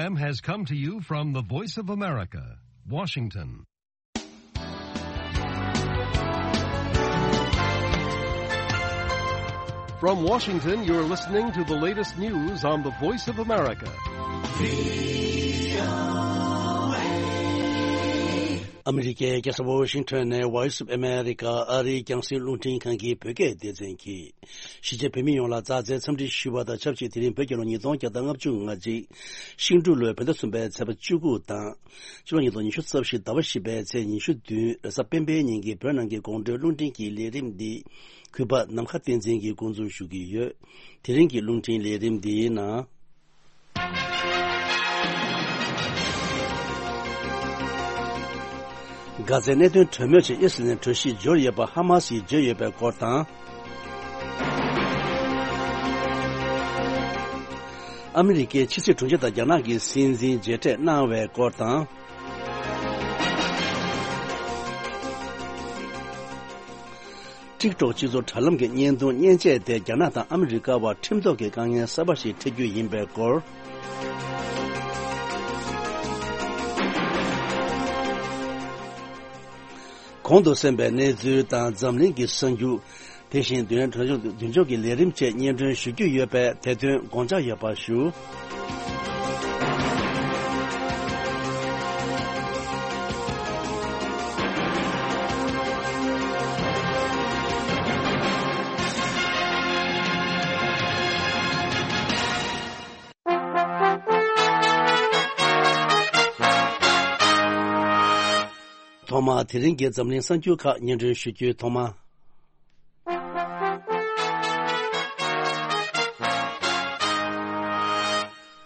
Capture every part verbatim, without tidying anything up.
Has come to you from the Voice of America, Washington. From Washington, you're listening to the latest news on the Voice of America. ཨ་མི་རི་ཀའི་རྒྱལ་ས་ཝ་ཤིང་ཊོན་ནས་Voice of America ཨ་རིའི་རྒྱང་སྲིང་རླུང་འཕྲིན་ཁང་གི་བོད་སྐད་སྡེ་ཚན་གྱིས། གཞིས་བྱེས་བོད་མི་ཡོངས་ལ་མཛའ་བརྩེའི་འཚམས་འདྲི་ཞུ་བ་དང་ཆབས་ཅིག་དེ་རིང་བོད་རྒྱལ་ལོ་ཉིས་སྟོང་བརྒྱ་དང་ལྔ་བཅུ་ང་གཅིག་ཤིང་འབྲུག་ལོའི་བོད་ཟླ་གསུམ་པའི་ཚེས་པ་བཅུ་དགུ་དང་། ཕྱི་ལོ་ཉིས་སྟོང་ཉི་ཤུ་རྩ་བཞི་ཟླ་བ་བཞི་པའི་ཚེས་ཉི་ཤུ་བདུན་རེས་གཟའ་སྤེན་པའི་ཉིན་གྱི་བོད་ནང་གི་དགོང་དྲོའི་རླུང་འཕྲིན་གྱི་ལས་རིམ་འདི་གུས་པ་ནམ་མཁའ་བསྟན་འཛིན་གྱིས་འགོ་འཛུགས་ཞུ་གི་ཡོད། དེ་རིང་གི་རླུང་འཕྲིན་ལས་རིམ་འདིའི་ནང་། གྷ་ཛའི་གནད་དོན་གྲོས་མོལ་ཆེད་ཨི་སི་རལ་ནས་གྲོས་གཞི་འབྱོར་ཡོད་པ་ཧ་མ་སིས་བརྗོད་ཡོད་པའི་སྐོར་དང་། ཨ་མི་རི་ཀའི་ཕྱི་སྲིད་དྲུང་ཆེ་དང་རྒྱ་ནག་གི་སྲིད་འཛིན་མཇལ་འཕྲད་གནང་བའི་སྐོར་དང་། ཊིག་ཊོག་སྤྱི་ཚོགས་དྲ་ལམ་གྱི་བརྙན་ཐུང་མཉེན་ཆས་དེ་རྒྱ་ནག་དང་ཨ་མི་རི་ཀ་བར་ཁྲིམས་ཐོག་གི་དཀའ་ངལ་གསར་པ་ཞིག་འཕྲད་རྒྱུ་ཡིན་པའི་སྐོར། གོང་དུ་གསན་པའི་གནས་ཚུལ་དང་འཛམ་གླིང་གི་གསར་འགྱུར། དེ་བཞིན་བདུན་ཕྲག་མདུན་ཕྱོགས་ཀྱི་ལས་རིམ་བཅས་སྙན་སྒྲོན་ཞུ་རྒྱུ་ཡོད་པས་དེ་དོན་དགོངས་འཇགས་ཡོད་པ་ཞུ། ཐོག་མར་དེ་རིང་གི་འཛམ་གླིང་གསར་འགྱུར་ཁག་སྙན་སྒྲོན་ཞུ་རྒྱུའི་ཐོག་མ།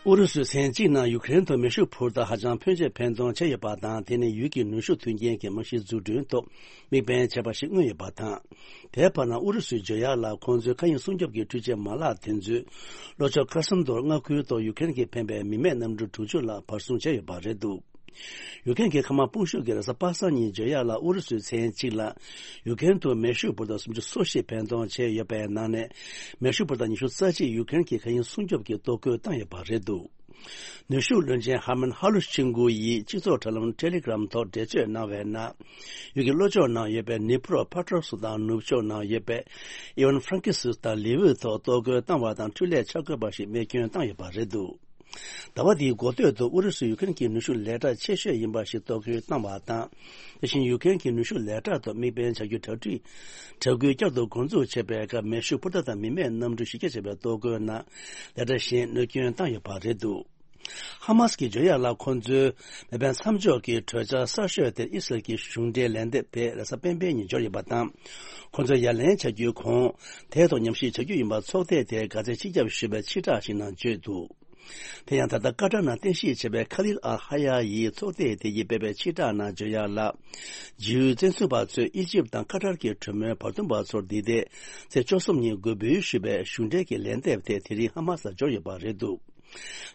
ཨུ་རུ་སུས་མཚན་གཅིག་ནང་ཡུ་ཀེ་རེན་དུ་མེ་ཤུགས་འཕུར་མདའ་ཧ་ཅང་ཕོན་ཆེ་འཕེན་གཏོང་བྱས་ཡོད་པ་དང་། དེ་ནི་ཡུལ་གྱི་ནུས་ཤུགས་མཐུན་རྐྱེན་གྱི་རྨང་གཞི་འཛུགས་སྐྲུན་ཐོག་དམིགས་འབེན་བྱས་པ་ཞིག་མངོན་ཡོད་པ་དང་། དེའི་བར་ན་ཨུ་རུ་སུས་བརྗོད་ཡག་ལ་ཁོང་ཚོའི་མཁའ་དབྱིངས་སྲུང་སྐྱོབ་ཀྱི་འཕྲུལ་ཆས་མ་ལག་དེ་ཚོས་ལྷོ་ཕྱོགས་ཁ་སན་དོར་མངའ་ཁུལ་ཐོག་ཡུ་ཀེ་རེན་གྱིས་འཕེན་པའི་མི་མེད་གནམ་གྲུ་དྲུག་ཅུ་ལ་བར་སྲུང་བྱས་ཡོད་པ་རེད་འདུག་ཡུ་ཀེ་རེན་གྱི་མཁའ་དམག་དཔུང་ཤུགས་ཀྱིས་རེས་གཟའ་པ་སངས་ཉིན་བརྗོད་ཡག་ལ་ཨུ་རུ་སུས་མཚན་གཅིག་ལ་ཡུ་ཀེ་རེན་དུ་མེ་ཤུགས་འཕུར་མདའ་སུམ་ཅུ་སོ་བཞི་འཕེན་གཏོང་བྱས་ཡོད་པའི་ནང་ནས། མེ་ཤུགས་འཕུར་མདའ་ཉི་ཤུ་རྩ་གཅིག་ཡུ་ཀེ་རེན་གྱི་མཁའ་དབྱིངས་སྲུང་སྐྱོབ་ཀྱིས་གཏོར་རྒོལ་བཏང་ཡོད་པ་རེད་འདུག་ནུས་ཤུགས་བློན་ཆེན་ཧར་མན་ཧ་ལུ་ཆིང་གུ་ཡིས་སྤྱི་ཚོགས་དྲ་ལམ་ཊེ་ལི་གྷི་རམ་ཐོག་འགྲེལ་བརྗོད་གནང་བའི་ནང་། ཡུལ་གྱི་ལྷོ་ཕྱོགས་ནང་ཡོད་པའི་ནི་པྲོ་ཕ་ཏྲོ་སུ་དང་ནུབ་ཕྱོགས་ནང་ཡོད་པའི་ཨི་ཝན་ཧྥ་རན་ཀི་སུ་དང་ལི་ཝུ་ཐོག་གཏོར་རྒོལ་བཏང་བ་དང་འཕྲུལ་ལས་ཆག་སྒོ་བ་ཞིག་རྨས་སྐྱོན་བཏང་ཡོད་པ་རེད་འདུག་ཟླ་བ་འདིའི་འགོ་སྟོད་དུ་ཨུ་རུ་སུས་ཡུ་ཀེ་རེན་གྱི་ནུས་ཤུགས་ལས་གྲྭ་ཆེ་ཤོས་ཡིན་པ་ཞིག་གཏོར་རྒོལ་བཏང་བ་དང་། དེ་བཞིན་ཡུ་ཀེ་རེན་གྱི་ནུས་ཤུགས་ལས་གྲྭ་དང་དམིགས་འབེན་བྱ་རྒྱུའི་གྲ་སྒྲིག་གྲ་སྒོ་བསྐྱར་དུ་འགོ་འཛུགས་བྱས་པའི་སྐབས། མེ་ཤུགས་འཕུར་མདའ་དང་མི་མེད་གནམ་གྲུ་བཞི་བརྒྱ་བྱས་པའི་གཏོར་རྒོལ་ནང་ལས་གྲྭ་གཞན་གནོད་སྐྱོན་བཏང་ཡོད་པ་རེད་འདུག་ཧ་མ་སི་གིས་བརྗོད་ཡག་ལ། ཁོང་ཚོའི་མེ་འཕེན་མཚམས་འཇོག་གི་གྲོས་འཆར་གསར་ཤོས་དེར་ཨི་སི་རལ་གྱི་གཞུང་འབྲེལ་ལན་འདེབས་དེ་རེས་གཟའ་སྤེན་པའི་ཉིན་འབྱོར་ཡོད་པ་དང་། ཁོང་ཚོས་ཡ་ལན་བྱ་རྒྱུའི་གོང་དེའི་ཐོག་ཉམས་ཞིབ་བྱ་རྒྱུ་ཡིན་པ་ཚོགས་སྡེ་དེས་གྷ་ཛའི་སྤྱི་ཁྱབ་ཞུ་བའི་ཕྱིར་བསྒྲགས་ཤིག་ནང་བརྗོད་འདུག་དེ་ཡང་ད་ལྟ་ཀ་ཏར་ནང་རྟེན་གཞི་བྱས་པའི་ཁ་ལིལ་ཨལ་ཧ་ཡ་ཡིས་ཚོགས་སྡེ་དེ་ཡིས་སྤེལ་བའི་ཕྱིར་བསྒྲགས་ནང་བརྗོད་ཡག་ལ། འཇིགས་སྐུལ་བཙན་འཛུལ་བ་ཚོས་ཨི་ཇིབ་དང་ཀ་ཏར་གྱི་གྲོས་མོལ་བར་འདུམ་པ་ཚོར་འདི་ཟླའི་ཚེས་བཅུ་གསུམ་ཉིན་འགོད་འབུལ་ཞུས་པའི་གཞུང་འབྲེལ་གྱི་ལན་འདེབས་དེ་དེ་རིང་ཧ་མ་སར་འབྱོར་ཡོད་པ་རེད་འདུག་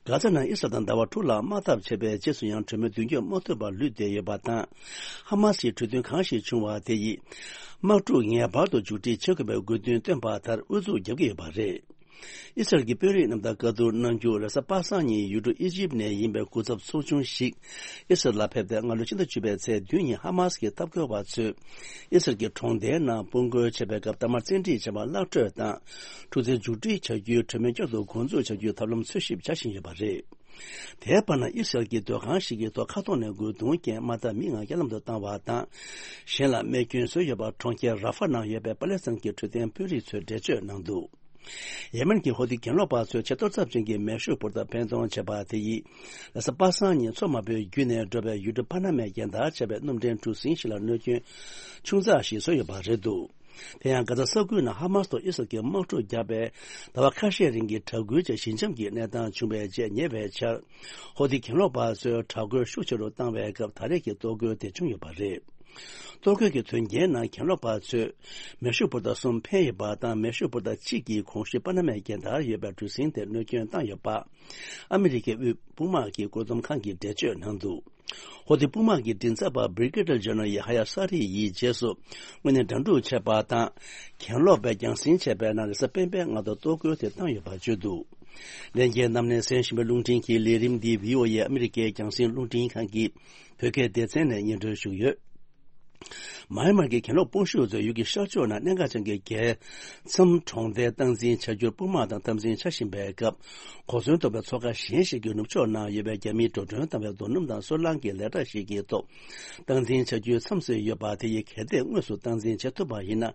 གྷ་ཛ་ནང་ཨི་སི་རལ་དང་ཟླ་བ་དྲུག་ལ་དམག་འཐབ་བྱས་པའི་རྗེས་སུ་ཡང་གྲོས་མོལ་མདུན་སྐྱོད་མ་ཐུབ་པར་ལུས་བསྡད་ཡོད་པ་དང་། ཧ་མ་སིའི་གྲོས་མཐུན་གང་ཞིག་བྱུང་བ་དེ་ཡིས་དམག་འཁྲུག་ངེས་པར་དུ་མཇུག་སྒྲིལ་བྱེད་དགོས་པའི་དགོས་འདུན་བཏོན་པ་ལྟར་ཨུ་ཚུགས་རྒྱབ་ཀྱི་ཡོད་པ་རེད། ཨི་སི་རལ་གྱི་དཔོན་རིགས་རྣམས་དང་བཀའ་བསྡུར་གནང་རྒྱུར་རེས་གཟའ་པ་སངས་ཉིན་ཡུལ་གྲུ་ཨི་ཇིབ་ནས་ཡིན་པའི་སྐུ་ཚབ་ཚོགས་ཆུང་ཞིག་ཨི་སི་རལ་ལ་ཕེབས་ཏེ། སྔ་ལོའི་ཕྱི་ཟླ་བཅུ་པའི་ཚེས་བདུན་ཉིན་ཧ་མ་སི་གི་འཐབ་རྒོལ་བ་ཚོས་ཨི་སི་རལ་གྱི་གྲོང་སྡེའི་ནང་དཔུང་རྒོལ་བྱས་པའི་སྐབས། གཏའ་མར་བཙན་ཁྲིད་བྱས་པ་གླགས་སྤྲོད་དང་། འཁྲུག་འཛིང་མཇུག་སྒྲིལ་བྱ་རྒྱུའི་གྲོས་མོལ་བསྐྱར་དུ་འགོ་འཛུགས་བྱ་རྒྱུའི་ཐབས་ལམ་འཚོལ་ཞིབ་བྱ་བཞིན་ཡོད་པ་རེད། དེའི་བར་ན་ཨི་སི་རལ་གྱི་སྡོད་ཁང་ཞིག་གི་ཐོག་མཁའ་ཐོག་ནས་རྒོལ་རྡུང་རྐྱེན་དམག་འཐབ་མི་ལྔ་རྐྱེན་ལམ་དུ་བཏང་བ་དང་། གཞན་ལ་རྨས་སྐྱོན་བཟོས་ཡོད་པ་གྲོང་ཁྱེར་ར་ཧྥ་ནང་ཡོད་པའི་པ་ལེ་སི་ཐན་གྱི་འཕྲོད་བསྟེན་དཔོན་རིགས་ཚོས་འགྲེལ་བརྗོད་གནང་འདུག་ཡེ་མེན་གྱི་ཧོ་ཐི་གྱེན་ལོག་པ་ཚོས་ཆེས་གཏོར་ཚབས་ཅན་གྱི་མེ་ཤུགས་འཕུར་མདའ་འཕེན་གཏོང་བྱས་པ་དེ་ཡིས། རེས་གཟའ་པ་སངས་ཉིན་མཚོ་དམར་པོའི་བརྒྱུད་ནས་འགྲོ་བའི་ཡུལ་གྲུ་པ་ན་མའི་རྒྱལ་དར་བྱས་པའི་སྣུམ་འདྲེན་གྲུ་གཟིངས་ཤིག་ལ་གནོད་སྐྱོན་ཆུང་ཙག་ཞིག་བཟོས་ཡོད་པ་རེད་འདུག་དེ་ཡང་གྷ་ཛ་ས་ཁུལ་ནང་ཧ་མ་སི་དང་ཨི་སི་རལ་གྱི་དམག་འཁྲུག་བརྒྱབ་པའི་ཟླ་བ་ཁ་ཤས་རིང་གི་དྲག་རྒོལ་བཅས་ཞི་འཇམ་གྱི་གནས་སྟངས་བྱུང་བའི་རྗེས་ཉེ་བའི་ཆར། ཧོ་ཐི་གྱེན་ལོག་པ་ཚོས་དྲག་རྒོལ་ཤུགས་ཆེ་རུ་བཏང་བའི་སྐབས། ད་རེས་ཀྱི་གཏོར་རྒོལ་དེ་བྱུང་ཡོད་པ་རེད། གཏོར་རྒོལ་གྱི་དོན་རྐྱེན་ནང་གྱེན་ལོག་པ་ཚོས་མེ་ཤུགས་འཕུར་མདའ་གསུམ་འཕེན་ཡོད་པ་དང་། མེ་ཤུགས་འཕུར་མདའ་གཅིག་གིས་གོང་ཞུས་པ་ན་མའི་རྒྱལ་དར་ཡོད་པའི་གྲུ་གཟིངས་དེར་གནོད་སྐྱོན་བཏང་ཡོད་པ། ཨ་མི་རི་ཀའི་དབུས་དཔུང་དམག་གི་བཀོད་འདོམས་ཁང་གིས་འགྲེལ་བརྗོད་གནང་འདུག་ཧོ་ཐི་དཔུང་དམག་གི་མགྲིན་ཚབ་པ་བྷི་རི་གེ་ཌར་ཇེ་ནེ་རལ་ཧ་ཡ་ས་རི་ཡིས་རྗེས་སུ་དངོས་གནས་འགྲན་བསྡུར་བྱས་པ་དང་། གྱེན་ལོག་པས་རྒྱང་སྲིང་བྱས་པའི་ནང་རེས་གཟའ་སྤེན་པའི་སྔ་དྲོ་གཏོར་རྒོལ་དེ་བཏང་ཡོད་པ་བརྗོད་འདུག་ལྷན་རྒྱས་རྣམས་ནས་གསན་བཞིན་པའི་རླུང་འཕྲིན་གྱི་ལས་རིམ་འདི་བྷི་ཨོ་ཨེ་ཨ་མི་རི་ཀའི་རྒྱང་སྲིང་རླུང་འཕྲིན་ཁང་གི་བོད་སྐད་སྡེ་ཚན་ནས་སྙན་སྒྲོན་ཞུ་གི་ཡོད། མཱ་ཡན་མར་གྱི་གྱེན་ལོག་དཔུང་ཤུགས་ཚོས་ཡུལ་གྱི་ཤར་ཕྱོགས་ན་གནད་འགག་ཅན་གྱི་རྒྱལ་མཚམས་གྲོང་རྡལ་སྟངས་འཛིན་བྱ་རྒྱུར་དཔུང་དམག་དང་འཐབ་འཛིང་བྱ་བཞིན་པའི་སྐབས། གོ་མཚོན་གཏོང་བའི་མཚོ་ཁ་གཞན་ཞིག་གི་ནུབ་ཕྱོགས་ན་ཡོད་པའི་རྒྱ་མིའི་འགྲོ་གྲོན་བཏང་བའི་རྡོ་སྣུམ་དང་སོལ་རླངས་ཀྱི་ལས་གྲྭ་ཞིག་གི་ཐོག་སྟངས་འཛིན་བྱ་རྒྱུའི་མཚམས་སུ་ཡོད་པ་དེ་ཡི་གལ་ཏེ་དངོས་སུ་སྟངས་འཛིན་བྱེད་ཐུབ་པ་ཡིན་ན།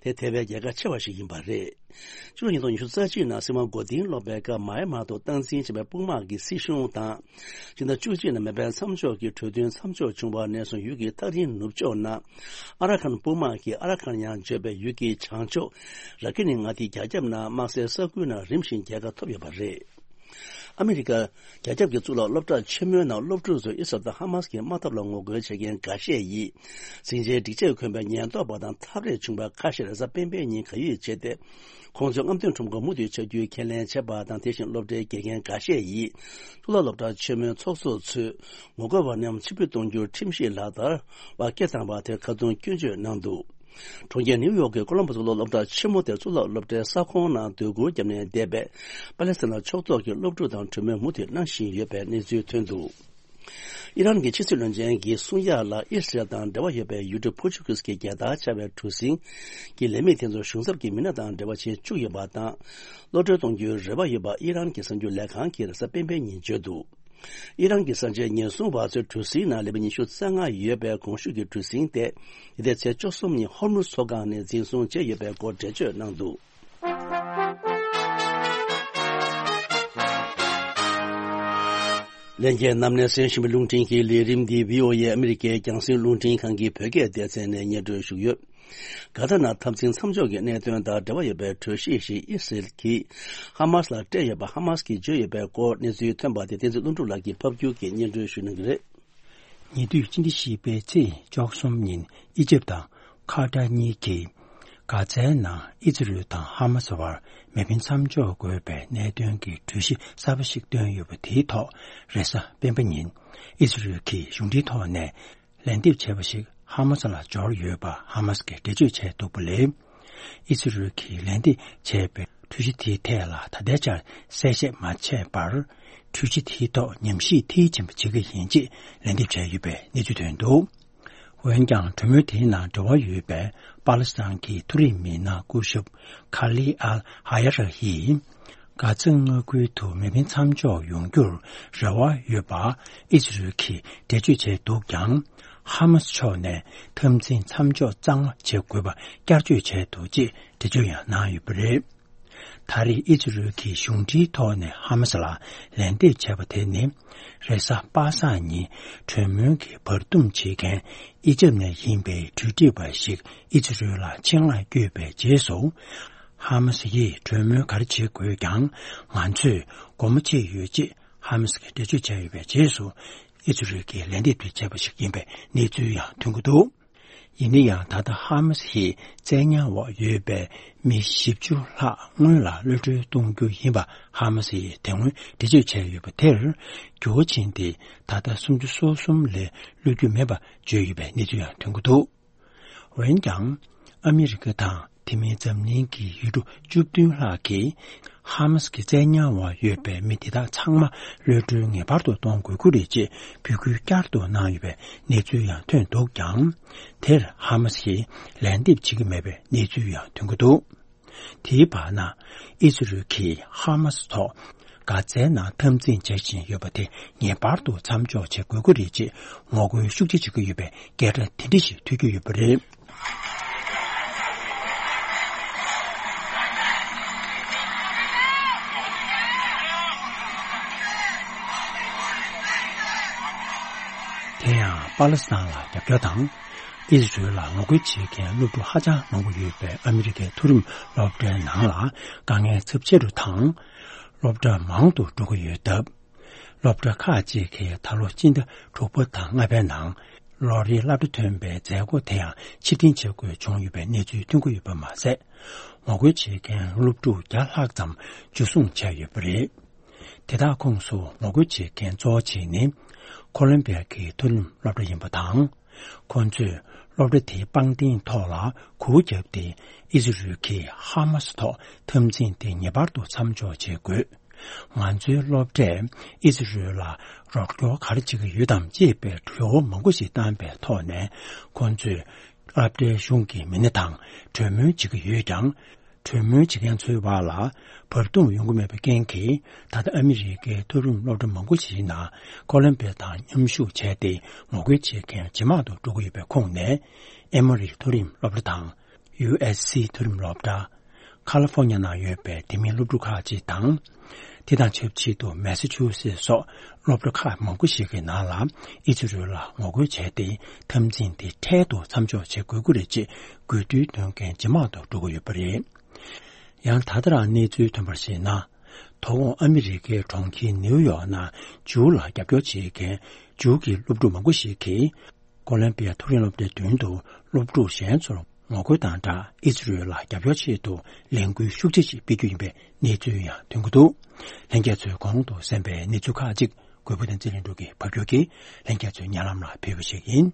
དེ་དེ་བས་རྒྱལ་ཁ་ཆེ་བ་ཞིག་ཡིན་པ་རེད། ཕྱི་ལོ་ཉིས་སྟོང་ཉི་ཤུ་རྩ་གཅིག་ནང་སྲིད་དབང་མགོ་རྟིང་སློག་པའི་སྐབས་མཱ་ཡན་མར་དུ་སྟངས་འཛིན་བྱས་པའི་དཔུང་དམག་གི་སྲིད་གཞུང་དང་། ཕྱི་ཟླ་བཅུ་གཅིག་ནང་མེ་འཕེན་མཚམས་འཇོག་གི་གྲོས་མཐུན་མཚམས་འཇོག་བྱུང་བ་ནས་བཟུང་ཡུལ་གྱི་ཐག་རིང་ནུབ་ཕྱོགས་ན། ཨ་ར་ཁན་དཔུང་དམག་གིས་ཨ་ར་ཁན་ཡང་བརྗོད་པའི་ཡུལ་གྱི་བྱང་ཕྱོགས་ར་ཀི་ནི་མངའ་སྡེའི་རྒྱ་ཁྱབ་ནང་དམག་སའི་ས་ཁུལ་ནང་རིམ་བཞིན་རྒྱལ་ཁ་ཐོབ་ཡོད་པ་རེད། ཨ་མི་རི་ཀ་རྒྱ་ཁྱབ་ཀྱི་གཙུག་ལག་སློབ་གྲྭ་ཆེན་མོའི་ནང་སློབ་ཕྲུག་ཚོས་ཨི་སི་རལ་དང་ཧ་མ་སི་གི་དམག་འཐབ་ལ་ངོ་རྒོལ་བྱེད་མཁན་འགའ་ཤས་ཡིས་ཟིང་ཆའི་སྒྲིག་ཆས་གོན་པའི་ཉེན་རྟོག་པ་དང་ཐག་རེས་བྱུང་བའི་ཁ་ཤས་རེས་གཟའ་སྤེན་པའི་ཉིན་གར་ཡོད་བྱས་ཏེ། ཁོང་ཚོས་རྔམ་སྟོན་ཁྲོམ་སྐོར་མུ་མཐུད་བྱ་རྒྱུའི་ཁས་ལེན་བྱས་པ་དང་། དེ་བཞིན་སློབ་གྲྭའི་དགེ་རྒན་འགའ་ཤས་ཡིས་གཙུག་ལག་སློབ་གྲྭ་ཆེན་མོའི་ཚོགས་གཙོ་ཚོས་ངོ་རྒོལ་བ་རྣམས་ཕྱིར་འབུད་གཏོང་རྒྱུར་ཁྲིམས་གཞི་ལག་བསྟར་བ་སྐད་བཏང་བ་དེར་ཁ་རྡུང་སྐྱོན་བརྗོད་གནང་འདུག་གྲོང་ཁྱེར་ནིའུ་ཡོག་གི་ཀོ་ལོམ་བྷོ་གཙུག་ལག་སློབ་གྲྭ་ཆེན་མོ་དེར་གཙུག་ལག་སློབ་གྲྭའི་ས་ཁོངས་ནང་སྡོད་གུར་བརྒྱབ་ནས་བསྡད་པའི་པ་ལེ་སི་ཐན་ལ་ཕྱོགས་གཏོགས་ཀྱི་སློབ་ཕྲུག་དང་གྲོས་མོལ་མུ་མཐུད་གནང་བཞིན་ཡོད་པའི་གནས་ཚུལ་ཐོན་འདུག་ཨི་རན་གྱི་ཕྱི་སྲིད་བློན་ཆེན་གྱིས་གསུང་ཡག་ལ་ཨི་སི་རལ་དང་འབྲེལ་བ་ཡོད་པའི་ཡུལ་གྲུ་པོར་ཅུ་གིས་ཀྱི་རྒྱལ་དར་འཕྱར་བའི་གྲུ་གཟིངས་ཀྱི་ལས་མི་དེ་ཚོ་གཞུང་ཚབ་ཀྱི་མི་སྣ་དང་འབྲེལ་བ་བྱེད་བཅུག་ཡོད་པ་དང་། གློད་གྲོལ་གཏོང་རྒྱུའི་རེ་བ་ཡོད་པ་ཨི་རན་གྱི་གསར་འགྱུར་ལས་ཁང་གིས་རེས་གཟའ་སྤེན་པའི་ཉིན་བརྗོད་འདུག་ཨི་རན་གྱི་གསར་བརྗེའི་ཉེན་སྲུང་བ་ཚོས་གྲུ་གཟིངས་ནང་ལས་མི་ཉི་ཤུ་རྩ་ལྔ་ཡོད་པའི་གོང་ཞུས་ཀྱི་གྲུ་གཟིངས་དེ། འདི་ཟླའི་ཚེས་བཅུ་གསུམ་ཉིན་ཧོར་མུ་མཚོ་སྒང་ནས་འཛིན་བཟུང་བྱས་ཡོད་པའི་སྐོར་འགྲེལ་བརྗོད་གནང་འདུག་ལྷན་རྒྱས་རྣམས་ནས་གསན་བཞིན་པའི་རླུང་འཕྲིན་གྱི་ལས་རིམ་འདི་བྷི་ཨོ་ཨེ་ཨ་མི་རི་ཀའི་རྒྱང་སྲིང་རླུང་འཕྲིན་ཁང་གི་བོད་སྐད་སྡེ་ཚན་ནས་སྙན་སྒྲོན་ཞུ་གི་ཡོད། གྷ་ཏར་ནང་འཐབ་འཛིང་མཚམས་འཇོག་གི་གནད་དོན་དང་འབྲེལ་བ་ཡོད་པའི་གྲོས་གཞི་ཞིག་ཨི་སི་རལ་གྱིས་ཧ་མ་སི་ལ་སྤྲད་ཡོད་པ་ཧ་མ་སི་གིས་བརྗོད་ཡོད་པའི་སྐོར་གནས་ཚུལ་ཐོན་པ་དེ་བསྟན་འཛིན་ཀླུ་སྒྲུབ་ལགས་ཀྱིས་ཕབ་སྒྱུར་གྱིས་སྙན་སྒྲོན་ཞུ་གནང་གི་རེད། ཉེ་དུས་སྤྱི་ཟླ་བཞི་པའི་ཚེས་བཅུ་གསུམ་ཉིན་ཨི་ཇིབ་དང་ཁ་ཏར་གཉིས་ཀྱིས་གྷ་ཛའི་ནང་ཨི་ཛི་རལ་དང་ཧ་མ་སི་བར་མེ་འཕེན་མཚམས་འཇོག་དགོས་པའི་གནད་དོན་གྱི་གྲོས་གཞི་གསར་པ་ཞིག་བཏོན་ཡོད་པ་དེའི་ཐོག་རེས་གཟའ་སྤེན་པ་ཉིན་ཨི་ཛི་རལ་གྱི་གཞུང་འབྲེལ་ཐོག་ནས་ལན་འདེབས་བྱས་པ་ཞིག་ཧ་མ་སི་ལ་འབྱོར་ཡོད་པ་ཧ་མ་སི་གིས་འགྲེལ་བརྗོད་བྱས་འདུག་པ་ལས། ཨི་སི་རལ་གྱིས་ལན་འདེབས་བྱས་པའི་གྲོས་གཞི་དེའི་ཐད་ལ་ད་ལྟའི་ཆར་གསལ་བཤད་མ་བྱས་པར། གྲོས་གཞི་དེའི་ཐོག་ཉམས་ཞིབ་མཐིལ་ཕྱིན་པ་བྱེད་ཀྱི་ཡིན་ཅེས་ལན་འདེབས་བྱས་ཡོད་པའི་གནས་ཚུལ་ཐོན་འདུག་འོན་ཀྱང་གྲོས་མོལ་དེའི་ནང་འབྲེལ་བ་ཡོད་པའི་པ་ལི་སི་ཐན་གྱི་མཐོ་རིམ་མི་སྣ་སྐུ་ཞབས་ཁ་ལི་ཨལ་ཧ་ཡ་ར་ཡིས། གྷ་ཛ་མངའ་ཁུལ་དུ་མེ་འཕེན་མཚམས་འཇོག་ཡོང་རྒྱུར་རེ་བ་ཡོད་པ་ཨི་སི་རལ་གྱིས་འགྲེལ་བརྗོད་བྱས་འདུག་ཀྱང་། ཧ་མ་སི་ཕྱོགས་ནས་འཐབ་འཛིང་མཚམས་འཇོག་གཙང་མ་བྱེད་དགོས་པ་བསྐྱར་བརྗོད་བྱས་འདུག་ཅེས་འགྲེལ་བརྗོད་ཡང་གནང་ཡོད་པ་རེད། ད་རེས་ཨི་སི་རལ་གྱི་གཞུང་འབྲེལ་ཐོག་ནས་ཧ་མ་སི་ལ་ལན་འདེབས་བྱས་པ་དེ་ནི། རེས་གཟའ་པ་སངས་ཉིན་གྲོས་མོལ་གྱི་བར་འདུམ་བྱེད་མཁན་ཨི་ཇིབ་ནས་ཡིན་པའི་གྲོས་སྒྲིག་པ་ཞིག་ཨི་སི་རལ་ལ་ཆེད་མངགས་བསྐྱོད་པའི་རྗེས་སུ། ཧ་མ་སི་ཡིས་གྲོས་མོལ་ག་རེ་བྱེད་དགོས་ཀྱང་ང་ཚོས་སྒོ་མོ་ཕྱེ་ཡོད་ཅེས་ཧ་མ་སི་གིས་འགྲེལ་བརྗོད་བྱས་ཡོད་པའི་རྗེས་སུ། ཨི་སི་རལ་གྱིས་ལན་འདེབས་དེ་བྱས་པ་ཞིག་ཡིན་པའི་གནས་ཚུལ་ཡང་ཐོན་གྱི་འདུག་ཡིན་ན་ཡང་ད་ལྟ་ཧ་མ་སི་ཡིས་བཙན་ཉར་འོག་ཡོད་པའི་མི་བཞི་བཅུ་ལྷག་སྔོན་ལ་གློད་གྲོལ་གཏོང་རྒྱུ་ཡིན་པ་ཧ་མ་སི་ཡིས་དེ་སྔོན་འགྲེལ་བརྗོད་བྱས་ཡོད་པ་དེར་འགྱུར་བ་ཕྱིན་ཏེ་ད་ལྟ་སུམ་ཅུ་སོ་གསུམ་ལས་གློད་རྒྱུ་མེད་པ་བརྗོད་ཡོད་པའི་གནས་ཚུལ་ཡང་ཐོན་གྱི་འདུག་འོན་ཀྱང་། ཨ་མི་རི་ཀ་དང་དེ་མིན་འཛམ་གླིང་གི་ཡུལ་གྲུ་བཅུ་བདུན་ལྷག་གིས་ཧ་མ་སི་གི་བཙན་ཉར་འོག་ཡོད་པའི་མི་དེ་དག་ཚང་མ་གློད་གྲོལ་ངེས་པར་དུ་གཏོང་དགོས་ཀྱི་རེད་ཅེས་འབོད་སྐུལ་བསྐྱར་དུ་གནང་ཡོད་པའི་གནས་ཚུལ་ཡང་ཐོན་འདུག་ཀྱང་། དེར་ཧ་མ་སི་ཡིས་ལན་འདེབས་བྱེད་ཀྱི་མེད་པའི་གནས་ཚུལ་ཡང་ཐོན་གྱི་འདུག་དེའི་བར་ན། ཨི་སི་རལ་གྱིས་ཧ་མ་སི་ཐོག་གྷ་ཛའི་ནང་འཐབ་འཛིང་བྱེད་བཞིན་ཡོད་པ་དེ་ངེས་པར་དུ་མཚམས་འཇོག་བྱེད་དགོས་ཀྱི་རེད་ཅེས་ངོ་རྒོལ་ཤུགས་ཆེ་བྱེད་ཀྱི་ཡོད་པའི་སྐད་སྒྲ་དེ་འདྲ་ཞིག་ཐོས་ཀྱི་ཡོད་པ་རེད། དེ་ཡང་པ་ལི་སི་ཐན་ལ་རྒྱབ་སྐྱོར་དང་། ཨི་སི་རལ་ལ་ངོ་རྒོལ་བྱེད་མཁན་སློབ་ཕྲུག་ཧ་ཅང་མང་པོ་ཡོད་པའི་ཨ་མི་རི་ཀའི་མཐོ་རིམ་སློབ་གྲྭའི་ནང་ལ་དཀའ་ངལ་ཚབས་ཆེ་རུ་དང་། སློབ་གྲྭ་མང་དུ་འགྲོ་གི་ཡོད་སྟབས། སློབ་གྲྭ་ཁག་ཅིག་གིས་ད་ལོ་སྤྱི་ཟླ་དྲུག་པ་དང་ལྔ་པའི་ནང་ལོ་རེའི་སློབ་གྲྭ་ཐོན་པའི་མཛད་སྒོ་དེ་ཡང་ཕྱིར་འཐེན་བྱེད་དགོས་བྱུང་ཡོད་པའི་གནས་ཚུལ་ཐོན་གྱི་ཡོད་པ་མ་ཟད། ངོ་རྒོལ་བྱེད་མཁན་སློབ་ཕྲུག་བརྒྱ་ལྷག་ཙམ་འཇུ་བཟུང་བྱས་ཡོད་པ་རེད། དེ་དག་ཁོངས་སུ་ངོ་རྒོལ་བྱེད་མཁན་གཙོ་བོ་གཅིག་ནི། ཁོ་ལོམ་བི་ཡ་གི་མཐོ་རིམ་སློབ་གྲྭ་ཡིན་པ་དང་། ཁོ་ཚོས་སློབ་གྲྭ་དེའི་པང་གདན་ཐོག་ལ་གུར་བརྒྱབ་སྟེ་ཨི་སི་རལ་གྱིས་ཧ་མ་སི་ཐོག་འཐབ་འཛིང་དེ་ངེས་པར་དུ་མཚམས་འཇོག་བྱེད་དགོས། ང་ཚོའི་སློབ་གྲྭས་ཨི་ཟི་རུལ་ལ་རོགས་སྐྱོར་ག་རེ་བྱེད་ཀྱི་ཡོད་དམ་ཅེས་པའི་དྲི་བ་མང་པོ་ཞིག་བཏང་པའི་ཐོག་ནས། ཁོང་ཚོས་སློབ་གྲྭའི་གཞུང་གི་མི་སྣ་དང་གྲོས་མོལ་བྱེད་ཀྱི་ཡོད་ཀྱང་། གྲོས་མོལ་བྱེད་མཁན་ཚོའི་བར་ལ་བབ་བསྟུན་ཡོང་གི་མེད་པའི་རྐྱེན་གྱིས། ད་ལྟ་ཨ་མི་རི་ཀའི་མཐོ་རིམ་སློབ་གྲྭ་མང་པོ་ཞིག་ནང་ཀོ་ལོམ་པི་ཡ་དང་མཉམ་ཞུགས་བྱས་ཏེ། ངོ་རྒོལ་བྱེད་མཁན་ཇེ་མང་དུ་འགྲོ་གི་ཡོད་པའི་ཁོངས་ནས། ཨེ་མོ་རི་མཐོ་རིམ་སློབ་གྲྭ་དང་། ཡུ་ཨེས་སི་མཐོ་རིམ་སློབ་གྲྭ། ཁ་ལི་ཧྥོ་ཉ་ནང་ཡོད་པའི་དེ་མིན་སློབ་ཕྲུག་ཁག་ཅིག་དང་། དེ་དང་ཆབས་ཅིག་ཏུ་མེ་ས་ཆུ་སེ་སོགས་སློབ་གྲྭ་ཁག་མང་པོ་ཞིག་གི་ནང་ལ་ཨི་ཛི་རུལ་ལ་ངོ་རྒོལ་བྱས་ཏེ། འཐབ་འཛིང་དེ་འཕྲལ་དུ་མཚམས་འཇོག་བྱེད་དགོས་ཀྱི་རེད་ཅེས་དགོས་འདུན་མཁན་ཇེ་མང་དུ་འགྲོ་གི་ཡོད་པ་རེད། ཡང་ད་ལྟ་རང་གནས་ཚུལ་ཐོན་པར་གཞིགས་ན། དོ་དགོང་ཨ་མི་རི་ཀའི་གྲོང་ཁྱེར་ནེའུ་ཡོག་ནང་ཇུའུ་ལ་རྒྱབ་སྐྱོར་བྱེད་མཁན་ཇུའུ་གི་སློབ་ཕྲུག་མང་པོ་ཞིག་གིས། ཀོ་ལོམ་པི་ཡ་མཐོ་རིམ་སློབ་གྲྭའི་མདུན་དུ་སློབ་ཕྲུག་གཞན་ཚོར་ངོ་རྒོལ་དང་སྦྲགས། ཨི་ཛི་རུལ་ལ་རྒྱབ་སྐྱོར་ཆེད་དུ་ལས་འགུལ་ཤུགས་ཆེ་ཞིག་སྤེལ་རྒྱུ་ཡིན་པའི་གནས་ཚུལ་ཡང་ཐོན་གྱི་འདུག་ལྷན་རྒྱས་ཚོས་གོང་དུ་གསན་པའི་གནས་ཚུལ་ཁག་ཅིག་གུས་པ་བསྟན་འཛིན་ལྷུན་གྲུབ་ཀྱིས་ཕབ་སྒྱུར་གྱིས་ལྷན་རྒྱས་ཚོའི་སྙན་ལམ་ལ་ཕུལ་བ་ཞིག་ཡིན།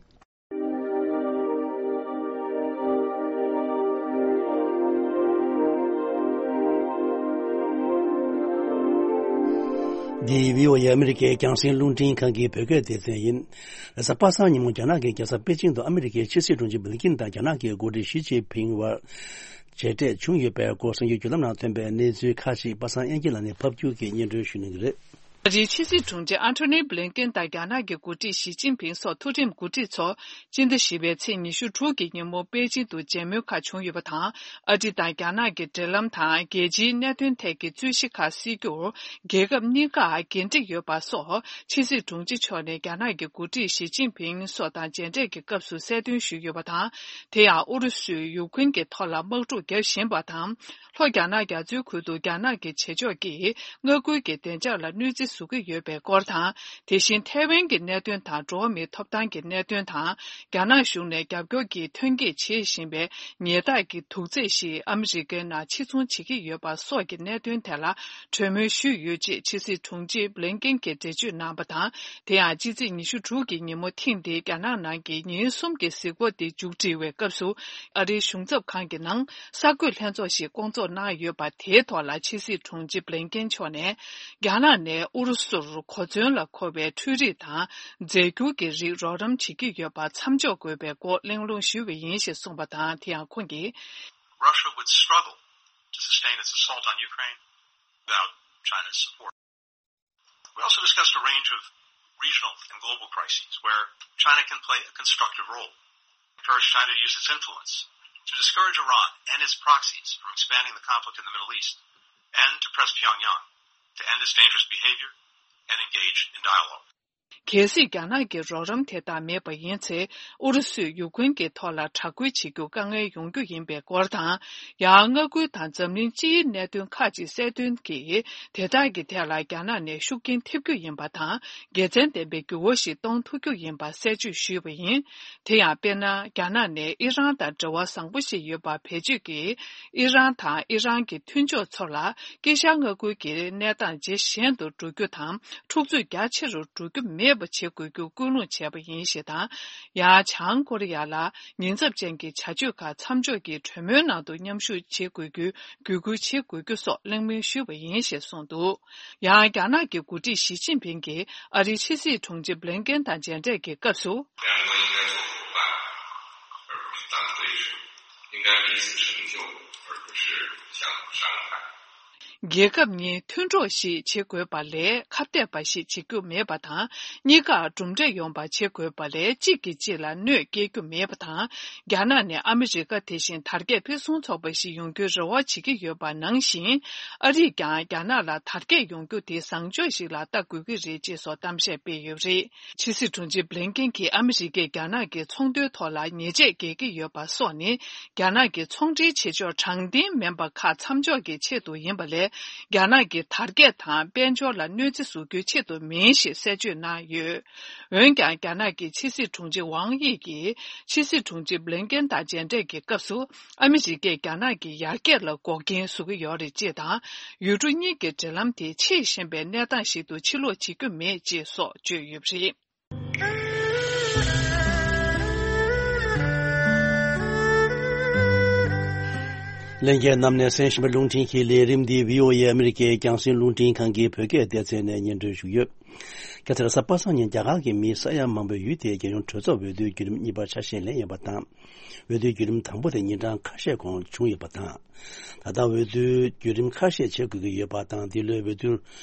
འདི་བྷི་ཨོ་ཨེ་ཨ་མི་རི་ཀའི་རྒྱང་སྲིང་རླུང་འཕྲིན་ཁང་གི་བོད་སྐད་སྡེ་ཚན་ཡིན། རེས་གཟའ་པ་སངས་ཉིན་མོ་རྒྱ་ནག་གི་རྒྱལ་ས་པེ་ཅིང་དུ་ཨ་མི་རི་ཀའི་ཕྱི་སྲིད་དྲུང་ཆེ་བྷི་ལིན་ཀིན་དང་རྒྱ་ནག་གི་འགོ་ཁྲིད་ཞི་ཅིན་ཕིང་དབར་མཇལ་འཕྲད་བྱུང་ཡོད་པའི་སྐོར་གསར་འགྱུར་བརྒྱུད་ལམ་ནང་ཐོན་པའི་གནས་ཚུལ་ཁག་ཅིག་པ་སངས་དབྱངས་སྐྱིད་ལགས་ནས་ཕབ་སྒྱུར་གྱིས་སྙན་སྒྲོན་ཞུ་གནང་གི་རེད། ཨ་རིའི་ཕྱི་སྲིད་དྲུང་ཆེ་ཨན་ཐོ་ནི་བྷི་ལིན་ཀིན་དང་རྒྱ་ནག་གི་འགོ་ཁྲིད་ཞི་ཅིན་ཕིང་སོགས་མཐོ་རིམ་འགོ་ཁྲིད་ཚོ་སྤྱི་ཟླ་བཞི་པའི་ཚེས་ཉི་ཤུ་དྲུག་གི་ཉིན་མོ་པེ་ཅིང་དུ་མཇལ་མོལ་ཁག་བྱུང་ཡོད་པ་དང་། ཨ་རི་དང་རྒྱ་ནག་གི་འབྲེལ་ལམ་དང་རྒྱལ་སྤྱིའི་གནད་དོན་ཐད་ཀྱི་རྩོད་གཞི་ཁག་སེལ་རྒྱུར་རྒྱལ་ཁབ་གཉིས་ཀར་འགན་འཁྲི་ཡོད་པ་སོགས་ཕྱི་སྲིད་དྲུང་ཆེ་མཆོག་ནས་རྒྱ་ནག་གི་འགོ་ཁྲིད་ཞི་ཅིན་ཕིང་སོགས་དང་མཇལ་འཕྲད་ཀྱི་སྐབས་སུ་གསལ་སྟོན་ཞུས་ཡོད་པ་དང་། དེ་ཡང་ཨུ་རུ་སུས་ཡུཀ་རེན་གྱི་ཐོག་ལ་དམག་འཁྲུག་བརྒྱབ་བཞིན་པ་དང་། ལྷོ་རྒྱ་ནག་རྒྱ་མཚོའི་ཁུལ་དུ་རྒྱ་ནག་གི་བྱེད་ཕྱོགས་ཀྱིས་མངའ་ཁུལ་གྱི་བདེ་འཇགས་ལ་གནོད་འཚེ་བཟོ་གི་ཡོད་པའི་སྐོར་དང་། དེ་བཞིན་ཐའེ་ཝན་གྱི་གནད་དོན་དང་འགྲོ་བ་མིའི་ཐོབ་ཐང་གི་གནད་དོན་དང་། རྒྱ་ནག་གཞུང་ནས་རྒྱབ་སྐྱོར་གྱིས་ཐོན་སྐྱེད་བྱེད་བཞིན་པའི་ཉེས་རྡུང་གི་དུག་རྫས་ཤིག་ཨ་མི་རི་ཀའི་ནང་ཕྱིར་ཚོང་བྱེད་ཀྱི་ཡོད་པ་སོགས་ཀྱི་གནད་དོན་ཐད་ལ་གྲོས་མོལ་ཞུས་ཡོད་ཅེས་ཕྱི་སྲིད་དྲུང་ཆེ་བྷི་ལིན་ཀིན་གྱིས་འགྲེལ་བརྗོད་གནང་བ་དང་། དེ་ཡང་ཕྱི་ཚེས་ཉི་ཤུ་དྲུག་གི་ཉིན་མོ་ཐེངས་འདིའི་རྒྱ་ནག་ནང་གི་ཉིན་གསུམ་གྱི་གཟིགས་སྐོར་དེ་མཇུག་སྒྲིལ་བའི་སྐབས་སུ། ཨ་རིའི་གཞུང་ཚབ་ཁང་གི་ནང་གསར་འགོད་ལྷན་ཚོགས་ཤིག་བསྐོང་ཚོགས་གནང་ཡོད་པ་དེའི་ཐོག་ལ་ཕྱི་སྲིད་དྲུང་ཆེ་བྷི་ལིན་ཀིན་མཆོག་ནས། རྒྱ་ནག་ནས་ཨུ་རུ་སུར་གོ་མཚོན་ལ་མཁོ་བའི་འཕྲུལ་རིག་དང་རྫས་འགྱུར་གྱི་རིགས་རོགས་རམ་བྱེད་ཀྱི་ཡོད་པ་མཚམས་འཇོག་དགོས་པའི་སྐོར་གླེང་སློང་ཞུས་པ་ཡིན་ཞེས་གསུངས་པ་དང་། དེ་ཡང་ཁོང་གིས། Russia would struggle to sustain its assault on Ukraine without China's support. We also discussed a range of regional and global crises where China can play a constructive role. Encourage China to use its influence to discourage Iran and its proxies from expanding the conflict in the Middle East and to press Pyongyang to end its dangerous behavior and engage in dialogue. གལ་སྲིད་རྒྱ་ནག་གི་རོགས་རམ་དེ་དག་མེད་པ་ཡིན་ཚེ། ཨུ་རུ་སུས་ཡུཀ་རེན་གྱི་ཐོག་ལ་དྲག་རྒོལ་བྱེད་རྒྱུ་དཀའ་ངལ་ཡོང་རྒྱུ་ཡིན་པའི་སྐོར་དང་། ཡང་མངའ་ཁུལ་དང་འཛམ་གླིང་སྤྱིའི་གནད་དོན་ཁག་ཅིག་གསལ་སྟོན་གྱིས། དེ་དག་གི་ཐད་ལ་རྒྱ་ནག་ནས་ཤུགས་རྐྱེན་ཐེབས་རྒྱུ་ཡིན་པ་དང་། དགེ་མཚན་ལྡན་པའི་འགྱུར་བ་ཞིག་གཏོང་ཐུབ་རྒྱུ་ཡིན་པ་གསལ་བརྗོད་ཞུས་པ་ཡིན། དེ་ཡང་དཔེར་ན། རྒྱ་ནག་ནས་ཨི་རན་དང་འབྲེལ་བ་བཟང་པོ་ཞིག་ཡོད་པ་བེད་སྤྱོད་ཀྱིས། ཨི་རན་དང་ཨི་རན་གྱི་མཐུན་ཕྱོགས་ཚོ་ལ། དཀྱིལ་ཤར་མངའ་ཁུལ་གྱི་གནས་སྟངས་ཇེ་ཞན་དུ་འགྲོ་རྒྱུ་དང་། འཁྲུག་རྩོད་རྒྱ་ཆེ་རུ་འགྲོ་རྒྱུ་མེད་པ་བྱེད་དགོས་རྒྱུ་སྐུལ་སློང་བྱས་པ་ཡིན་ཞེས་དང་། ཡང་བྱང་ཀོ་རི་ཡ་ལ་ཉེན་ཚབས་ཅན་གྱི་བྱ་སྤྱོད་ཁག་མཚམས་འཇོག་གིས་གྲོས་མོལ་ནང་དུ་མཉམ་ཞུགས་བྱེད་དགོས་རྒྱུའི་བརྒྱུད་སྐུལ་བྱེད་དགོས་རྒྱུ་སོགས་གླེང་མོལ་ཞུས་པ་ཡིན་ཞེས་གསུངས་འདུག་ཡང་རྒྱ་ནག་གི་འགོ་ཁྲིད་ཞི་ཅིན་ཕིང་གིས་ཨ་རིའི་ཕྱི་སྲིད་དྲུང་ཆེ་བྷི་ལིན་ཀེན་དང་མཇལ་འཕྲད་ཀྱི་སྐབས་སུ། 两国应该做伙伴，而不是单对手。应该彼此成就，而不是相互伤害。 རྒྱལ་ཁབ་གཉིས་མཐུན་གྲོགས་ཤིག་བྱེད་དགོས་པ་ལས་ཁ་གཏད་པ་ཞིག་བྱེད་རྒྱུ་མེད་པ་དང་། གཉིས་ཀར་གྲུབ་འབྲས་ཡོང་བ་བྱེད་དགོས་པ་ལས་གཅིག་གིས་གཅིག་ལ་གནོད་སྐྱེལ་རྒྱུ་མེད་པ་དང་། རྒྱ་ནག་ནས་ཨ་མི་རི་ཀ་དེ་བཞིན་དར་རྒྱས་ཕུན་སུམ་ཚོགས་པ་ཞིག་ཡོང་རྒྱུའི་རེ་བ་བྱེད་ཀྱི་ཡོད་པ་ནང་བཞིན། ཨ་རིས་ཀྱང་རྒྱ་ནག་ལ་དར་རྒྱས་ཡོང་རྒྱུ་དེ་བཟང་ཕྱོགས་ཤིག་ལ་ལྟ་དགོས་ཀྱི་རེད་ཅེས་སོགས་གཏམ་བཤད་སྤེལ་ཡོད་པ་རེད། ཕྱི་སྲིད་དྲུང་ཆེ་བྷི་ལིན་ཀེན་གྱིས་ཨ་མི་རི་ཀས་རྒྱ་ནག་གི་ཚོང་དོན་ཐོག་ལ་ཉེས་ཆད་འགེལ་གྱི་ཡོད་པ་སོགས་ནི། རྒྱ་ནག་གི་ཚོང་འབྲེལ་བྱེད་ཕྱོགས་དྲང་བདེན་མིན་པ་ཁག་མཚམས་འཇོག་གི་ཆེད་དུ་ཡིན་པ་ལས། རྒྱ་ནག་གི་དར་རྒྱས་དང་དཔལ་འབྱོར་ལ་གནོད་འཚེ་བཟོ་རྒྱུའི་ཆེད་དུ་མིན་ཞེས་གསལ་བརྗོད་གནང་ཡོད། འོན་ཀྱང་། རྒྱ་ནག་གི་ཕྱི་སྲིད་དྲུང་ཆེ་ཝང་དབྱི་ཡིས་ཕྱི་སྲིད་དྲུང་ཆེ་བྷི་ལིན་ཀེན་དང་མཇལ་འཕྲད་ཀྱི་སྐབས་སུ། ཨ་མི་རི་ཀས་རྒྱ་ནག་གི་ཡར་རྒྱས་ལ་འགོག་རྐྱེན་བཟོ་གི་ཡོད་རེད་ཅེས་དང་། ཡུལ་གྲུ་གཉིས་ཀྱི་འབྲེལ་ལམ་དེ་ཆེས་ཞན་པའི་གནས་སྟངས་ཤིག་ཏུ་ཕྱིར་ལོག་བྱེད་རྒྱུ་མེད་ཅེས་སོགས་བརྗོད་ཡོད་པ་རེད། ལྷན་རྒྱས་རྣམས་ནས་གསན་བཞིན་པའི་རླུང་འཕྲིན་གྱི་ལས་རིམ་འདི་བྷི་ཨོ་ཨེ་ཨ་མི་རི་ཀའི་རྒྱང་སྲིང་རླུང་འཕྲིན་ཁང་གི་བོད་སྐད་སྡེ་ཚན་ནས་སྙན་སྒྲོན་ཞུས་ཡོད། ཁ་སང་རེས་གཟའ་པ་སངས་ཉིན་རྒྱ་གར་གྱི་མིའི་ས་ཡ་མང་པོའི་ཡུལ་དེའི་རྒྱལ་ཡོངས་གྲོས་ཚོགས་འོས་བསྡུའི་བརྒྱུད་རིམ་གཉིས་པར་ཆ་ཤས་ལེན་ཡོད་པ་དང་། འོས་བསྡུའི་བརྒྱུད་རིམ་དང་པོ་དེ་ཉིན་གྲངས་ཁ་ཤས་གོང་བྱུང་ཡོད་པ་དང་། ད་ལྟ་འོས་བསྡུའི་བརྒྱུད་རིམ་ཁ་ཤས་བྱེད་དགོས་ཀྱི་ཡོད་པ་དང་། འདི་ལོའི་འོས་བསྡུར་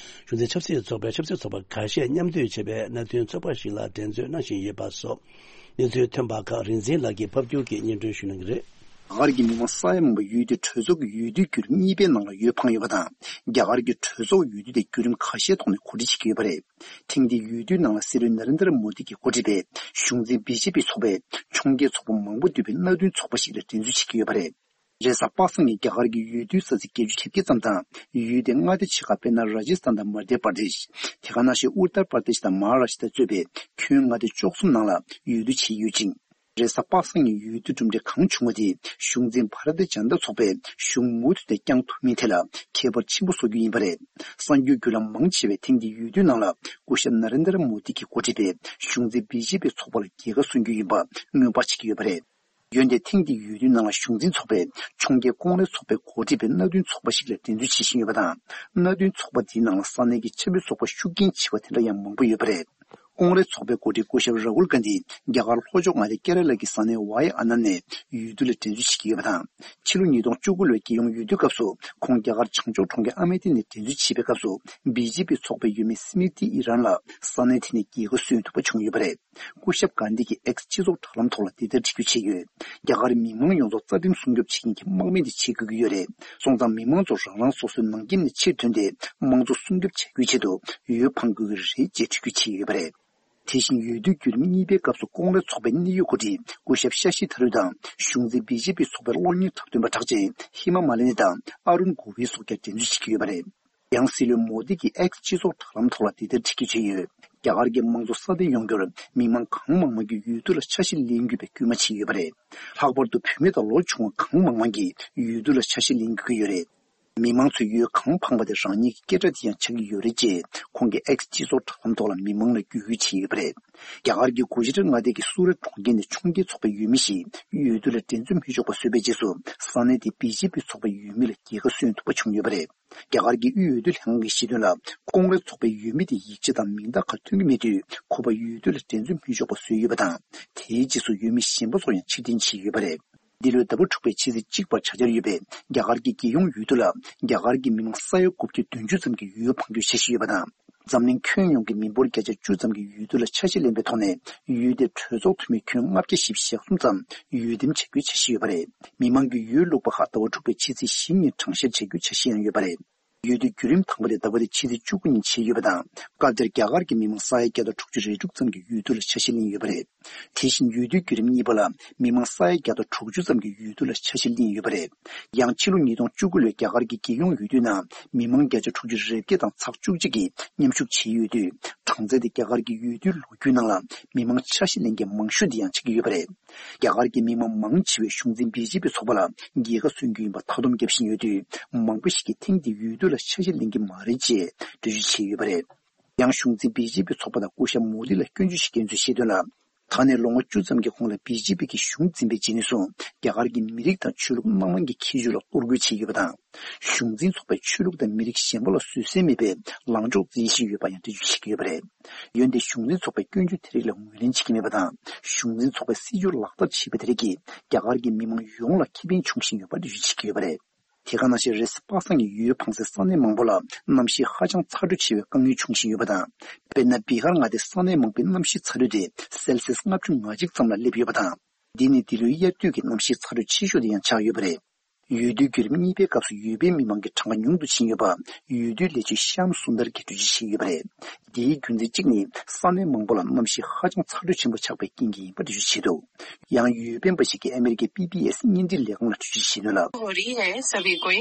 གཞུང་འཛིན་ཆབ་སྲིད་ཚོགས་པའི་ཆབ་སྲིད་ཚོགས་པ་ཁ་ཤས་མཉམ་འདུས་བྱས་པའི་གནད་དོན་ཚོགས་པ་ཞིག་ལ་འགྲན་རྩོད་གནང་བཞིན་ཡོད་པ་སོགས་གནས་ཚུལ་ཐོན་པ་ཁག་རིག་འཛིན་ལགས་ཀྱིས་ཕབ་སྒྱུར་གྱིས་སྙན་སྒྲོན་ཞུ་གནང་གི་རེད། རྒྱ་གར་གྱི་མི་མང་ས་ཡ་མང་པོ་ཡུལ་དེའི་གྲོས་ཚོགས་ཀྱི་འོས་བསྡུའི་བརྒྱུད་རིམ་གཉིས་པའི་ནང་ལ་འོས་འཕངས་ཡོད་པ་དང་། རྒྱ་གར་གྱི་གྲོས་ཚོགས་འོས་བསྡུ་དེ་བརྒྱུད་རིམ་ཁ་ཤས་ཐོག་ནས་གོ་སྒྲིག་བྱེད་ཀྱི་ཡོད་པ་རེད། ཐེངས་འདིའི་འོས་བསྡུའི་ནང་ལ་སྲིད་བློན་ན་རེན་དྲ་མོ་དི་གིས་འགོ་ཁྲིད་པའི་གཞུང་འཛིན་བི་ཇེ་པི་ཚོགས་པས་ཕྱོགས་འགལ་ཚོགས་པ་མང་པོ་འདུས་པའི་མནའ་མཐུན་ཚོགས་པ་ཞིག་ལ་འགྲན་རྩོད་བྱེད་ཀྱི་ཡོད་པ་རེད། རེས་གཟའ་པ་སངས་ཉིན་རྒྱ་གར་གྱི་འོས་བསྡུའི་ས་ཚིགས་བརྒྱད་ཅུ་གྱ་བརྒྱད་ཙམ་དང་། ཡུལ་དེའི་མངའ་སྡེ་ཆེ་ཁག་དཔེར་ན་ར་ཇི་སི་ཐན་དང་མ་དྷྱ་པར་དེཤ། དེ་ག་ནང་བཞིན་ཨུ་ཏར་པར་དེཤ་དང་མ་ཧཱ་རཱ་ཤི་ཏྲ་གཙོས་པའི་ཁྱོན་མངའ་སྡེ་བཅུ་གསུམ་ནང་ལ་འོས་བསྡུ་བྱས་ཡོད་ཅིང་། རེས་གཟའ་པ་སངས་ཉིན་འོས་བསྡུ་གྲུབ་འབྲས་གང་བྱུང་བ་དེ་གཞུང་འཛིན་བྷ་ར་ཏི་ཇན་ཏ་ཚོགས་པས་གཞུང་མུ་མཐུད་དེ་བསྐྱང་ཐུབ་མིན་ཐད་ལ་ཁྱད་པར་ཆེན་པོ་བཟོ་རྒྱུ་ཡིན་པ་རེད། གསར་འགོད་བརྒྱུད་ལམ་མང་ཆེ་བས་ཐེངས་འདིའི་འོས་བསྡུའི་ནང་ལ་སྐུ་ཞབས་ན་རེན་དྲ་མོ་དི་གིས་འགོ་ཁྲིད་པའི་གཞུང་འཛིན་བི་ཇེ་པི་ཚོགས་པ་ལ་རྒྱལ་ཁ་སོན་རྒྱུ་ཡིན་པ་སྔོན་དཔག་བྱེད་ཀྱི་ཡོད་པ་རེད། འོན་ཏེ་ཐེངས་འདིའི་འོས་བསྡུའི་ནང་ལ་གཞུང་འཛིན་ཚོགས་པས་ཕྱོགས་འགལ་ཀོང་རེས་ཚོགས་པས་འགོ་ཁྲིད་པའི་མནའ་མཐུན་ཚོགས་པ་ཞིག་ལ་འགྲན་རྩོད་བྱེད་བཞིན་ཡོད་པ་དང་། མནའ་མཐུན་ཚོགས་པ་འདིའི་ནང་ལ་ས་གནས་ཀྱི་ཆབ་སྲིད་ཚོགས་པ་ཤུགས་རྐྱེན་ཆེ་བ་དེ་འདྲ་ཡང་མང་པོ་ཡོད་པ་རེད། ཀོང་རེས་ཚོགས་པའི་འགོ་ཁྲིད་སྐུ་ཞབས་ར་ཧུལ་གྷན་དྷི་རྒྱ་གར་ལྷོ་ཕྱོགས་མངའ་སྡེ་ཀེ་ར་ལ་གི་ས་གནས་ཝའི་ཨ་ན་ནས་འོས་བསྡུ་ལ་འགྲན་རྩོད་བྱེད་ཀྱི་ཡོད་པ་དང་། ཕྱི་ལོ་ཉིས་སྟོང་བཅུ་དགུ་ལོའི་རྒྱལ་ཡོངས་འོས་བསྡུའི་སྐབས་སུ་ཁོང་རྒྱ་གར་བྱང་ཕྱོགས་གྲོང་ཁྱེར་ཨ་མེ་ཐི་ནས་འགྲན་རྩོད་བྱེད་པའི་སྐབས་སུ་བི་ཇེ་པི་ཚོགས་པའི་འོས་མི་སི་མི་ཏི་ཨི་རན་ལ་ས་གནས་དེ་ནས་རྒྱལ་ཁ་སོན་ཐུབ་པ་བྱུང་ཡོད་པ་རེད། སྐུ་ཞབས་གྷན་དྷི་གིས་ཨེགས་སྤྱི་ཚོགས་དྲ་ལམ་ཐོག་ལ་འདི་ལྟར་བྲིས་བརྗོད་བྱས་ཡོད། རྒྱ་གར་མི་མང་ཡོངས་རྫོགས་རྩ་ཁྲིམས་སྲུང་སྐྱོབ་བྱེད་མཁན་གྱི་དམག་མི་འདི་བྱེད་དགོས་ཀྱི་ཡོད་རེད། སོང་ཙང་མི་མང་ཚོ་རང་རང་སོ་སོའི་ནང་ཁྱིམ་ནས་ཕྱིར་ཐོན་ཏེ་དམངས་གཙོ་སྲུང་སྐྱོབ་བྱ་རྒྱུའི་ཆེད་དུ་འོས་འཕང་དགོས་ཀྱི་རེད་ཅེས་འགྲེལ་བརྗོད་བྱས་ཡོད་པ་རེད། དེ་བཞིན་འོས་བསྡུའི་བརྒྱུད་རིམ་གཉིས་པའི་སྐབས་སུ་ཀོང་རེས་ཚོགས་པའི་གནད་ཡོད་འགོ་ཁྲིད་སྐུ་ཞབས་ཤ་ཤི་ཐ་རུ་དང་གཞུང་འཛིན་བི་ཇེ་པི་ཚོགས་པའི་གློག་བརྙན་འཁྲབ་སྟོན་པ་གྲགས་ཅན་ཧི་མ་མ་ལི་ནི་དང་ཨ་རུན་གོ་བི་སོགས་ཀྱང་འགྲན་རྩོད་བྱེད་ཀྱི་ཡོད་པ་རེད། ཡང་སྲིད་བློན་མོ་དི་གིས་ཨེགས་སྤྱི་ཚོགས་དྲ་ལམ་ཐོག་ལ་འདི་ལྟར་བྲིས་བརྗོད་བྱས་ཡོད། རྒྱ་གར་གྱི་དམངས་གཙོ་སྲ་བརྟན་ཡོང་རྒྱུར་མི་མང་གང་མང་མང་གིས་འོས་བསྡུ་ལ་ཆ་ཤས་ལེན་དགོས་པའི་སྐུལ་མ་བྱས་ཡོད་པ་རེད། ལྷག་པར་དུ་བུད་མེད་དང་ལོ་ཆུང་བ་གང་མང་མང་གིས་འོས་བསྡུ་ལ་ཆ་ཤས་ལེན་དགོས་ཀྱི་ཡོད་རེད། མི་མང་ཚོས་འོས་གང་འཕངས་པ་དེ་རང་ཉིད་ཀྱི་སྐད་སྒྲ་དེ་ཡང་ཆགས་ཀྱི་ཡོད་རེད་ཅེས་ཁོང་གིས་ཨེགས་སྤྱི་ཚོགས་དྲ་ལམ་ཐོག་ལ་མི་མང་ལ་བརྒྱུད་སྐུལ་བྱས་ཡོད་པ་རེད། རྒྱ་གར་གྱི་གུ་ཇི་ར་མངའ་སྡེ་གི་སུ་ར་གྲོང་ཁྱེར་ནས་ཕྱོགས་འགལ་ཚོགས་པའི་འོས་མི་ཞིག་འོས་བསྡུ་ལ་འགྲན་རྩོད་མི་ཆོག་པ་བཟོས་པའི་རྗེས་སུ་ས་གནས་དེའི་བི་ཇེ་པི་ཚོགས་པའི་འོས་མི་ལ་རྒྱལ་ཁ་སོན་ཐུབ་པ་བྱུང་ཡོད་པ་རེད། རྒྱ་གར་གྱི་དབུས་འོས་བསྡུ་ལྷན་ཁང་གིས་བཤད་དོན་ལ། ཀོང་རེས་ཚོགས་པའི་འོས་མི་དེ་ཡིག་ཆ་དང་མིང་རྟགས་ཁག་ཐོན་གྱི་མེད་དུས་ཁོ་པ་འོས་བསྡུ་ལ་འགྲན་རྩོད་མི་ཆོག་པ་བཟོས་ཡོད་པ་དང་། དེའི་རྗེས་སུ་འོས་མི་གཞན་པ་ཚོར་ཡང་ཕྱིར་འཐེན་བྱས་ཡོད་པ་རེད། འདི་ལོའི་ཟླ་བ་དྲུག་པའི་ཕྱི་ཚེས་གཅིག་བར་བྱ་འཆར་ཡོད་པའི་རྒྱ་གར་གྱི་རྒྱལ་ཡོངས་འོས་བསྡུ་ལ་རྒྱ་གར་གྱི་མི་མང་ས་ཡ་དགུ་བརྒྱ་བདུན་ཅུ་ཙམ་གྱིས་འོས་འཕང་རྒྱུའི་འཆར་གཞི་ཡོད་པ་དང་། འཛམ་གླིང་ཁྱོན་ཡོངས་ཀྱི་མི་འབོར་བརྒྱ་ཆ་བཅུ་ཙམ་གྱིས་འོས་བསྡུ་ལ་ཆ་ཤས་ལེན་པའི་ཐོག་ནས་འོས་བསྡུའི་གྲོས་ཚོགས་འཐུས་མི་ཁྱོན་ལྔ་བརྒྱ་བཞི་བཅུ་ཞེ་གསུམ་ཙམ་འོས་འདེམས་བྱ་རྒྱུའི་འཆར་གཞི་ཡོད་པ་རེད། མི་མང་གིས་འོས་བླུགས་པ་ཁག་ཟླ་བ་དྲུག་པའི་ཕྱི་ཚེས་བཞི་ཉིན་གྲངས་བཤེར་བྱ་རྒྱུའི་འཆར་གཞི་ཡང་ཡོད་པ་རེད། འོས་བསྡུའི་བརྒྱུད་རིམ་དང་པོ་དེ་ཟླ་བ་འདིའི་ཕྱི་ཚེས་བཅུ་དགུ་ཉིན་བྱས་ཡོད་པ་དང་། སྐབས་དེར་རྒྱ་གར་གྱི་མི་མང་ས་ཡ་བརྒྱ་དང་དྲུག་ཅུ་རེ་དྲུག་ཙམ་གྱིས་འོས་བསྡུ་ལ་ཆ་ཤས་ལེན་ཡོད་པ་རེད། དེ་བཞིན་འོས་བསྡུའི་བརྒྱུད་རིམ་གཉིས་པ་ལ་མི་མང་ས་ཡ་བརྒྱ་དང་དྲུག་ཅུ་ཙམ་གྱིས་འོས་བསྡུ་ལ་ཆ་ཤས་ལེན་ཡོད་པ་རེད། ཡང་ཕྱི་ལོ་ཉིས་སྟོང་བཅུ་དགུ་ལོའི་རྒྱ་གར་གྱི་རྒྱལ་ཡོངས་འོས་བསྡུའི་ནང་མི་མང་བརྒྱ་ཆ་དྲུག་ཅུ་རེ་བརྒྱད་དང་ཚེག་བཅུ་གཅིག་གིས་མཉམ་ཞུགས་བྱས་ཡོད་དུས། གྲངས་ཚད་དེ་རྒྱ་གར་གྱི་འོས་བསྡུའི་ལོ་རྒྱུས་ནང་ལ་མི་མང་ཆ་ཤས་ལེན་མཁན་མང་ཤོས་དེ་ཡང་ཆགས་ཀྱི་ཡོད་པ་རེད། རྒྱ་གར་གྱི་མི་མང་མང་ཆེ་བས་གཞུང་འཛིན་བི་ཇེ་པི་ཚོགས་པ་ལ་རྒྱལ་ཁ་སོན་རྒྱུ་ཡིན་པ་མཐའ་སྡོམ་བརྒྱབ་བཞིན་ཡོད་དུས། མང་པོ་ཞིག་གིས་ཐེངས་འདིའི་འོས་བསྡུ་ལ་ཆ་ཤས་ལེན་གྱི་མ་རེད་ཅེས་འགྲེལ་བརྗོད་བྱས་ཡོད་པ་རེད། ཡང་གཞུང་འཛིན་བི་ཇེ་པི་ཚོགས་པ་དང་སྐུ་ཞབས་མོ་དི་ལ་སྐྱོན་བརྗོད་བྱེད་མཁན་ཚོས་བཤད་དོན་ལ། ད་ནས་ལོ་ངོ་བཅུ་ཙམ་གྱི་གོང་ལ་བི་ཇེ་པི་གིས་གཞུང་འཛིན་པའི་རྗེས་ནས་བཟུང་རྒྱ་གར་གྱི་མི་རིགས་དང་ཆོས་ལུགས་སྣ་མང་གི་ཁྱད་ཆོས་ལ་གཏོར་རྒོལ་བྱས་ཡོད་པ་དང་། གཞུང་འཛིན་ཚོགས་པས་ཆོས་ལུགས་དང་མི་རིགས་གཞན་པ་ལ་བཟོད་བསྲན་མེད་པའི་ལངས་ཕྱོགས་འཛིན་བཞིན་ཡོད་པ་ཡང་འགྲེལ་བརྗོད་བྱེད་ཀྱི་ཡོད་པ་རེད། འོན་ཏེ་གཞུང་འཛིན་ཚོགས་པས་སྐྱོན་བརྗོད་དེ་རིགས་ལ་ངོས་ལེན་བྱེད་ཀྱི་མེད་པ་དང་། གཞུང་འཛིན་ཚོགས་པའི་སྲིད་བྱུས་ལག་བསྟར་བྱས་པ་དེ་རིགས་ཀྱིས་རྒྱ་གར་གྱི་མི་མང་ཡོངས་ལ་ཁེ་ཕན་འབྱུང་བཞིན་ཡོད་པ་འགྲེལ་བརྗོད་བྱེད་ཀྱི་ཡོད་པ་རེད། དེ་ག་ནང་བཞིན་རེས་གཟའ་པ་སངས་ཀྱི་འོས་འཕངས་སའི་ས་གནས་མང་པོ་ལ་གནམ་གཤིས་ཧ་ཅང་ཚ་དྲོད་ཆེ་བའི་དཀའ་ངལ་འབྱུང་བཞིན་ཡོད་པ་དང་། དཔེར་ན་བི་ཧར་མངའ་སྡེའི་ས་གནས་མང་པོའི་གནམ་གཤིས་ཚ་དྲོད་དེ་སེལ་སིས་ལྔ་བཅུ་ང་གཅིག་ཙམ་ལ་སླེབས་ཡོད་པ་དང་། འདི་ནི་འདི་ལོའི་དབྱར་དུས་ཀྱི་གནམ་གཤིས་ཚ་དྲོད་ཆེ་ཤོས་དེ་ཡང་ཆགས་ཡོད་པ་རེད། འོས་བསྡུའི་བརྒྱུད་རིམ་གཉིས་པའི་སྐབས་སུ་འོས་འཕེན་མི་མང་གི་གྲངས་ཀ་ཉུང་དུ་ཕྱིན་ཡོད་པ་འོས་བསྡུའི་ལས་བྱེད་ཤམ་སུན་དར་གྱིས་འགྲེལ་བརྗོད་བྱས་ཡོད་པ་རེད། འདིའི་རྒྱུ་མཚན་གཅིག་ནི་ས་གནས་མང་པོ་ལ་གནམ་གཤིས་ཧ་ཅང་ཚ་དྲོད་ཆེན་པོ་ཆགས་པའི་རྐྱེན་གྱིས་ཡིན་པ་འགྲེལ་བརྗོད་བྱས་འདུག་ཡང་འོས་འཕེན་པ་ཞིག་གིས་ཨ་མེ་རི་ཀའི་པི་བི་ཨེས་བརྙན་འཕྲིན་ལས་ཁང་ལ་འགྲེལ་བརྗོད་བྱས་དོན་ལ། हो रही है सभी कोई।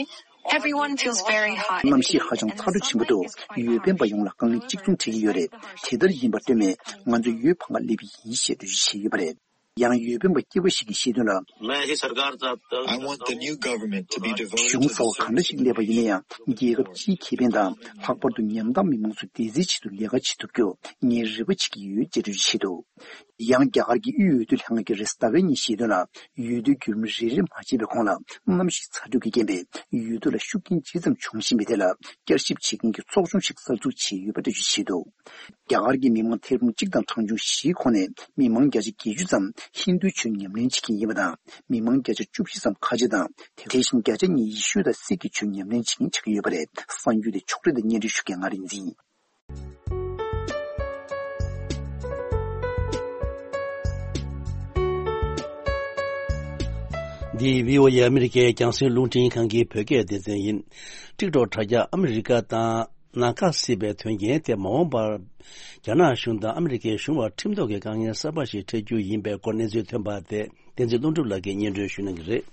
Everyone feels very hot। གནམ་གཤིས་ཧ་ཅང་ཚ་དྲོད་ཆེན་པོ་འདུག་འོས་འཕེན་པ་ཡོངས་ལ་དཀའ་ངལ་གཅིག་མཚུངས་འཕྲད་ཀྱི་ཡོད་རེད། དེ་ལྟར་ཡིན་པར་ལྟོས་མེད། ང་ཚོས་འོས་འཕང་ག་སླེབས་པ་ཡིན་ཞེས་འགྲེལ་བརྗོད་བྱས་ཡོད་པ་རེད། ཡང་འོས་འཕེན་པ་སྐྱེས་བུ་ཞིག་གིས་བཤད་དོན་ལ། मैं ही सरकार चाहता हूं। I want the new government to be devoted to གཞུང་གསར་པ་གང་འདྲ་ཞིག་སླེབས་པ་ཡིན་ན་ཡང་རྒྱལ་ཁབ་སྤྱིའི་ཁེ་ཕན་དང་ལྷག་པར་དུ་ཉམ་ཐག་མི་མང་ཚོ་བདེ་རྩའི་ཆེད་དུ་ལས་ཀ་བྱེད་ཐུབ་རྒྱུར་ངས་རེ་བ་བྱེད་ཀྱི་ཡོད་ཅེས་འགྲེལ་བརྗོད་བྱས་འདུག་ཡང་རྒྱ་གར་གྱི་དབུས་འོས་བསྡུ་ལྷན་ཁང་གིས་རེས་གཟའ་ཟླ་བའི་ཉིན་བཤད་དོན་ལ། འོས་བསྡུའི་བརྒྱུད་རིམ་རེ་རེ་མ་ཕྱིན་པའི་གོང་ལ་གནམ་གཤིས་ཚ་དྲོད་ཀྱིས་རྐྱེན་པས་འོས་བསྡུ་ལ་ཤུགས་རྐྱེན་ཇི་ཙམ་འབྱུང་བཞིན་པའི་ཐད་ལ་བསྐྱར་ཞིབ་བྱེད་མཁན་གྱི་ཚོགས་ཆུང་ཞིག་གསར་འཛུགས་བྱས་ཡོད་པ་འགྲེལ་བརྗོད་བྱས་འདུག་རྒྱ་གར་གྱི་མི་མང་ཐེར་འབུམ་གཅིག་དང་གྲངས་ཆུང་བཞིའི་ཁོངས་ནས་མི་མང་བརྒྱ་ཆ་བརྒྱད་ཅུ་ཙམ་ཧིན་རྡུའི་ཆོས་ཉམས་ལེན་བྱེད་མཁན་ཡིན་པ་དང་། མི་མང་བརྒྱ་ཆ་བཅུ་བཞི་ཙམ་ཁ་ཆེ་དང་། དེ་བཞིན་བརྒྱ་ཆ་གཉིས་ཡེ་ཤུ་དང་སིག་གི་ཆོས་ཉམས་ལེན་བྱེད་མཁན་ཆགས་ཀྱི་ཡོད་པ་རེད། གསར་འགྱུར་དེ་ཕྱོགས་སྒྲིག་དང་སྙན་སྒྲོན་ཞུ་མཁན་ང་རིག་འཛིན་ཡིན། འདི་བྷི་ཨོ་ཨེ་ཨ་མི་རི་ཀའི་རྒྱང་སྲིང་རླུང་འཕྲིན་ཁང་གི་བོད་སྐད་སྡེ་ཚན་ཡིན། ཊིག་ཊོག་དྲ་རྒྱ་ཨ་མི་རི་ཀ་དང་ནང་འགལ་སྲིད་པའི་དོན་རྐྱེན་དེ་མ་འོངས་པར་རྒྱ་ནག་གཞུང་དང་ཨ་མི་རི་ཀའི་གཞུང་བར་ཁྲིམས་ཐོག་གི་དཀའ་ངལ་གསར་པ་ཞིག་འཕྲད་རྒྱུ་ཡིན་པའི་སྐོར་གནས་ཚུལ་ཐོན་པ་དེ་བསྟན་འཛིན་ཀླུ་སྒྲུབ་ལགས་ཀྱིས་སྙན་སྒྲོན་ཞུ་གནང་གི་རེད།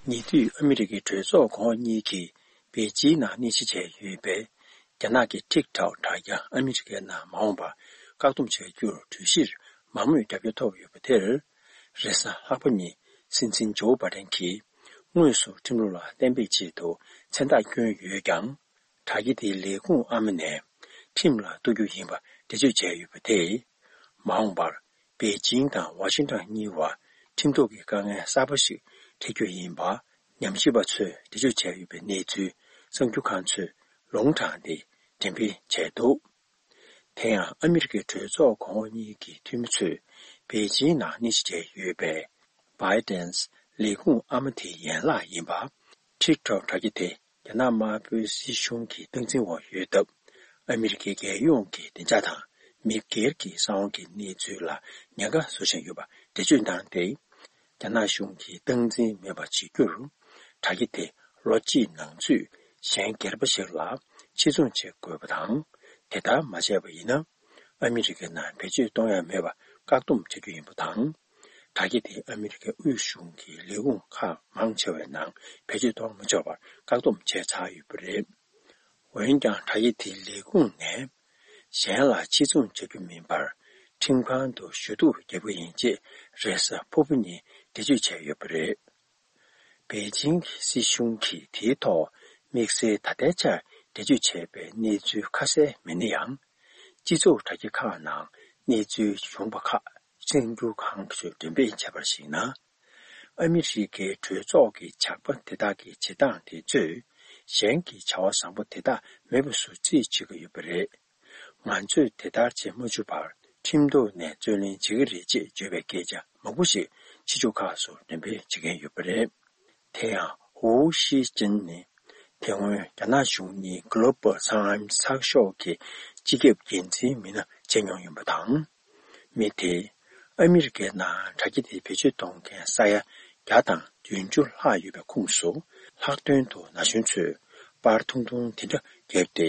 ཉེ་དུས་ཨ་མི་རི་ཀའི་གྲོས་ཚོགས་གོང་འོག་གཉིས་ཀྱིས་པེ་ཅིང་ནང་གནས་གཞི་བྱས་ཡོད་པའི་རྒྱ་ནག་གི་ཊིག་ཊོག་དྲ་རྒྱ་ཨ་མི་རི་ཀའི་ནང་མ་འོངས་པར་བཀག་སྡོམ་བྱ་རྒྱུར་གྲོས་གཞིར་མང་མོས་རྒྱབ་སྐྱོར་ཐོབ་ཡོད་པ་དེར། རེས་གཟའ་ལྷག་པ་ཉིན་སྲིད་འཛིན་ཇོ་བྷ་ཌེན་གྱིས་དངོས་སུ་ཁྲིམས་ལུགས་ལ་གཏན་འབེབས་ཆེད་དུ་མཚན་རྟགས་བསྐྱོན་ཡོད་ཀྱང་། དྲ་རྒྱ་དེའི་ལས་ཁུངས་ཨ་མ་ནས་ཁྲིམས་ལ་གཏུག་རྒྱུ་ཡིན་པ་འགྲེལ་བརྗོད་བྱས་ཡོད་པ་དེས། མ་འོངས་པར་པེ་ཅིང་དང་ཝ་ཤིང་ཊོན་གཉིས་བར་ཁྲིམས་ཐོག་གི་དཀའ་ངལ་གསར་པ་ཞིག་འཕྲད་རྒྱུ་ཡིན་པ་ཉམས་ཞིབ་པ་ཚོས་འགྲེལ་བརྗོད་བྱས་ཡོད་པའི་གནས་ཚུལ་གསར་འགྱུར་ཁང་ཚོས་ལུང་དྲངས་ཏེ་འགྲེམས་སྤེལ་བྱས་འདུག་དེ་ཡང་ཨ་མི་རི་ཀའི་གྲོས་ཚོགས་གོང་འོག་གཉིས་ཀྱི་འཐུས་མི་ཚོས་པེ་ཅིང་ནང་གནས་གཞི་བྱས་ཡོད་པའི་བྷའི་ཌེན་ལས་ཁུངས་ཨ་མ་དེའི་ཡན་ལག་ཡིན་པ། ཊིག་ཊོག་དྲ་རྒྱ་དེ་རྒྱ་ནག་དམར་པོའི་སྲིད་གཞུང་གི་སྟངས་འཛིན་འོག་ཡོད་སྟབས། ཨ་མི་རི་ཀའི་རྒྱལ་ཡོངས་ཀྱི་བདེ་འཇགས་དང་མི་སྒེར་གྱི་གསང་བ་གི་གནས་ཚུལ་ལ་ཉེན་ཁ་བཟོ་བཞིན་ཡོད་པ་འགྲེལ་བརྗོད་གནང་སྟེ། རྒྱ་ནག་གཞུང་གིས་སྟངས་འཛིན་མེད་པ་བྱེད་རྒྱུར། དྲ་རྒྱ་དེ་ལོ་གཅིག་ནང་ཚུད་གཞན་སྒེར་པ་ཞིག་ལ་ཕྱིར་ཚོང་བྱེད་དགོས་པ་དང་། དེ་ལྟར་མ་བྱས་པ་ཡིན་ན། ཨ་མི་རི་ཀའི་ནང་བེད་སྤྱོད་གཏོང་ཡ་མེད་པར་བཀག་སྡོམ་བྱ་རྒྱུ་ཡིན་པ་དང་། དྲ་རྒྱ་དེ་ཨ་མི་རི་ཀའི་དབུས་གཞུང་གི་ལས་ཁུངས་ཁག་མང་ཆེ་བའི་ནང་བེད་སྤྱོད་གཏོང་མ་ཆོག་པར་བཀག་སྡོམ་བྱས་ཚར་ཡོད་པ་རེད། འོན་ཀྱང་། དྲ་རྒྱ་དེའི་ལས་ཁུངས་ནས་གཞན་ལ་ཕྱིར་ཚོང་བྱ་རྒྱུ་མིན་པར། ཁྲིམས་ཁང་དུ་ཞུ་གཏུག་རྒྱག་གི་ཡིན་ཅེས་རེས་གཟའ་ཕུར་བུ་ཉིན་འགྲེལ་བརྗོད་བྱས་ཡོད་པ་རེད། པེ་ཅིང་གི་སྲིད་གཞུང་གིས་དེའི་ཐོག་དམིགས་བསལ་ད་ལྟའི་ཆར་འགྲེལ་བརྗོད་བྱས་པའི་གནས་ཚུལ་ཁ་གསལ་མེད་ན་ཡང་། སྤྱི་ཚོགས་དྲ་རྒྱ་ཁག་ནང་གནས་ཚུལ་བྱུང་བ་ཁག་གསར་འགྱུར་ཁང་ཚོས་འགྲེམས་སྤེལ་བྱས་པར་གཞིགས་ན། ཨ་མི་རི་ཀའི་གྲོས་ཚོགས་ཀྱི་ཇག་པ་དེ་དག་གི་བྱེད་སྟངས་དེ་ཚོས་གཞན་གྱི་བྱ་བ་བཟང་པོ་དེ་དག་མེད་པ་བཟོ་རྩིས་བྱེད་ཀྱི་ཡོད་པ་རེད། ང་ཚོས་དེ་ལྟར་བྱེད་མ་བཅུག་པར་ཁྲིམས་ཐོག་ནས་རྩོད་ལེན་བྱེད་ཀྱི་རེད་ཅེས་བརྗོད་པའི་སྐད་ཆ་མང་པོ་ཞིག་ཕྱི་ཕྱོགས་ཁག་སུ་འགྲེམས་སྤེལ་བྱེད་མཁན་ཡོད་པ་རེད། དེ་ཡང་ཧུའུ་ཤི་ཅིན་ནི་དེ་སྔོན་རྒྱ་ནག་གཞུང་གཉིས་Global Times་ཚགས་ཤོག་གི་སྤྱི་ཁྱབ་འགན་འཛིན་མི་སྣ་བྱས་མྱོང་ཡིན་པ་དང་། མི་དེས་ཨ་མི་རི་ཀའི་ནང་དྲ་རྒྱ་དེ་བེད་སྤྱོད་གཏོང་མཁན་ས་ཡ་བརྒྱ་དང་བདུན་ཅུ་ལྷག་ཡོད་པའི་ཁོངས་སུ་ལྷག་དོན་དུ་ན་གཞོན་ཚོས་པར་ཐུང་ཐུང་དེ་འདྲ་བརྒྱབ་སྟེ་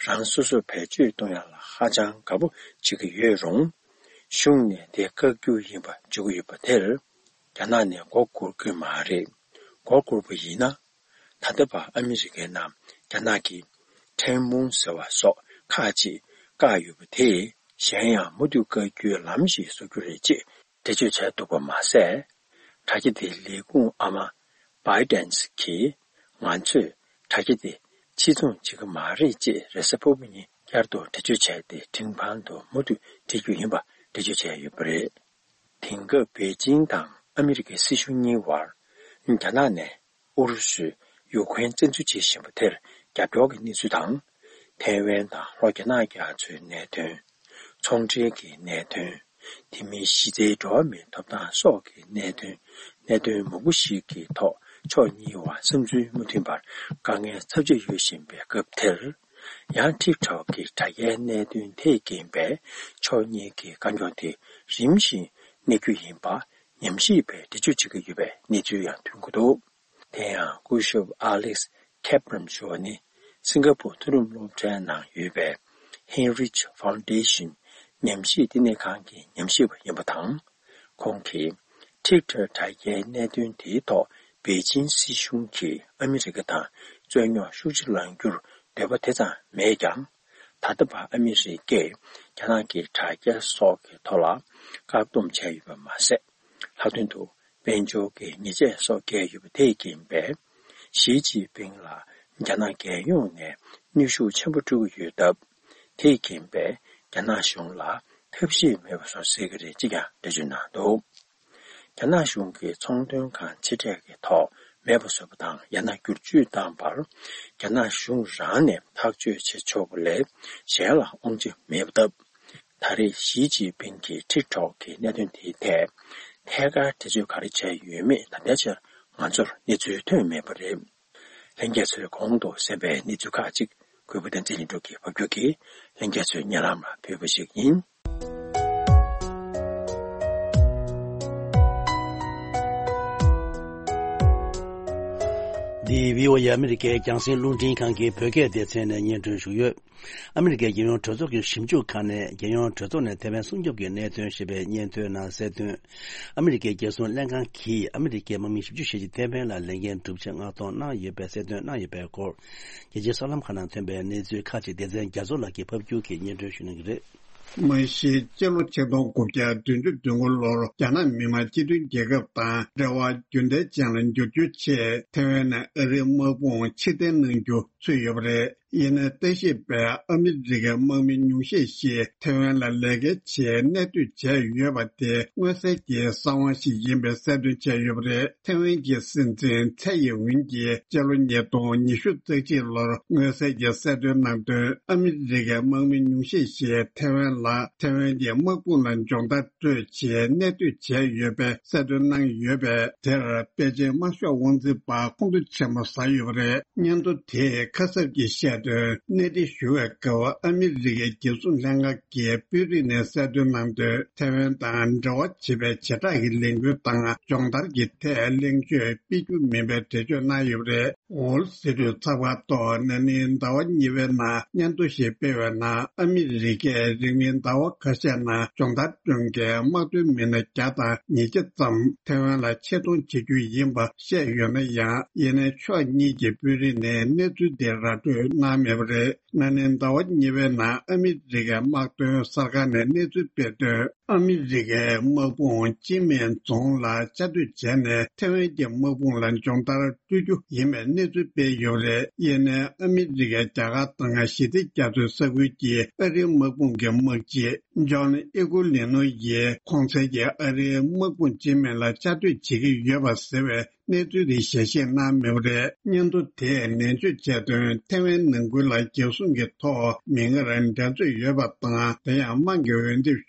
རང་སོ་སོ་བེད་སྤྱོད་གཏོང་ཡག་ལ་ཧ་ཅང་དགའ་པོ་བྱེད་ཀྱི་ཡོད་རུང་། གཞུང་ནས་དེ་བཀག་རྒྱུ་ཡིན་པ་བརྗོད་ཀྱི་ཡོད་པ་དེར་རྒྱ་ནག་ནས་མགོ་སྒུར་གྱི་མ་རེད། མགོ་སྒུར་པ་ཡིན་ན། ད་ལྟ་བར་ཨ་མི་རི་ཀའི་ནང་རྒྱ་ནག་གིས་ཁྲེན་མུང་ཟེར་བ་སོགས་ཁག་ཅིག་བཀག་ཡོད་པ་དེས་གཞན་ཡང་མུ་མཐུད་བཀག་རྒྱུའི་ལམ་ཞིག་བཟོ་རྒྱུ་རེད་ཅེས་འགྲེལ་བརྗོད་བྱས་འདུག་པ་མ་ཟད། དྲ་རྒྱ་དེའི་ལས་ཁུངས་ཨ་མ་བྷའི་ཌེན་གྱིས་ང་ཚོས་དྲ་རྒྱ་དེ་ཕྱིར་ཚོང་བྱེད་ཀྱི་མ་རེད་ཅེས་རེས་གཟའ་ཕུར་བུ་ཉིན་བསྐྱར་དུ་འགྲེལ་བརྗོད་བྱས་ཏེ་ཁྲིམས་ཁང་དུ་མུ་མཐུད་འཁྲིད་རྒྱུ་ཡིན་པ་འགྲེལ་བརྗོད་བྱས་ཡོད་པ་རེད། དེང་སྐབས་པེ་ཅིང་དང་ཨ་མི་རི་ཀའི་སྲིད་གཞུང་གཉིས་བར་རྒྱ་ནག་ནས་ཨུ་རུ་སུས་ཡུཀ་རེན་བཙན་འཛུལ་བྱེད་བཞིན་པ་དེར་རྒྱབ་སྐྱོར་གྱི་གནས་ཚུལ་དང་། ཐའེ་ཝན་དང་ལྷོ་རྒྱ་ནག་རྒྱ་མཚོའི་གནད་དོན། ཚོང་འབྲེལ་གྱི་གནད་དོན། དེ་མིན་གཞི་རྩའི་འགྲོ་བ་མིའི་ཐོབ་ཐང་སོགས་ཀྱི་གནད་དོན། གནད་དོན་མང་པོ་ཞིག་གི་ཐོག་ཕྱོགས་གཉིས་བར་བསམ་ཚུལ་མ་མཐུན་པར་དཀའ་ངལ་ཚབས་ཆེ་ཡོད་བཞིན་པའི་སྐབས་དེར། ཡང་ཊིག་ཊོག་གི་དྲ་རྒྱའི་གནད་དོན་དེས་རྐྱེན་པས་ཕྱོགས་གཉིས་ཀྱི་དཀའ་རྙོག་དེ་རིམ་བཞིན་གནས་རྒྱུ་ཡིན་པ་ཉམས་ཞིབ་པས་འགྲེལ་བརྗོད་བྱེད་ཀྱི་ཡོད་པའི་གནས་ཚུལ་ཡང་ཐོན་གྱི་འདུག་དེ་ཡང་སྐུ་ཞབས་ཨ་ལེགས་ཁེབ་རམ་ཞུ་བ་ནི་སིང་ག་པུར་མཐོ་རིམ་སློབ་གྲྭའི་ནང་ཡོད་པའི་ཧེན་རིཆ་ཕའུན་ཌེ་ཤན་ཉམས་ཞིབ་བསྟི་གནས་ཁང་གི་ཉམས་ཞིབ་པ་ཡིན་པ་དང་། ཁོང་གིས་ཊིག་ཊོག་དྲ་རྒྱའི་གནད་དོན་དེའི་ཐོག་པེ་ཅིན་སྲིད་གཞུང་གིས་ཨ་མི་རི་ཀ་དང་རྩོད་རྙོག་ཤུགས་ཆེ་ལངས་རྒྱུར་འདོད་པ་དེ་ཙམ་མེད་ཀྱང་། ད་ལྟ་བར་ཨ་མི་རི་ཀས་རྒྱ་ནག་གི་དྲ་རྒྱ་སོགས་ཀྱི་ཐོག་ལ་བཀག་སྡོམ་བྱས་ཡོད་པ་མ་ཟད། ལྷག་ མཐའ་དོན་དུ་དཔལ་འབྱོར་གྱི་ཉེས་ཆད་སོགས་བཀལ་ཡོད་པ་དེས་རྐྱེན་པས། ཞི་ཅིན་ཕིང་ལ་རྒྱ་ནག་རྒྱལ་ཡོངས་ནས་གནོན་ཤུགས་ཆེན་པོ་སྤྲོད་ཀྱི་ཡོད་སྟབས། དེས་རྐྱེན་པས་རྒྱ་ནག་གཞུང་ལ་ཐབས་ཤེས་མེད་པ་བཟོ་སྲིད་ཀྱི་རེད་ཅེས་ཀྱང་འགྲེལ་བརྗོད་གནང་འདུག་རྒྱ་ནག་གཞུང་གིས་ཚོང་དོན་ཁང་ཆེ་གྲས་ཀྱི་ཐོག་མེད་པ་བཟོས་པ་དང་ཡང་ན་བསྒྱུར་བཅོས་བཏང་བར་རྒྱ་ནག་གཞུང་རང་ནས་ཐག་གཅོད་བྱེད་ཆོག་པ་ལས་གཞན་ལ་དབང་ཆ་མེད་པ་སྟབས། ད་རེས་ཞི་ཅིན་ཕིང་གི་ཊིག་ཊོག་གི་གནད་དོན་དེའི་ཐད་ཐད་ཀར་འགྲེལ་བརྗོད་ག་རེ་བྱས་ཡོད་མེད་ད་ལྟའི་ཆར་ང་ཚོར་གནས་ཚུལ་ཐོན་མེད་པ་རེད། ལྷན་རྒྱས་ཚོས་གོང་དུ་གསན་པའི་གནས་ཚུལ་ཁག་ཅིག་གུས་པ་བསྟན་འཛིན་ལྷུན་གྲུབ་ཀྱིས་ཕབ་སྒྱུར་གྱིས་ལྷན་རྒྱས་ཚོའི་སྙན་ལམ་ལ་ཕུལ་བ་ཞིག་ཡིན། འདི་བྷི་ཨོ་ཨེ་ཨ་མི་རི་ཀའི་རྒྱང་སྲིང་རླུང་འཕྲིན་ཁང་གི་བོད་སྐད་སྡེ་ཚན་ནས་སྙན་སྒྲོན་ཞུས་ཡོད། ཨ་མི་རི་ཀའི་རྒྱལ་ཡོངས་གྲོས་ཚོགས་ཀྱི་ཞིབ་འཇུག་ཁང་ནས་རྒྱལ་ཡོངས་གྲོས་ཚོགས་ནས་ཐེ་ཝན་སྲུང་སྐྱོབ་ཀྱི་གནད་དོན་ཞེས་པའི་སྙན་ཐོའི་ནང་གསལ་དོན། ཨ་མི་རི་ཀའི་རྒྱལ་སྲུང་ལྷན་ཁང་གིས་ཨ་མི་རི་ཀའི་དམག་མི་བཞི་བཅུ་ཞེ་གཅིག་ཐེ་ཝན་ལ་ལས་འགན་སྒྲུབ་ཆེད་མངགས་གཏོང་གནང་ཡོད་པའི་གསལ་སྟོན་གནང་ཡོད་པའི་སྐོར། རྒྱལ་སྤྱིའི་གསར་ལམ་ཁག་ནང་ཐོན་པའི་གནས་ཚུལ་ཁག་ཅིག་སྡེ་ཚན་རྒྱ་མཚོ་ལགས་ཀྱིས་ཕབ་སྒྱུར་གྱིས་སྙན་སྒྲོན་ཞུ་གནང་གི་རེད། མ་གཞི་སྤྱི་ལོ་ཆིག་སྟོང་དགུ་བརྒྱ་བདུན་ཅུ་དོན་དགུ་ལོར་རྒྱ་ནག་མི་དམངས་སྤྱི་མཐུན་རྒྱལ་ཁབ་དང་འབྲེལ་བ་རྒྱུན་ལྡན་ཅན་ལ་འགྱུར་རྒྱུའི་ཆེད་ཐེ་ཝན་ནས་ཨ་རིའི་དམག་དཔུང་ཕྱིར་འཐེན་གནང་རྒྱུ་ཚུད་ཡོད་པ་རེད། ཡིན་ནའི་ལྟ་ཞིབ་པས་ཨ་མི་རི་ཀའི་དམག་མི་ཉུང་ཤས་ཤིག་ཐེ་ཝན་ལ་ལས་ཀའི་ཆེད་གནས་སྡོད་བྱས་ཡོད་པ་དེ་མངོན་གསལ་གྱི་གསང་བ་ཞིག་ཡིན་པའི་གསལ་སྟོན་བྱས་ཡོད་པ་རེད། ཐེ་ཝན་གྱི་སྲིད་འཛིན་ཚའེ་ཡིན་ཝིན་གྱིས་སྤྱི་ལོ་ཉིས་སྟོང་ཉི་ཤུ་རྩ་གཅིག་ལོར་མངོན་གསལ་གྱི་གསལ་སྟོན་གནང་དོན། ཨ་མི་རི་ཀའི་དམག་མི་ཉུང་ཤས་ཤིག་ཐེ་ཝན་ལ་ཐེ་ཝན་གྱི་དམག་དཔུང་ལ་སྦྱོང་བརྡར་སྤྲོད་ཆེད་གནས་སྡོད་བྱས་ཡོད་པའི་གསལ་སྟོན་གནང་ཡོད་པས། དེར་པེ་ཅིན་དམར་ཤོག་དབང་འཛིན་པ་ཁོང་ཁྲོ་ཆེན་པོ་ཟ་ཡོད་པ་རེད། སྙན་ཐོ་དེས་ཁ་གསབ་ཀྱིས་བཤད་དོན། གནས་འདྲི་ཞུ་བའི་སྐབས་ཨ་མི་རི་ཀའི་རྒྱལ་སྲུང་ལྷན་ཁང་གི་དཔོན་རིགས་ནས་གསལ་སྟོན་གནང་དོན། ཐེ་ཝན་དང་འབྲེལ་བ་བྱེད་པའི་བྱེ་བྲག་གི་ལས་འགུལ་དང་སྦྱོང་བརྡར་གྱི་ཐད་གླེང་བརྗོད་སྤེལ་རྒྱུ་མིན་པའི་འགྲེལ་བརྗོད་གནང་ཡོད་པ་རེད། ཝོལ་སི་ཊི་ཚགས་པར་ཐོག་ན་ནིང་ཟླ་བ་གཉིས་པའི་ནང་སྙན་ཐོ་ཞིག་སྤེལ་བའི་ནང་། ཨ་མི་རི་ཀས་རིང་མིན་ཟླ་བ་ཁ་ཤས་ནང་སྦྱོང་བརྡར་སྐྱོང་མཁན་དམག་དོན་མི་སྣ་བརྒྱ་དང་ཉིས་བརྒྱ་ཙམ་ཐེ་ཝན་ལ་ཆེད་གཏོང་བྱེད་རྒྱུ་ཡིན་པ་བཤད་ཡོད་ན་ཡང་། ཡིན་ནའི་ཕྱོགས་གཉིས་ཀྱི་དཔོན་རིགས་ནས་གནས་ཚུལ་དེ་ར་སྤྲོད་གནང་མེད་པ་རེད། ན་ནིང་ཟླ་བ་གཉིས་པའི་ནང་ཨ་མི་རི་ཀའི་དམག་དོན་གསར་ཁང་ནས་གནས་ཚུལ་སྤེལ་དོན། ཨ་མི་རི་ཀའི་དམག་དཔུང་ཅིན་མིན་རྫོང་ལ་བཅའ་སྡོད་བྱས་ནས་ཐེ་ཝན་གྱི་དམག་དཔུང་ལ་སྦྱོང་བརྡར་སྤྲོད་རྒྱུ་ཡིན་པའི་གནས་ཚུལ་སྤེལ་ཡོད་པ་རེད། ཡིན་ནའི་ཨ་མི་རི་ཀའི་རྒྱ་གར་དང་ཞི་བདེ་རྒྱ་མཚོའི་ས་ཁུལ་གྱི་ཨ་རིའི་དམག་དཔུང་གི་དམག་སྤྱི་ཇོན་ཨི་ཀུ་ལི་ནོ་ཡིས་གོང་གསལ་གྱི་ཨ་རིའི་དམག་དཔུང་ཅིན་མིན་ལ་བཅའ་སྡོད་བྱེད་ཀྱི་ཡོད་པ་ཟེར་བའི་གནས་ཚུལ་དེ་ཞལ་བཞེས་གནང་མེད་པ་རེད། སྙན་ཐོ་དེས་ནན་བརྗོད་བྱས་དོན། ཐེ་ཝན་ནང་ཁུལ་ལ་རྒྱལ་སྲུང་གི་ཐོག་མིག་སྔར་འགྲན་རྩོད་ཡོད་པ་དང་། དེ་ཡང་དམངས་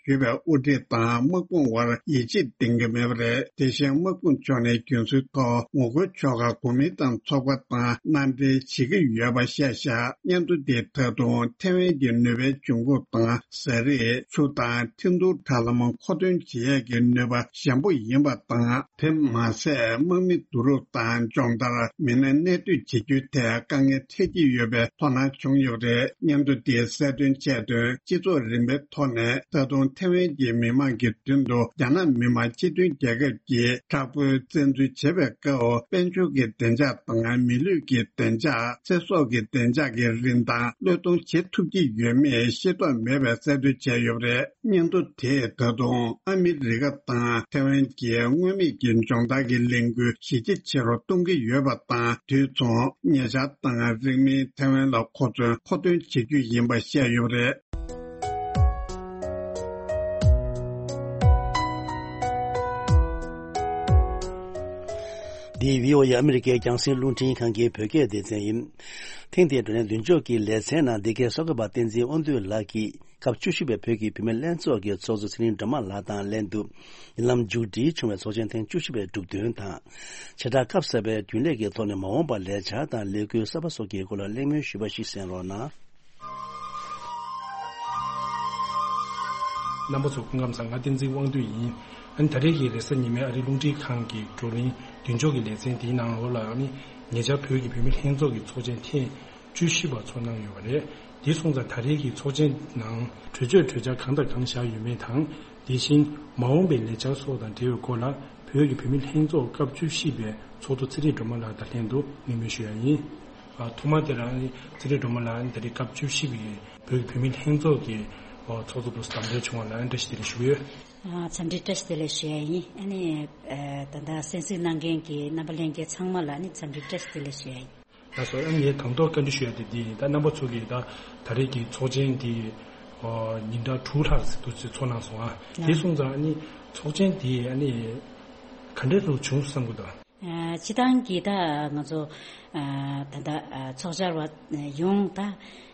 ཀྱིས་འོས་འདེམས་ཞུས་པའི་དབུ་ཁྲིད་དང་དམག་དཔུང་བར་ཡིད་ཆེས་ལྡན་གྱི་མེད་པ་རེད། དེ་བཞིན་དམག་དཔུང་ཕྱོགས་ནས་རྒྱུན་སྲོལ་ཐོག་ངོ་རྒོལ་ཕྱོགས་ཁག་གོ་མིན་ཏང་ཚོགས་པ་དང་མནའ་འབྲེལ་བྱེད་ཀྱི་ཡོད་པ་བཤད་བཞག་སྙན་ཐོ་དེས་ད་དུང་ཐེ་ཝན་གྱི་ནུས་པའི་འབྱུང་ཁུངས་དང་། ཟས་རིགས། ཆུ་དང་འཕྲིན་གཏོང་དྲ་ལམ་མཁོ་འདོན་བྱེད་ཡས་ཀྱི་ནུས་པ་ཞན་པོ་ཡིན་པ་དང་། དེ་མ་ཟད། དམག་མི་བསྡུ་རུབ་དང་སྦྱོང་བརྡར། མི་སྣ་གནས་སྡོད་བྱེད་རྒྱུའི་ཐད་དཀའ་ངལ་འཕྲད་ཀྱི་ཡོད་པའི་དོ་སྣང་བྱུང་ཡོད་པ་རེད། སྙན་ཐོ་དེས་གསལ་སྟོན་བྱས་དོན། སྤྱི་ཚོགས་རིམ་པའི་ཐོག་ནས་ད་དུང་ཐེ་ཝན་གྱི་མི་མང་གི་མདུན་དུ་རྒྱ་ནག་མི་དམངས་སྤྱི་མཐུན་རྒྱལ་ཁབ་ཀྱིས་དྲག་པོའི་བཙན་འཛུལ་བྱེད་པའི་སྐབས། དཔལ་འབྱོར་གྱི་བདེ་འཇགས་དང་མི་ལུས་ཀྱི་བདེ་འཇགས། ཚེ་སྲོག་གི་བདེ་འཇགས་ཀྱི་རིན་ཐང་བློས་གཏོང་བྱེད་ཐུབ་ཀྱི་ཡོད་མེད་ཤེས་རྟོགས་མེད་པའི་གསལ་སྟོན་བྱས་ཡོད་པ་རེད། སྙན་ཐོ་དེས་ད་དུང་ཨ་མི་རི་ཀ་དང་ཐེ་ཝན་གྱི་མངོན་མེད་ཀྱི་སྦྱོང་བརྡར་གྱི་ལས་འགུལ་གཞི་རྒྱ་ཆེ་རུ་གཏོང་གི་ཡོད་པ་དང་། དུས་མཚུངས་ཉེ་ཆར་དང་རིང་མིན་ཐེ་ཝན་ལ་མཁོ་མཚོན་མཁོ་འདོན་བྱེད་རྒྱུ་ཡིན་པ་བཤད་ཡོད་པ་རེད། འདི་བྷི་ཨོ་ཨེ་ཨ་མི་རི་ཀའི་རྒྱང་སྲིང་རླུང་འཕྲིན་ཁང་གི་བོད་སྐད་སྡེ་ཚན་ཡིན། ཐེངས་འདིའི་བགྲོ་གླེང་མདུན་ལྕོག་གི་ལེ་ཚན་ནང་འདི་གའི་གསར་འགོད་པ་བསྟན་འཛིན་དབང་འདུས་ལགས་ཀྱིས་སྐབས་བཅུ་བཞི་པའི་བོད་ཀྱི་བུད་མེད་ལྷན་ཚོགས་ཀྱི་ཚོགས་གཙོ་ཚེ་རིང་སྒྲོལ་མ་ལགས་དང་ལྷན་དུ། ཉེ་ལམ་མཇུག་སྒྲིལ་བྱུང་བའི་ཚོགས་ཆེན་ཐེངས་བཅུ་བཞི་པའི་གྲུབ་དོན་དང་། བྱེ་བྲག་སྐབས་གསར་པའི་རྒྱུན་ལས་ཀྱི་ཐོག་ནས་མ་འོངས་པར་ལས་འཆར་དང་ལས་འགུལ་གསར་པ་སོགས་ཀྱི་སྐོར་ལ་གླེང་མོལ་ཞུས་པ་ཞིག་གསན་རོགས་གནང་། རྣམ་པ་ཚོ་སྐུ་ཁམས་བཟང་། ང་བསྟན་འཛིན་དབང་འདུས་ཡིན། ཨ་ནི་ད་རེས་ཀྱི་རེས་གཟའ་ཉི་མའི་ཨ་རིའི་རླུང་འཕྲིན་ཁང་གི་བགྲོ་གླེང་མདུན་ལྕོག་གི་ལེ་ཚན་འདིའི་ནང་ལོགས་ལ། ཨ་ནི་ཉེ་ཆར་བོད་ཀྱི་བུད་མེད་ལྷན་ཚོགས་ཀྱི་ཚོགས་ཆེན་ཐེངས་བཅུ་བཞི་པ་ཚོགས་གནང་ཡོད་པ་རེད། འདི་སོང་ཙང་ད་རེས་ཀྱི་ཚོགས་ཆེན་ནང་གྲོས་ཆོད་གྲོས་འཆར་གང་དང་གང་བཞག་ཡོད་མེད་དང་། དེ་བཞིན་མ་འོངས་པའི་ལས་འཆར་སོགས་དང་འབྲེལ་བའི་སྐོར་ལ། བོད་ཀྱི་བུད་མེད་ལྷན་ཚོགས་སྐབས་བཅུ་བཞི་པའི་ཚོགས་གཙོ་ཚེ་རིང་སྒྲོལ་མ་ལགས་དང་ལྷན་དུ་གླེང་མོལ་ཞུ་ཡ་ཡིན། ཨ། ཐོག་མར་དེ་རང་ཚེ་རིང་སྒྲོལ་མ་ལགས་ད་རེས་སྐབས་བཅུ་བཞི་པའི་བོད་ཀྱི་བུད་མེད་ལྷན་ཚོགས་ཀྱི་ ཚོགས་གཙོ་དུ་དམ་འབུལ་བྱུང་བ་ལ་འདྲ་ཞིག་དེ་ལ་ཞུ་ཡོད། ཨ། འཚམས་འདྲི་བཀྲ་ཤིས་བདེ་ལེགས་ཞུ་ཡ་ཡིན། ཨ་ནི་ཨ་ད་ལྟ་གསན་གཟིགས་གནང་མཁན་གྱི་རྣམ་པ་ལྷན་རྒྱས་ཚང་མ་ལ་ཨ་ནི་འཚམས་འདྲི་བཀྲ་ཤིས་བདེ་ལེགས་ཞུ་ཡ་ཡིན། ལགས་སོ། ཨ་ནི་ངས་དང་ཐོག་བཀའ་འདྲི་ཞུ་ཡ་དེ་འདི་ཡིན། ད་རྣམ་པ་ཚོ་གིས་ད་ད་རེས་ཀྱི་ཚོགས་ཆེན་འདི་ཨོ་ཉིན་གྲངས་དྲུག་ལྷག་ཙམ་དུ་ཚོགས་གནང་སོང་ཨ། དེ་སོང་ཙང་ཨ་ནི་ཚོགས་ཆེན་འདི་ཨ་ནི་ག་འདྲ་རུ་བྱུང་བསམ་གི་འདུག་ཨ། སྤྱི་བཏང་གི་ད་ང་ཚོ་ཨ་ད་ལྟ་ཨ་ཚོགས་བཅར་བ་ཡོངས་ད་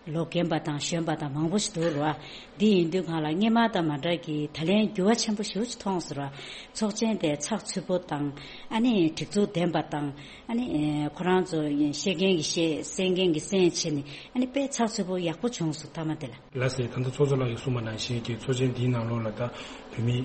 ལོ་རྒན་པ་དང་གཞོན་པ་དང་མང་པོ་ཞིག་འདུག་ར། འདི་ཡིན་དུས་གང་ལ་སྔོན་མ་དང་མ་འདྲ་གི་ད་ལན་འགྱུར་བ་ཆེན་པོ་ཞེ་པོ་ཅིག་མཐོང་སོང་ར། ཚོགས་ཆེན་དེ་ཚགས་ཚུད་པོ་དང་ཨ་ནི་སྒྲིག་འཛུགས་ལྡན་པ་དང་ཨ་ནི་ཁོ་རང་ཚོ་བཤད་མཁན་གྱི་བཤད་གསན་མཁན་གྱི་གསན་བྱས་ནས་ཨ་ནི་དཔེ་ཚགས་ཚུད་པོ་ཡག་པོ་བྱུང་སོང་མཐའ་མ་དེ་ལ། ལགས་སེ། ད་ལྟ་ཚོགས་གཙོ་ལགས་ཀྱིས་གསུངས་པ་ནང་བཞིན་གྱི་ཚོགས་ཆེན་འདིའི་ནང་ལོགས་ལ་ད་བོད་མི་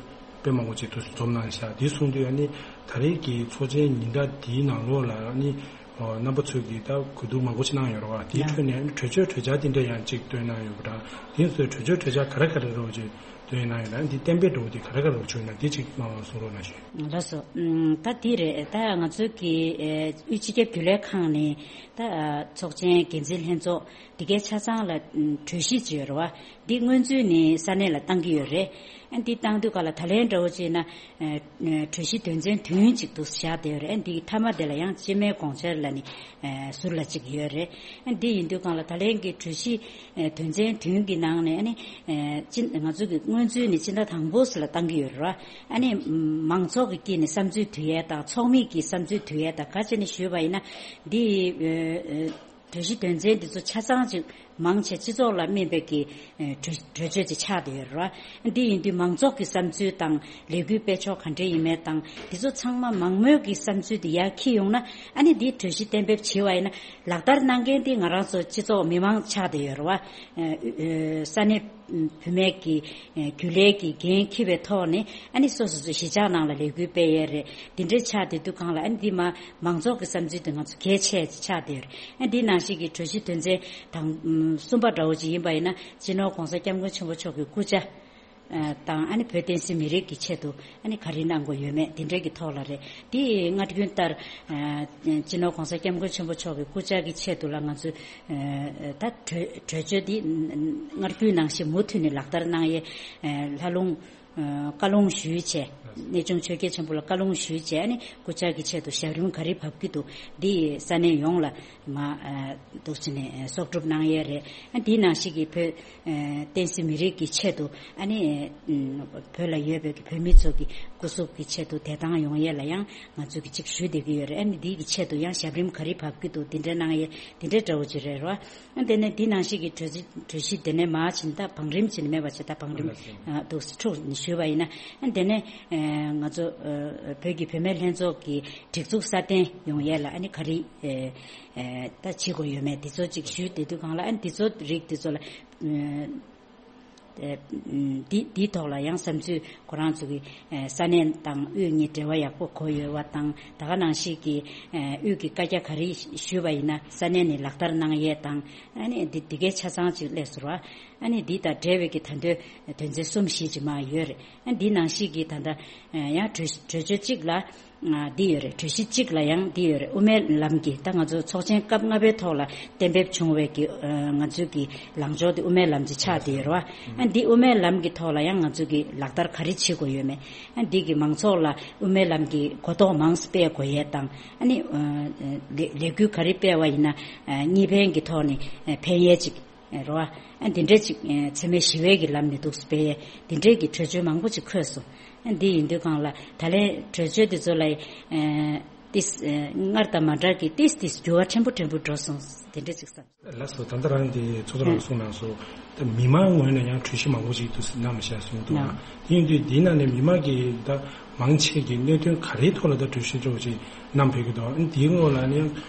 དཔེ་མང་པོ་ཅིག་ཐུགས་སུ་འཛོམས་གནང་ཤག་དེ་གསུངས་དུས་ཨ་ནི་ད་རེས་ཀྱི་ཚོགས་ཆེན་ཉིན་གྲངས་འདིའི་ནང་ལོགས་ལ་ཨ་ནི་ཨོ་རྣམ་པ་ཚོས་ཀྱིས་ད་གོ་བསྡུར་མང་པོ་ཅིག་གནང་ཡོད་རེད་བ། དེའི་ཁྲོད་ནས་ཨ་ནི་གྲོས་ཆོད་གྲོས་འཆར་དེ་འདྲ་ཡང་ཅིག་བཏོན་གནང་ཡོད་པ་འདྲ། དེ་ཚོའི་གྲོས་ཆོད་གྲོས་འཆར་ག་རེ་ག་རེ་རོགས་ཅིག་བཏོན་གནང་ཡོད་ན་ཨ་ནི་འདི་གཏན་འབེབས་འགྲོ་བ་དེ་ག་རེ་ག་རེ་རོགས་བྱུང་ཡོད་ན་དེ་ཅིག་མང་བ་གསུང་རོགས་གནང་ཞུ། ལགས་སོ། ཨམ། ད་འདི་རེད། ད་ང་ཚོའི་གི་ཨེ་དབུས་སྤྱི་ཁྱབ་རྒྱུན་ལས་ཁང་ནས་ད་ཚོགས་ཆེན་འགན་འཛིན་ལྷན་ཚོགས་འདི་གའི་ཆ་ཚང་ལ་གྲོས་གཞི་ཅིག་ཡོད་རེད་བ། འདི་སྔོན་ཚུད་ནས་ས་གནས་ལ་བཏང་གི་ཡོད་རེད། ཨ་འདི་བཏང་དུས་ག་ལ་ད་ལན་འདྲ་བོ་ཅིག་ན་གྲོས་གཞི་དོན་ཚན་བདུན་ཅིག་འདུག་བཞག་བསྡད་ཡོད་རེད། ཨ་འདི་མཐའ་མ་དེ་ལ་ཡང་སྤྱི་མོས་དགོངས་འཆར་ལ་ནི་ཟུར་ལ་ཅིག་ཡོད་རེད། ཨ་འདི་ཡིན་དུས་གང་ལ་ད་ལན་གྱི་གྲོས་གཞི་དོན་ཚན་བདུན་གྱི་ནང་ནས་ཨ་ནི་སྤྱི་ང་ཚོ་གི་སྔོན་ཚུད་ནས་སྤྱི་ཟླ་དང་པོ་ཙམ་ལ་བཏང་གི་ཡོད་རེད་བ། ཨ་ནི་མང་ཚོགས་ཀྱི་དཀྱིལ་ནས་བསམ་ཚུལ་བསྡུ་ཡས་དང་ཚོགས་མི་གི་བསམ་ཚུལ་བསྡུ་ཡས་དང་ག་བྱས་ནས་ཞུས་པ་ཡིན་ན་འདི། གྲོས་གཞི་དོན་ཚན་འདི་ཚོ་ཆ་ཚང་ཅིག་མང་ཆེ་སྤྱི་ཚོགས་ལ་སྨིན་པའི་གི་ཨེ་གྲོས་གྲོས་ཆོད་ཅིག་ཆགས་བསྡད་ཡོད་རེད་བ། འདི་ཡིན་དུས་མང་ཚོགས་ཀྱི་བསམ་ཚུལ་དང་ལས་འགུལ་སྤེལ་ཕྱོགས་ག་འདྲ་ཡིན་མིན་དང་འདི་ཚོ་ཚང་མ་མང་མོས་ཀྱི་བསམ་ཚུལ་དེ་ཡར་འཁྱེར་ཡོང་ན་ཨ་ནི་འདིའི་གྲོས་གཞི་གཏན་འབེབས་བྱས་པ་ཡིན་ན་ལག་བསྟར་གནང་མཁན་དེ་ང་རང་ཚོ་སྤྱི་ཚོགས་མི་མང་ཆགས་བསྡད་ཡོད་རེད་བ། ཨེ་ཨེ་ས་གནས་བུད་མེད་ཀྱི་རྒྱུན་ལས་ཀྱི་འགན་འཁྱེར་བའི་ཐོག་ནས་ཨ་ནི་སོ་སོ་ཚོ་གཞིས་ཆགས་ནང་ལ་ལས་འགུལ་སྤེལ་ཡས་རེད། འདི་འདྲའི་ཆགས་བསྡད་དུས་གང་ལ་ཨ་ནི་འདི་མ་མང་ཚོགས་ཀྱི་བསམ་ཚུལ་དེ་ང་ཚོ་གལ་ཆེ་ཆགས་བསྡད་ཡོད་རེད། ཨ་འདི་ནང་བཞིན་གྱི་གྲོས་གཞི་དོན་ཚན་དང་གསུམ་པ་འདྲ་བོ་ཅིག་ཡིན་པ་ཡིན་ན་སྤྱི་ནོར་༸གོང་ས་༸སྐྱབས་མགོན་ཆེན་པོ་མཆོག་གི་སྐུ་ཕྱྭ་དང་ཨ་ནི་བོད་བསྟན་སྲིད་མི་རིགས་ཀྱི་ཆེད་དུ་ཨ་ནི་ག་རེ་གནང་དགོས་ཡོད་མེད་འདི་འདྲའི་གི་ཐོག་ལ་རེད། འདི་སྔར་རྒྱུན་ལྟར་སྤྱི་ནོར་༸གོང་ས་༸སྐྱབས་མགོན་ཆེན་པོ་མཆོག་གི་སྐུ་ཕྱྭ་གི་ཆེད་དུ་ལ་ང་ཚོས། ད་གྲོས་གྲོས་ཆོད་འདི་སྔར་རྒྱུན་ནང་བཞིན་མུ་མཐུད་ནས་ལག་བསྟར་གནང་ཡས་ལྷ་ལུང་བཀའ་ལུང་ཞུས་བྱས། གནས་ཆུང་ཆོས་རྒྱལ་ཆེན་པོ་ལ་བཀའ་ལུང་ཞུས་བྱས་ནས་སྐུ་ཕྱྭ་གི་ཆེད་དུ་ཞབས་རིམ་ག་རེ་བབས་ཀྱི་འདུག་འདི་ས་གནས་ཡོངས་ལ་མ་འདུག་ཕྱིན་ནས་གསོག་སྒྲུབ་གནང་ཡས་རེད། འདི་ནང་བཞིན་གྱི་བོད་བསྟན་སྲིད་མི་རིགས་ཀྱི་ཆེད་དུ་ཨ་ནི་བོད་ལ་ཡོད་པའི་བོད་མི་ཚོ་གི་སྐུ་གཟུགས་ཀྱི་ཆེད་དུ་བདེ་ཐང་ཡོང་ཡས་ལ་ཡང་ང་ཚོ་གི་ཅིག་ཞུས་བསྡད་ཀྱི་ཡོད་རེད། ཨ་ནི་འདི་གི་ཆེད་དུ་ཡང་ཞབས་རིམ་ག་རེ་བབས་ཀྱི་འདུག་འདི་འདྲ་གནང་ཡས་འདི་འདྲའི་འདྲ་བོ་ཅིག་རེད་རོ། དེ་ནས་འདི་ནང་བཞིན་གྱི་གྲོས་གཞི་གྲོས་གཞི་དེ་ནས་མར་ཕྱིན་ད་བང་རིམ་ཕྱིན་མེད་པ་བྱས་ད་བང་རིམ་འདུག་འཁྲུག་ནས་ཞུས་པ་ཡིན་ན་དེ་ནས་ང་ཚོ་བོད་ཀྱི་བུད་མེད་ལྷན་ཚོགས་ཀྱི་སྒྲིག་འཛུགས་སྲ་བརྟན་ཡོང་ཡས་ལ་ཨ་ནི་ག་རེ་ད་བྱེད་དགོས་ཡོད་མེད་འདི་ཚོ་ཅིག་ཞུས་བསྡད་དུས་གང་ལ་ཨ་ནི་འདི་ཚོ་རིགས་འདི་ཚོ་ལ། འདི་འདིའི་ཐོག་ལ་ཡང་བསམ་ཚུལ་ཁོ་རང་ཚོ་གི་ས་གནས་དང་དབུས་གཉིས་འབྲེལ་བ་ཡག་པོ་དགོས་ཡོད་པ་དང་ད་ག་ནང་བཞིན་གྱི་དབུས་ཀྱི་བཀའ་རྒྱ་ག་རེ་ཞུས་པ་ཡིན་ན་ས་གནས་ནས་ལག་བསྟར་གནང་ཡས་དང་ཨ་ནི་འདི་འདི་གའི་ཆ་ཚང་ཅིག་སླེབས་སོང་བ། ཨ་ནི་འདི་དང་འབྲེལ་བའི་གི་ད་དོན་དོན་ཚན་གསུམ་བཞི་ཅིག་མ་ཡོད་རེད། ཨ་འདི་ནང་བཞིན་གྱི་ད་ལྟ་ཡང་གྲོས་གྲོས་ཆོད་གཅིག་ལ། འདི་ཡོད་རེད། གྲོས་གཞི་གཅིག་ལ་ཡང་འདི་ཡོད་རེད། དབུ་མའི་ལམ་གྱི་ད་ང་ཚོ་ཚོགས་ཆེན་སྐབས་ལྔ་པའི་ཐོག་ལ་གཏན་འབེབས་བྱུང་བའི་གི་ང་ཚོའི་གི་ལངས་ཕྱོགས་དེ་དབུ་མའི་ལམ་གྱི་ཆགས་བསྡད་ཡོད་རེད་བ། ཨ་འདི་དབུ་མའི་ལམ་གྱི་ཐོག་ལ་ཡང་ང་ཚོ་གི་ལག་བསྟར་ག་རེ་བྱེད་དགོས་ཡོད་མེད། ཨ་འདི་གི་མང་ཚོགས་ལ་དབུ་མའི་ལམ་གྱི་གོ་རྟོགས་མང་ཙམ་སྤེལ་དགོས་ཡས་དང་ཨ་ནི་ལས་ལས་འགུལ་ག་རེ་སྤེལ་བ་ཡིན་ན་གཉིས་ཕན་གྱི་ཐོག་ནས་ཕན་ཡས་ཅིག་རོ། ཨ་འདི་འདྲ་ཅིག་འཚེ་མེད་ཞི་བའི་གི་ལམ་ནས་འདུག་སྤེལ་ཡས་འདི་འདྲའི་གི་གྲོས་ཆོད་མང་པོ་ཅིག་འཁོད་སོང་། ཨ་འདི་ཡིན་དུས་གང་ལ་ད་ལན་གྲོས་ཆོད་འདི་ཚོ་ལ་ཏིས་སྔར་དང་མ་འདྲ་གི་ཏིས་ཏིས་འགྱུར་བ་ཕྲན་བུ་ཕྲན་བུ་འགྲོ་སོང་འདི་འདྲ་ཅིག་བསམ། ལགས་སོ། ད་ལྟ་རང་འདི་ཚོགས་གཙོ་རང་གསུངས་གནང་སོང་། ད་མི་མང་ངོས་ནས་ཡང་གྲོས་གཞི་མང་པོ་ཅིག་འདུག་གནང་མི་ཤག་གསུངས་འདུག་ཨ། དེ་ཡིན་དུས་འདི་ནང་ནས་མི་མང་གི་ད་མང་ཆེ་གི་གནད་དོན་ག་རེའི་ཐོག་ལ་ད་གྲོས་གཞི་འདྲ་བོ་ཅིག་གནང་ཕེབས་ཀྱི་འདུག་ཨ་འདིའི་ངོས་ལ་ནི་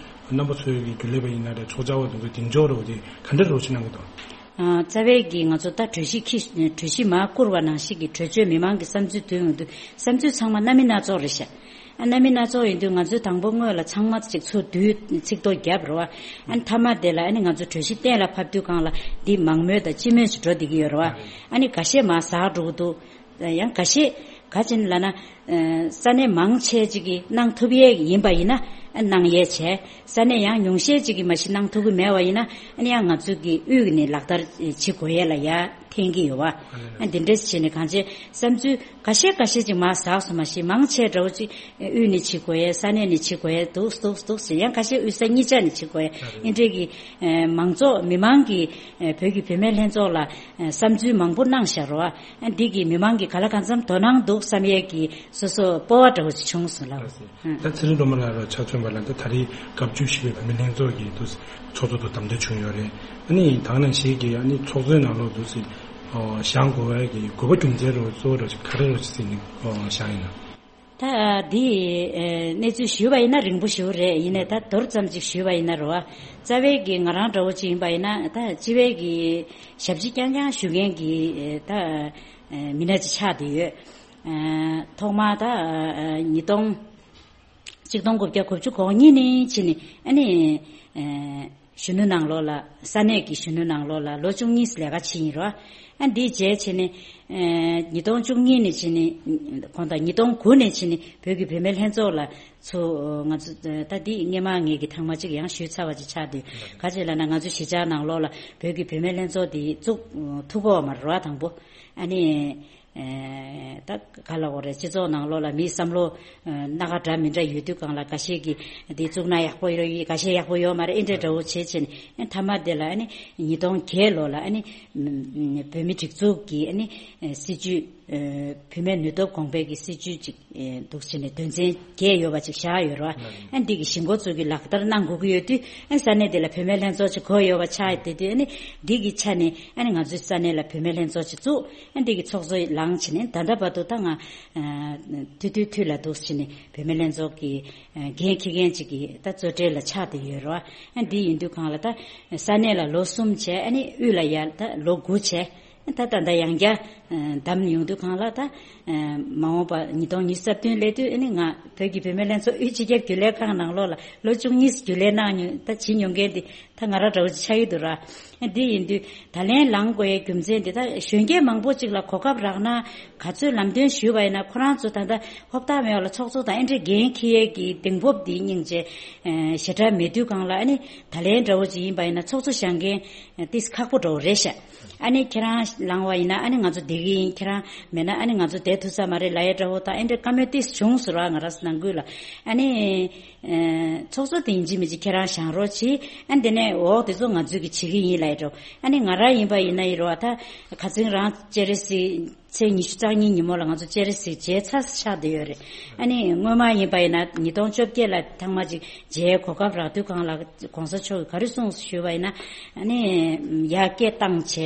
རྣམ་པ་ཚོའི་གི་རྒྱུན་ལས་པ་ཡིན་ན་རེད། ཚོགས་བཅར་བ་དེ་ཚོ་གདེང་འཇོག་འདྲ་བོ་དེ་ག་འདྲ་རོགས་བྱེད་གནང་གི་འདུག་ཨ། རྩ་བའི་གི་ང་ཚོ་ད་གྲོས་གཞི་འཁྱེར་གྲོས་གཞི་མར་བསྐུར་བ་ནང་བཞིན་གི་གྲོས་ཆོད་མི་མང་གི་བསམ་ཚུལ་ཐོན་ཡོང་དུས་བསམ་ཚུལ་ཚང་མ་སྣ་མིན་སྣ་ཚོགས་རེད་ཤག་ཨ་སྣ་མིན་སྣ་ཚོགས་ཡིན་དུས་ང་ཚོས་དང་པོ་སྔོན་ལ་ཚང་མ་ཅིག་ཚུར་བསྡུས་ཚིག་ཐོ་བརྒྱབ་རོགས། ཨ་མཐའ་མ་དེ་ལ་ཨ་ནི་ང་ཚོ་གྲོས་གཞི་གཏན་ལ་ཕབ་དུས་གང་ལ་འདི་མང་མོས་དང་སྤྱི་མོས་ཅིག་འགྲོ་བསྡད་ཀྱི་ཡོད་རེད་བ། ཨ་ནི་འགའ་ཤས་མར་ཟག་འགྲོ་གི་འདུག་ཡང་འགའ་ཤས་ག་ཅིན་ལབ་ན་ ས་གནས་མང་ཆེ་ཅིག་གིས་གནང་ཐུབ་ཡས་ཡིན་པ་ཡིན་ན་གནང་ཡས་བྱས། ས་གནས་ཡང་ཉུང་ཤས་ཅིག་གིས་མ་གཞི་གནང་ཐུབ་ཀྱི་མེད་པ་ཡིན་ན་ཨ་ནི་ཡང་ང་ཚོ་གི་དབུས་ནས་ལག་བསྟར་བྱེད་དགོས་ཡས་ལ་ཡ་འཐེན་གྱི་ཡོད་བ། ཨ་འདི་འདྲས་བྱས་ནས་གང་ཅི་བསམ་ཚུལ་ཁ་ཤས་ཁ་ཤས་ཅིག་མར་ཟགས་སོང་མ་གཞི་མང་ཆེ་འདྲ་བོ་ཅིག་དབུས་ནས་བྱེད་དགོས་ཡས་ས་གནས་ནས་བྱེད་དགོས་ཡས་འདུག་འདུག་འདུག་ཟེར། ཡང་ཁ་ཤས་དབུས་ས་གཉིས་ཆ་ནས་བྱེད་དགོས་ཡས་ཨེ་འདྲས་ཀྱི་མང་ཚོགས་མི་མང་གི་བོད་ཀྱི་བུད་མེད་ལྷན་ཚོགས་ལ་བསམ་ཚུལ་མང་པོ་གནང་བཞག་རོགས། ཨ་འདི་གི་མི་མང་གི་ག་ལ་གང་འཚམ་དོ་སྣང་འདུག་བསམ་ཡས་ཀྱི་སོ་སོ་སྤོབས་པ་འདྲ་བོ་ཅིག་བྱུང་སོང་ལགས། ད་ཚེ་རིང་སྒྲོལ་མ་ལགས་ལ་ཆ་མཚོན་པ་ལ་ད་ད་རེས་སྐབས་བཅུ་བཞི་པའི་བོད་མི་ལྷན་ཚོགས་ཀྱི་དུ་ཚོགས་གཙོ་དུ་བདམས་ཐོན་བྱུང་ཡོད་རེད། ཨ་ནི་ད་ག་ནང་བཞིན་གྱི་ཨ་ནི་ཚོགས་གཙོའི་ནང་ལོགས་དུ་བཞེངས་དགོས་པའི་གི་དགོས་པ་རྒྱུ་མཚན་རོ་གཙོ་བོ་རོ་ཅིག་ག་རེ་རོ་ཅིག་ཟིན་ནས་བཞེངས་ཡིན་ན། ད་འདི་གནས་ཚུལ་ཞུས་པ་ཡིན་ན་རིང་པོ་ཞིག་རེད། ཡིན་ནའི་ད་མདོར་ཙམ་ཅིག་ཞུས་པ་ཡིན་ན་རོ། རྩ་བའི་གི་ང་རང་འདྲ་བོ་ཅིག་ཡིན་པ་ཡིན་ན་ད་སྤྱི་པའི་གི་ཞབས་ཕྱི་རྐྱང་རྐྱང་ཞུ་མཁན་གྱི་ད་མི་སྣ་ཅིག་ཆགས་བསྡད་ཡོད། ཐོག་མར་ད་ཉིས་སྟོང་ཆིག་སྟོང་དགུ་བརྒྱ་དགུ་བཅུ་གོ་གཉིས་ནས་ཕྱིན་ནས་ཨ་ནི་གཞོན་ནུ་ནང་ལོགས་ལ་ས་གནས་ཀྱི་གཞོན་ནུ་ནང་ལོགས་ལ་ལོ་བཅུ་གཉིས་ལས་ཀ་བྱེད་ཡིན་རོ། ཨ་འདིའི་རྗེས་ཕྱིན་ནས་ཉིས་སྟོང་བཅུ་གཉིས་ནས་ཕྱིན་ནས་གོང་དང་ཉིས་སྟོང་དགུ་ནས་ཕྱིན་ནས་བོད་ཀྱི་བུད་མེད་ལྷན་ཚོགས་ལ་ཚུར་ང་ཚོ་ད་འདི་སྔས་མ་ངེད་ཀྱི་ཐེངས་མ་གཅིག་ཡང་ཞུས་ཚར་བ་ཅིག་ཆགས་འདུག་ག་ཅི་ལབ་ན་ང་ཚོ་གཞིས་ཆགས་ནང་ལོགས་ལ་བོད་ཀྱི་བུད་མེད་ལྷན་ཚོགས་འདི་བཙུགས་ཐུབ་ཀྱི་ཡོད་མ་རེད་རོ། དང་པོ་ཨ་ནི། ད་ག་ལ་འོ་རེད། སྤྱི་ཚོགས་ནང་ལོགས་ལ་མིའི་བསམ་བློ་སྣ་ཁ་འདྲ་མི་འདྲ་ཡོད་དུས་སྒང་ལ་འགའ་ཤས་ཀྱིས་འདི་བཙུགས་ན་ཡག་པོ་ཡོད་ཡོད་འགའ་ཤས་ཡག་པོ་ཡོད་མ་རེད་ཨེ་འདྲས་འདྲ་བོ་བྱེད་བྱེད་ནས་མཐའ་མ་དེ་ལ་ཨ་ནི་ཉིས་སྟོང་བརྒྱད་ལོ་ལ་ཨ་ནི་བོད་མི་སྒྲིག་འཛུགས་ཀྱི་ཨ་ནི་སྲིད་བྱུས་བུད་མེད་ནུས་སྟོབས་གོང་འཕེལ་གྱི་སྲིད་བྱུས་ཅིག་འདུག་བྱས་ནས་དོན་ཚན་བརྒྱད་ཡོད་པ་ཅིག་བཞག་ཡོད་རེད་བ། ཨ་འདི་གི་གཞི་འགོ་བཙུགས་ཀྱི་ལག་བསྟར་གནང་དགོས་ཀྱི་ཡོད་དུས་ཨ་ས་གནས་དེ་ལ་བུད་མེད་ལྷན་ཚོགས་ཅིག་དགོས་ཡོད་པ་ཆགས་བསྡད་དུས་ཨ་ནི་འདི་གི་ཆ་ནས་ཨ་ནི་ང་ཚོའི་ས་གནས་ལ་བུད་མེད་ལྷན་ཚོགས་ཅིག་བཙུགས། ཨ་འདི་གི་ཚོགས་གཙོ་ལངས་བྱས་ནས་ད་ལྟ་བར་དུ་ད་ང་དུས་དུས་དུས་ལ་འདུག་བྱས་ནས་བུད་མེད་ལྷན་ཚོགས་ཀྱི་འགན་འཁྱེར་མཁན་ཅིག་གི་ད་གཙོ་གྲས་ལ་ཆགས་བསྡད་ཡོད་རེད་བ། ཨ་འདི་ཡིན་དུས་སྒང་ལ་ད་ས་གནས་ལ་ལོ་གསུམ་བྱས་ཨ་ནི་དབུས་ལ་ཡར་ད་ལོ་དགུ་བྱས། ད་ད་ད་ཡང་བསྐྱར་བདམས་ཡོང་དུས་སྒང་ལ་ད་མ་འོངས་པ་ཉིས་སྟོང་ཉི་ཤུ་རྩ་བདུན་སླེབས་དུས་ཨ་ནི་ང་བོད་ཀྱི་བུད་མེད་ལྷན་ཚོགས་དབུས་སྤྱི་ཁྱབ་རྒྱུན་ལས་ཁང་ནང་ལོགས་ལ་ལོ་བཅུ་གཉིས་རྒྱུན་ལས་གནང་མྱོང་ད་བྱེད་མྱོང་མཁན་དེ་ད་ང་རང་འདྲ་བོ་ཅིག་ཆགས་ཀྱི་འདུག་ར། འདི་ཡིན་དུས་ད་ལན་ལངས་དགོས་ཡའི་རྒྱུ་མཚན་འདི་ད་གཞོན་སྐྱེས་མང་པོ་ཅིག་ལ་གོ་སྐབས་རག་ན་ག་ཚོད་ལམ་སྟོན་ཞུས་པ་ཡིན་ན་ཁོ་རང་ཚོ་ད་ལྟ་ཧོབ་ཐག་མེད་པ་ལ་ཚོགས་གཙོ་དང་ཨེ་འདྲས་འགན་འཁྱེར་ཡས་ཀྱི་གདེང་སྤོབས་འདི་སྙིང་རྗེ་ཞེ་དྲག་མེད་དུས་སྒང་ལ་ཨ་ནི་ད་ལན་འདྲ་བོ་ཅིག་ཡིན་པ་ཡིན་ན་ཚོགས་གཙོ་བཞེངས་མཁན་ཏིས་ཁག་པོ་འདྲ་བོ་རེད་ཤག་ཨ་ནི་ཁྱེད་རང་ལངས་པ་ཡིན་ན་ཨ་ནི་ང་ཚོ་བསྡད་ཀྱི་ཡིན། ཁྱེད་རང་མེད་ན་ཨ་ནི་ང་ཚོ་བསྡད་ཐུབ་ས་མ་རེད་ལབ་ཡས་འདྲ་བོ་དང་ཨེ་འདྲས་བཀའ་མོལ་ཏིས་བྱུང་སོང་ར། ང་རང་ནང་ཁུལ་ལ་ཨ་ནི། ཚོགས་གཙོ་དེ་ཡིན་གཅིག་མིན་གཅིག་ཁྱེད་རང་བཞེངས་རོགས་གྱིས། ཨ་འདི་ནས་འོག་དེ་ཚོ་ང་ཚོས་ཀྱི་བྱེད་ཀྱི་ཡིན་ལབ་ཡ་འགྲོ། ཨ་ནི་ང་རང་ཡིན་པ་ཡིན་ན་ཡིན་རོགས་ཨ་ད་ཁ་སང་རང་སྤྱན་རས་གཟིགས་ཚེས་ཉི་ཤུ་རྩ་གཉིས་ཉིན་མོ་ལ་ང་ཚོ་སྤྱན་རས་གཟིགས་མཇལ་ཚར་ཆགས་བསྡད་ཡོད་རེད། ཨ་ནི་སྔོན་མ་ཡིན་པ་ཡིན་ན་ཉིས་སྟོང་བཅོ་བརྒྱད་ལ་ཐེངས་མ་གཅིག་མཇལ་གོ་སྐབས་རག་དུས་སྒང་ལ་གོང་ས་མཆོག་གིས་ག་རེ་གསུངས་ཞུས་པ་ཡིན་ན་ཨ་ནི་ཡར་སྐད་བཏང་བྱས་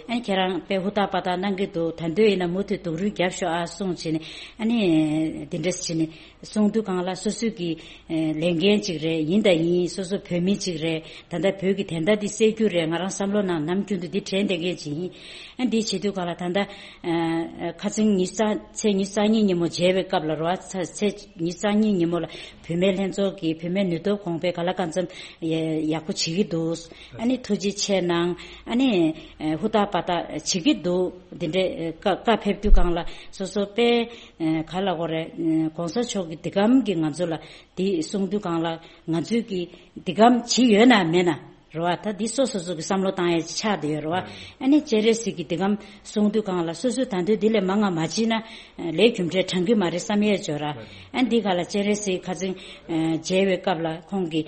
ཨ་ནི་ཁྱེད་རང་དཔེ་ཧུར་ཐག་པ་ཐག་གནང་གི་འདུག་ད་དུང་ཡིན་ན་མུ་མཐུད་སྡུག་རུས་རྒྱབ་ཤོག་ཨ་གསུངས་བྱས་ནས་ཨ་ནི་འདི་འདྲས་བྱས་ནས། གསུང་དུས་སྒང་ལ་སོ་སོ་གི་ལས་འགན་ཅིག་རེད། ཡིན་དང་ཡིན་སོ་སོ་བོད་མི་ཅིག་རེད། ད་ལྟ་བོད་ཀྱི་བདེན་མཐའ་འདི་གསལ་རྒྱུ་རེད། ང་རང་བསམ་བློ་ནང་ནམ་རྒྱུན་དུ་འདི་དྲན་བསྡད་མཁན་ཅིག་ཡིན། ཨ་འདི་བྱེད་དུས་སྒང་ལ་ད་ལྟ་ཁ་སང་ཉི་ཤུ་རྩ་ཚེས་ཉི་ཤུ་རྩ་གཉིས་ཉིན་མོ་མཇལ་བའི་སྐབས་ལ་རོ་ཨ་ཚེས་ཉི་ཤུ་རྩ་གཉིས་ཉིན་མོ་ལ་བུད་མེད་ལྷན་ཚོགས་ཀྱི་བུད་མེད་ནུས་སྟོབས་གོང་འཕེལ་ག་ལ་གང་འཚམ་ཡག་པོ་བྱེད་ཀྱི་འདུག་ཨ་ནི་ཐུགས་རྗེ་ཆེ་གནང་། ཨ་ནི་ཧུར་ཐག་པ་ཐག་བྱེད་ཀྱི་འདུག་འདི་འདྲའི་བཀའ་བཀའ་ཕེབས་དུས་སྒང་ལ་སོ་སོ་དཔེ། ག་ལ་གོ་རེད། གོང་ས་མཆོག་གི་འདི་གམ་གྱི་ང་ཚོ་ལ་འདི་གསུང་དུས་སྒང་ལ་ང་ཚོས་ཀྱི་འདི་གམ་བྱེད་ཡོད་ན་མེད་ན་རེད་བ། ད་འདི་སོ་སོ་སོ་གི་བསམ་བློ་བཏང་ཡས་ཆགས་བསྡད་ཡོད་རེད་བ། ཨ་ནི་སྤྱན་རས་གཟིགས་ཀྱི་འདི་གམ་གསུང་དུས་སྒང་ལ་སོ་སོས་ད་དུང་འདི་ལས་མང་ང་མ་བྱེད་ན་ལས་རྒྱུ་འབྲས་དྲང་གི་མ་རེད་བསམ་ཡས་ཅོ་ར། ཨ་འདི་ག་ལ་སྤྱན་རས་གཟིགས་ཁ་སང་མཇལ་བའི་སྐབས་ལ་ཁོང་གི་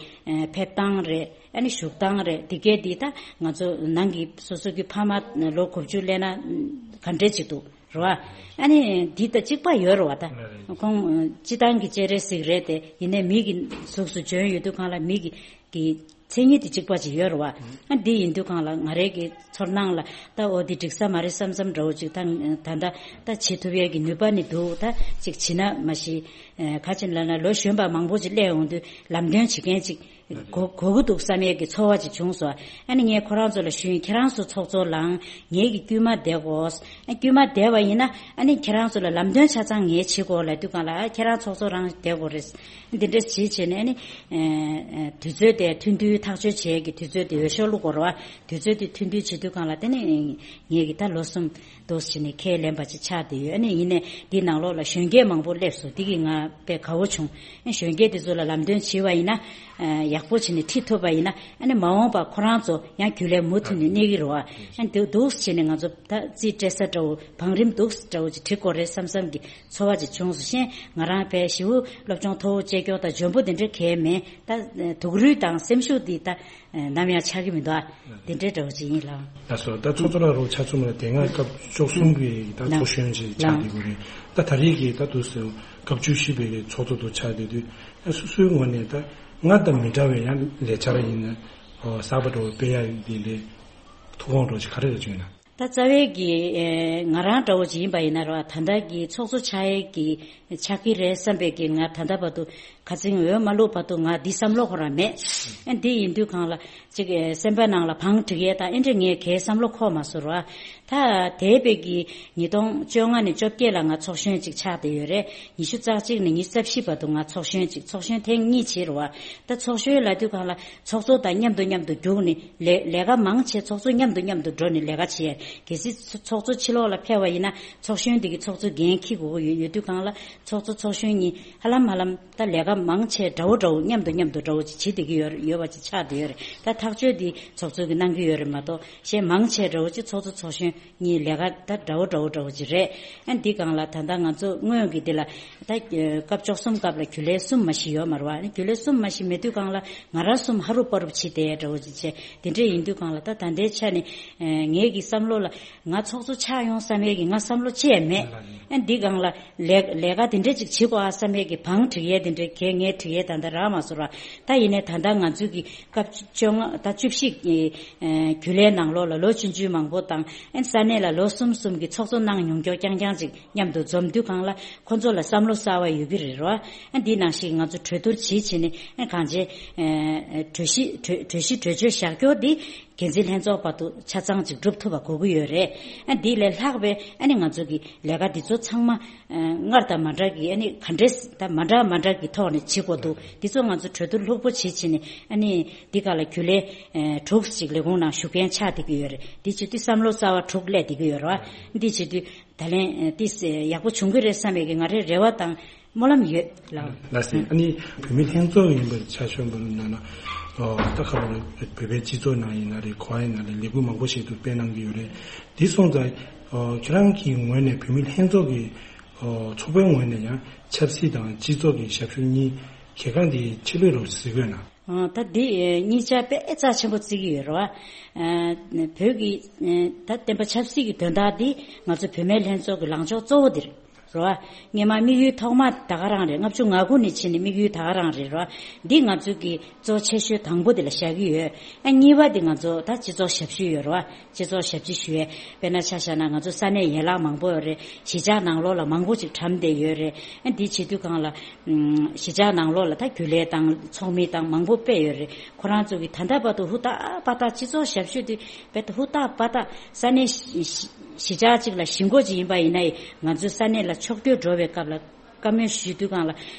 ཕེབས་སྟངས་རེད། ཨ་ནི་བཞུགས་སྟངས་རེད། འདི་གས་འདི་ད་ང་ཚོ་ནང་གི་སོ་སོ་གི་ཕ་མ་ལོ་དགུ་བཅུ་སླེབས་ན་ག་འདྲས་ཅིག་འདུག་རེད་བ། ཨ་ནི་འདི་ད་གཅིག་པ་ཡོད་རེད་བ་ད། ཁོང་སྤྱི་བཏང་གི་སྤྱན་རས་གཟིགས་རེད་དེ་ཡིན་ནའི་མི་གི་གཟུགས་སུ་བྱོན་ཡོད་དུས་སྒང་ལ་མི་གི་གི་མཚན་ཉིད་དེ་གཅིག་པ་ཅིག་ཡོད་རེད་བ། ཨ་འདི་ཡིན་དུས་སྒང་ལ་ང་རའི་གི་ཚོར་སྣང་ལ་ད་འོ་འདི་འགྲིག་ས་མ་རེད་བསམ་བསམ་འདྲ་བོ་ཅིག་ད་ད་ད་ད་བྱེད་ཐུབ་ཡས་ཀྱི་ནུས་པ་ནི་འདུག་ད་ཅིག་བྱེད་ན་མ་གཞི་ག་ཅིག་ལབ་ན་ལོ་གཞོན་པ་མང་པོ་ཅིག་སླེབས་ཡོང་དུས་ལམ་སྟོན་བྱེད་མཁན་ཅིག་གོ་གོ་གི་འདུག་བསམ་ཡས་ཀྱི་ཚོར་བ་ཅིག་བྱུང་སོང་། ཨ་ནི་ངས་ཁོ་རང་ཚོ་ལ་ཞུས། ཁྱེད་རང་ཚོ་ཚོགས་གཙོ་ལངས། ངེད་ཀྱི་དཀྱུས་མ་བསྡད་དགོས། ཨ་དཀྱུས་མ་བསྡད་པ་ཡིན་ན་ཨ་ནི་ཁྱེད་རང་ཚོ་ལ་ལམ་སྟོན་ཆ་ཚང་ངས་བྱེད་དགོས་ལབ་དུས་སྒང་ལ། ཨ་ཁྱེད་རང་ཚོགས་གཙོ་རང་བསྡད་དགོས་རེད། འདི་འདྲ་བྱེད་བྱས་ནས་ཨ་ནི་ཨ་དུས་ཚོད་དེ་ཐུང་ཐུང་ཐག་གཅོད་བྱེད་ཀྱི་དུས་ཚོད་དེ་འོས་ཤོག་བླུག་དགོས་རེད་བ། དུས་ཚོད་དེ་ཐུང་ཐུང་བྱེད་དུས་སྒང་ལ་དེ་ནི་ངེད་ཀྱི་ད་ལོ་གསུམ་འདུག་བྱས་ནས་ཁས་ལེན་པ་ཅིག་ཆགས་བསྡད་ཡོད། ཨ་ནི་ཡིན་ནའི་འདི་ནང་ལོགས་ལ་གཞོན་སྐྱེས་མང་པོ་སླེབས་སོང་། འདི་གིས་ང་དཔེ་དགའ་བོ་བྱུང་། ཨ་གཞོན་སྐྱེས་དེ་ཚོ་ལ་ལམ་སྟོན་བྱས་པ་ཡིན་ན་ཨ་ཡག་པོ་བྱས་ནས་ཁྲིད་ཐུབ་པ་ཡིན་ན། ཨ་ནི་མ་འོངས་པ་ཁོ་རང་ཚོ་ཡང་རྒྱུན་ལས་མུ་མཐུད་ནས་གནས་ཀྱི་རེད་བ། ཨ་འདུག་འདུག་བྱས་ནས་ང་ཚོ་ད་རྩིས་སྤྲད་ས་འདྲ་བོ། བང་རིམ་འདུག་འདྲ་བོ་ཅིག་བྲིས་དགོས་རེད་བསམ་བསམ་གྱི་ཚོར་བ་ཅིག་བྱུང་སོང་། གཞན་ང་རང་དཔེ་ཞེ་པོ་སློབ་སྦྱོང་མཐོ་བོ་བྱེད་མཁན་དང་འཇོན་པོ་དེ་འདྲ་གང་ཡང་མེད། ད་སྡུག་རུས་དང་སེམས་ཤུགས་འདི་ད་ནམ་ཡང་ཆག་གི་མི་འདུག་ཨ། དེ་འདྲའི་འདྲ་བོ་ཅིག་ཡིན་ལགས། ལགས་སོ། ད་ཚོགས་གཙོ་ལགས་རོགས་ཆ་ཚང་མ་ལ་དེ་སྔ་སྐབས་བཅུ་གསུམ་གྱི་ད་ལགས། ཚོགས་གཞོན་ཅིག་ཆགས་ལགས། བསྡད་ཀྱི་རེད། ད་ད་རེས་ཀྱི་ད་དུང་སྐབས་བཅུ་བཞི་པའི་གི་ཚོགས་གཙོ་དུ་ཆགས་བསྡད་དུས། ད་སོ་སོའི་ངོས་ནས་ད་སྔར་དང་མི་འདྲ་བའི་ཡང་ལས་འཆར་ཡིན་ན་གསར་པ་འདྲ་བོ་སྤེལ་ཡ་འདི་ལས་ཐུགས་དགོངས་འདྲ་བོ་ཅིག་ག་རེ་རེད་བྱུང་ན། ད་རྩ་བའི་གི་ཨེ་ང་རང་འདྲ་བོ་ཅིག་ཡིན་པ་ཡིན་ན་རེད་བ། ད་ལྟ་གི་ཚོགས་གཙོ་ཆགས་ཡས་ཀྱི་ཆགས་ཀྱི་རེད་བསམ་པའི་གི་ང་ད་ལྟ་བར་དུ་ཁ་ཚིག་འོས་མ་བླུགས་བར་དུ་ང་འདི་བསམ་བློ་ཁོ་རང་མེད། ཨ་འདི་ཡིན་དུས་སྒང་ལ་ཅིག་ཨེ་སེམས་པ་ནང་ལ་བང་སྒྲིག་ཡས་དང་ཨེ་འདྲ་ངས་གའི་བསམ་བློ་འཁོར་མ་སོང་ར། ད་འདས་པའི་གི་ཉིས་སྟོང་བཅོ་ལྔ་ནས་བཅོ་བརྒྱད་ལ་ང་ཚོགས་གཞོན་ཅིག་ཆགས་བསྡད་ཡོད་རེད། ཉི་ཤུ་རྩ་གཅིག་ནས་ཉི་ཤུ་རྩ་བཞི་བར་དུ་ང་ཚོགས་གཞོན་ཅིག་ཚོགས་གཞོན་ཐེངས་གཉིས་བྱས་རེད་བ། ད་ཚོགས་གཞོན་ལབ་དུས་སྒང་ལ་ཚོགས་གཙོ་དང་མཉམ་དུ་མཉམ་དུ་རྒྱུགས་ནས་ལས་ལས་ཀ་མང་ཆེ་ཚོགས་གཙོ་མཉམ་དུ་མཉམ་དུ་འགྲོ་ནས་ལས་ཀ་བྱེད་ཡས། གལ་སྲིད་ཚོགས་གཙོ་ཕྱི་ལོགས་ལ་ཕེབས་པ་ཡིན་ན་ཚོགས་གཞོན་དེ་གི་ཚོགས་གཙོ་འགན་འཁྱེར་དགོས་ཀྱི་ཡོད། ཡོད་དུས་སྒང་ལ་ཚོགས་གཙོ་ཚོགས་གཞོན་གཉིས་ཧ་ལམ་ཧ་ལམ་ད་ལས་ཀ་མང་ཆེ་འདྲ་བོ་འདྲ་བོ་མཉམ་དུ་མཉམ་དུ་འདྲ་བོ་ཅིག་བྱེད་བསྡད་ཀྱི་ཡོད་ཡོད་པ་ཅིག་ཆགས་བསྡད་ཡོད་རེད། ད་ཐག་གཅོད་འདི་ཚོགས་གཙོ་གིས་གནང་གི་ཡོད་རེད་མ་གཏོགས། གཞན་མང་ཆེ་འདྲ་བོ་ཅིག་ཚོགས་གཙོ་ཚོགས་གཞོན་གཉིས་ལས་ཀ་ད་འདྲ་བོ་འདྲ་བོ་འདྲ་བོ་ཅིག་རེད། ཨ་འདི་སྒང་ལ་ད་ལྟ་ང་ཚོ་སྔོན་གྱི་འདི་ལ་ད་སྐབས་བཅུ་གསུམ་སྐབས་ལ་རྒྱུན་ལས་གསུམ་མ་གཞི་ཡོད་མ་རེད་བ། ཨ་ནི་རྒྱུན་ལས་གསུམ་མ་གཞི་མེད་དུས་སྒང་ལ་ང་རང་གསུམ་ཧ་རུབ་པ་རུབ་བྱེད་བསྡད་འདྲ་བོ་ཅིག་བྱས། དེ་འདྲ་ཡིན་དུས་སྒང་ལ་ད་ད་ལྟའི་ཆ་ནས་ངའི་གི་བསམ་བློ་ལ་ང་ཚོགས་གཙོ་ཆགས་ཡོང་བསམ་ཡས་ཀྱི་ང་བསམ་བློ་ཅི་ཡང་མེད། ཨ་འདི་སྒང་ལ་ལས་ལས་ཀ་དེ་འདྲ་ཅིག་བྱེད་དགོས་ཨ་བསམ་ཡས་ཀྱི་བང་སྒྲིག་ཡས་དེ་འདྲ་གས་ངས་སྒྲིག་ཡས་ད་ལྟ་རག་མ་སོང་ར། ད་ཡིན་ནའི་ད་ལྟ་ང་ཚོའི་གི་སྐབས་བཅོ་ལྔ་ད་བཅུ་བཞི་གི་ཨེ་རྒྱུན་ལས་ནང་ལོགས་ལ་ལོ་ཆུང་ཆུང་མང་པོ་དང་ཨེ་ས་གནས་ལ་ལོ་གསུམ་གསུམ་གི་ཚོགས་གཙོ་གནང་མྱོང་མཁན་རྐྱང་རྐྱང་ཅིག་མཉམ་དུ་འཛོམས་དུས་སྒང་ལ་ཁོ་ཚོ་ལ་བསམ་བློ་གསར་བ་ཡོད་ཀྱི་རེད་རོ། ཨ་འདི་ནང་བཞིན་ང་ཚོ་གྲོས་བསྡུར་བྱེད་བྱེད་ནས་ཨེ་གང་བྱེད་ཨེ་གྲོས་གཞི་གྲོས་གྲོས་གཞི་གྲོས་ཆོད་བཞག་རྒྱུ་འདི་འགན་འཛིན་ལྷན་ཚོགས་བར་དུ་ཆ་ཚང་ཅིག་སྒྲུབ་ཐུབ་པ་དགོས་ཀྱི་ཡོད་རེད། ཨ་འདི་ལས་ལྷག་པའི་ཨ་ནི་ང་ཚོ་གི་ལས་ཀ་འདི་ཚོ་ཚང་མ་སྔར་དང་མ་འདྲ་གི་ཨ་ནི་ག་འདྲས་ད་མ་འདྲ་མ་འདྲ་གི་ཐོག་ནས་བྱེད་དགོས་འདུག་འདི་ཚོ་ང་ཚོ་གྲོས་བསྡུར་ལྷུག་པོ་བྱེད་བྱེད་ནས་ཨ་ནི་འདི་ག་ལ་རྒྱུན་ལས་ཨེ་དྲུག་ཅིག་ལས་ཁུངས་ནང་ཞུགས་མཁན་ཆགས་བསྡད་ཀྱི་ཡོད་རེད། འདི་བྱེད་དུས་བསམ་བློ་གསར་བ་དྲུག་སླེབས་བསྡད་ཀྱི་ཡོད་རེད་བ། འདི་བྱེད་དུས་ད་ལན་ཨེ་ཏིས་ཡག་པོ་བྱུང་གི་རེད་བསམ་པའི་གི་ང་རའི་རེ་བ་དང་སྨོན་ལམ་ཡོད་ལགས། ལགས་སེ། ཨ་ནི་བུད་མེད་ལྷན་ཚོགས་ཡིན་པར་ཆ་མཚོན་པར་ན་ན་ཨོ་ད་ཁ་ལོ་བོད་པའི་སྤྱི་ཚོགས་ནང་ཡིན་ན་རེད། ག་པར་ཡིན་ན་རེད། ལས་འགུལ་མང་པོ་ཞིག་ཏུ་སྤེལ་གནང་གི་ཡོད་རེད། འདི་སོང་ཙང་ཨོ་ཁྱེད་རང་གི་ངོས་ནས་བུད་མེད་ལྷན་ཚོགས་ཀྱི་ཨོ་ཚོགས་པའི་ངོས་ནས་ཡང་ཆབ་སྲིད་དང་སྤྱི་ཚོགས་ཀྱི་ཞབས་ཞུ་གཉིས་གལ་འགངས་དེ་ཆེ་ལོས་རོགས་གཟིགས་དགོས་ན། ཨ་ད་འདི་ཨེ་གཉིས་ཆ་དཔེ་རྩ་ཆེན་པོ་བརྩི་གི་ཡོད་རེད་བ། ཨ་བོད་ཀྱི་ཨེ་ད་བསྟན་པ་ཆབ་སྲིད་ཀྱི་དོན་དག་འདི་ང་ཚོ་བུད་མེད་ལྷན་ཚོགས་ཀྱི་ལངས་ཕྱོགས་གཙོ་བོ་འདི་རེད་བ། སྔོན་མ་དམིགས་ཡུལ་ཐོག་མ་ད་ག་རང་རེད། ལྔ་བཅུ་ང་དགུ་ནས་ཕྱིན་ནས་དམིགས་ཡུལ་ད་ག་རང་རེད་རེད་བ། འདི་ང་ཚོ་གི་གཙོ་ཆེ་ཤོས་དང་པོ་འདི་ལ་བཞག་གི་ཡོད། ཨ་གཉིས་པ་འདི་ང་ཚོ་ད་སྤྱི་ཚོགས་ཞབས་ཞུ་ཡོད་རེད་བ། སྤྱི་ཚོགས་ཞབས་ཕྱི་ཞུ་ཡས། དཔེར་ན་ཆ་བཞག་ན་ང་ཚོ་ས་གནས་ཡན་ལག་མང་པོ་ཡོད་རེད། གཞིས་ཆགས་ནང་ལོགས་ལ་མང་པོ་ཅིག་གྲམ་བསྡད་ཡོད་རེད། ཨ་འདི་བྱེད་དུས་སྒང་ལ་ཨམ་གཞིས་ཆགས་ནང་ལོགས་ལ་ད་རྒྱུན་ལས་དང་ཚོགས་མི་དང་མང་པོ་དཔེ་ཡོད་རེད། ཁོ་རང་ཚོ་གི་ད་ལྟ་བར་དུ་ཧུར་ཐག་པ་ཐག་སྤྱི་ཚོགས་ཞབས་ཞུ་དེ་དཔེ་ཧུར་ཐག་པ་ཐག་ས་གནས་གཞིས་གཞིས་ཆགས་གཅིག་ལ་གཞིས་འགོ་ཅིག་ཡིན་པ་ཡིན་ན་ཡང་ང་ཚོའི་ས་གནས་ལ་ཕྱོགས་བསྐྱོད་འགྲོ་བའི་སྐབས་ལ། བཀའ་མོལ་ཞུ་དུས་སྒང་ལ་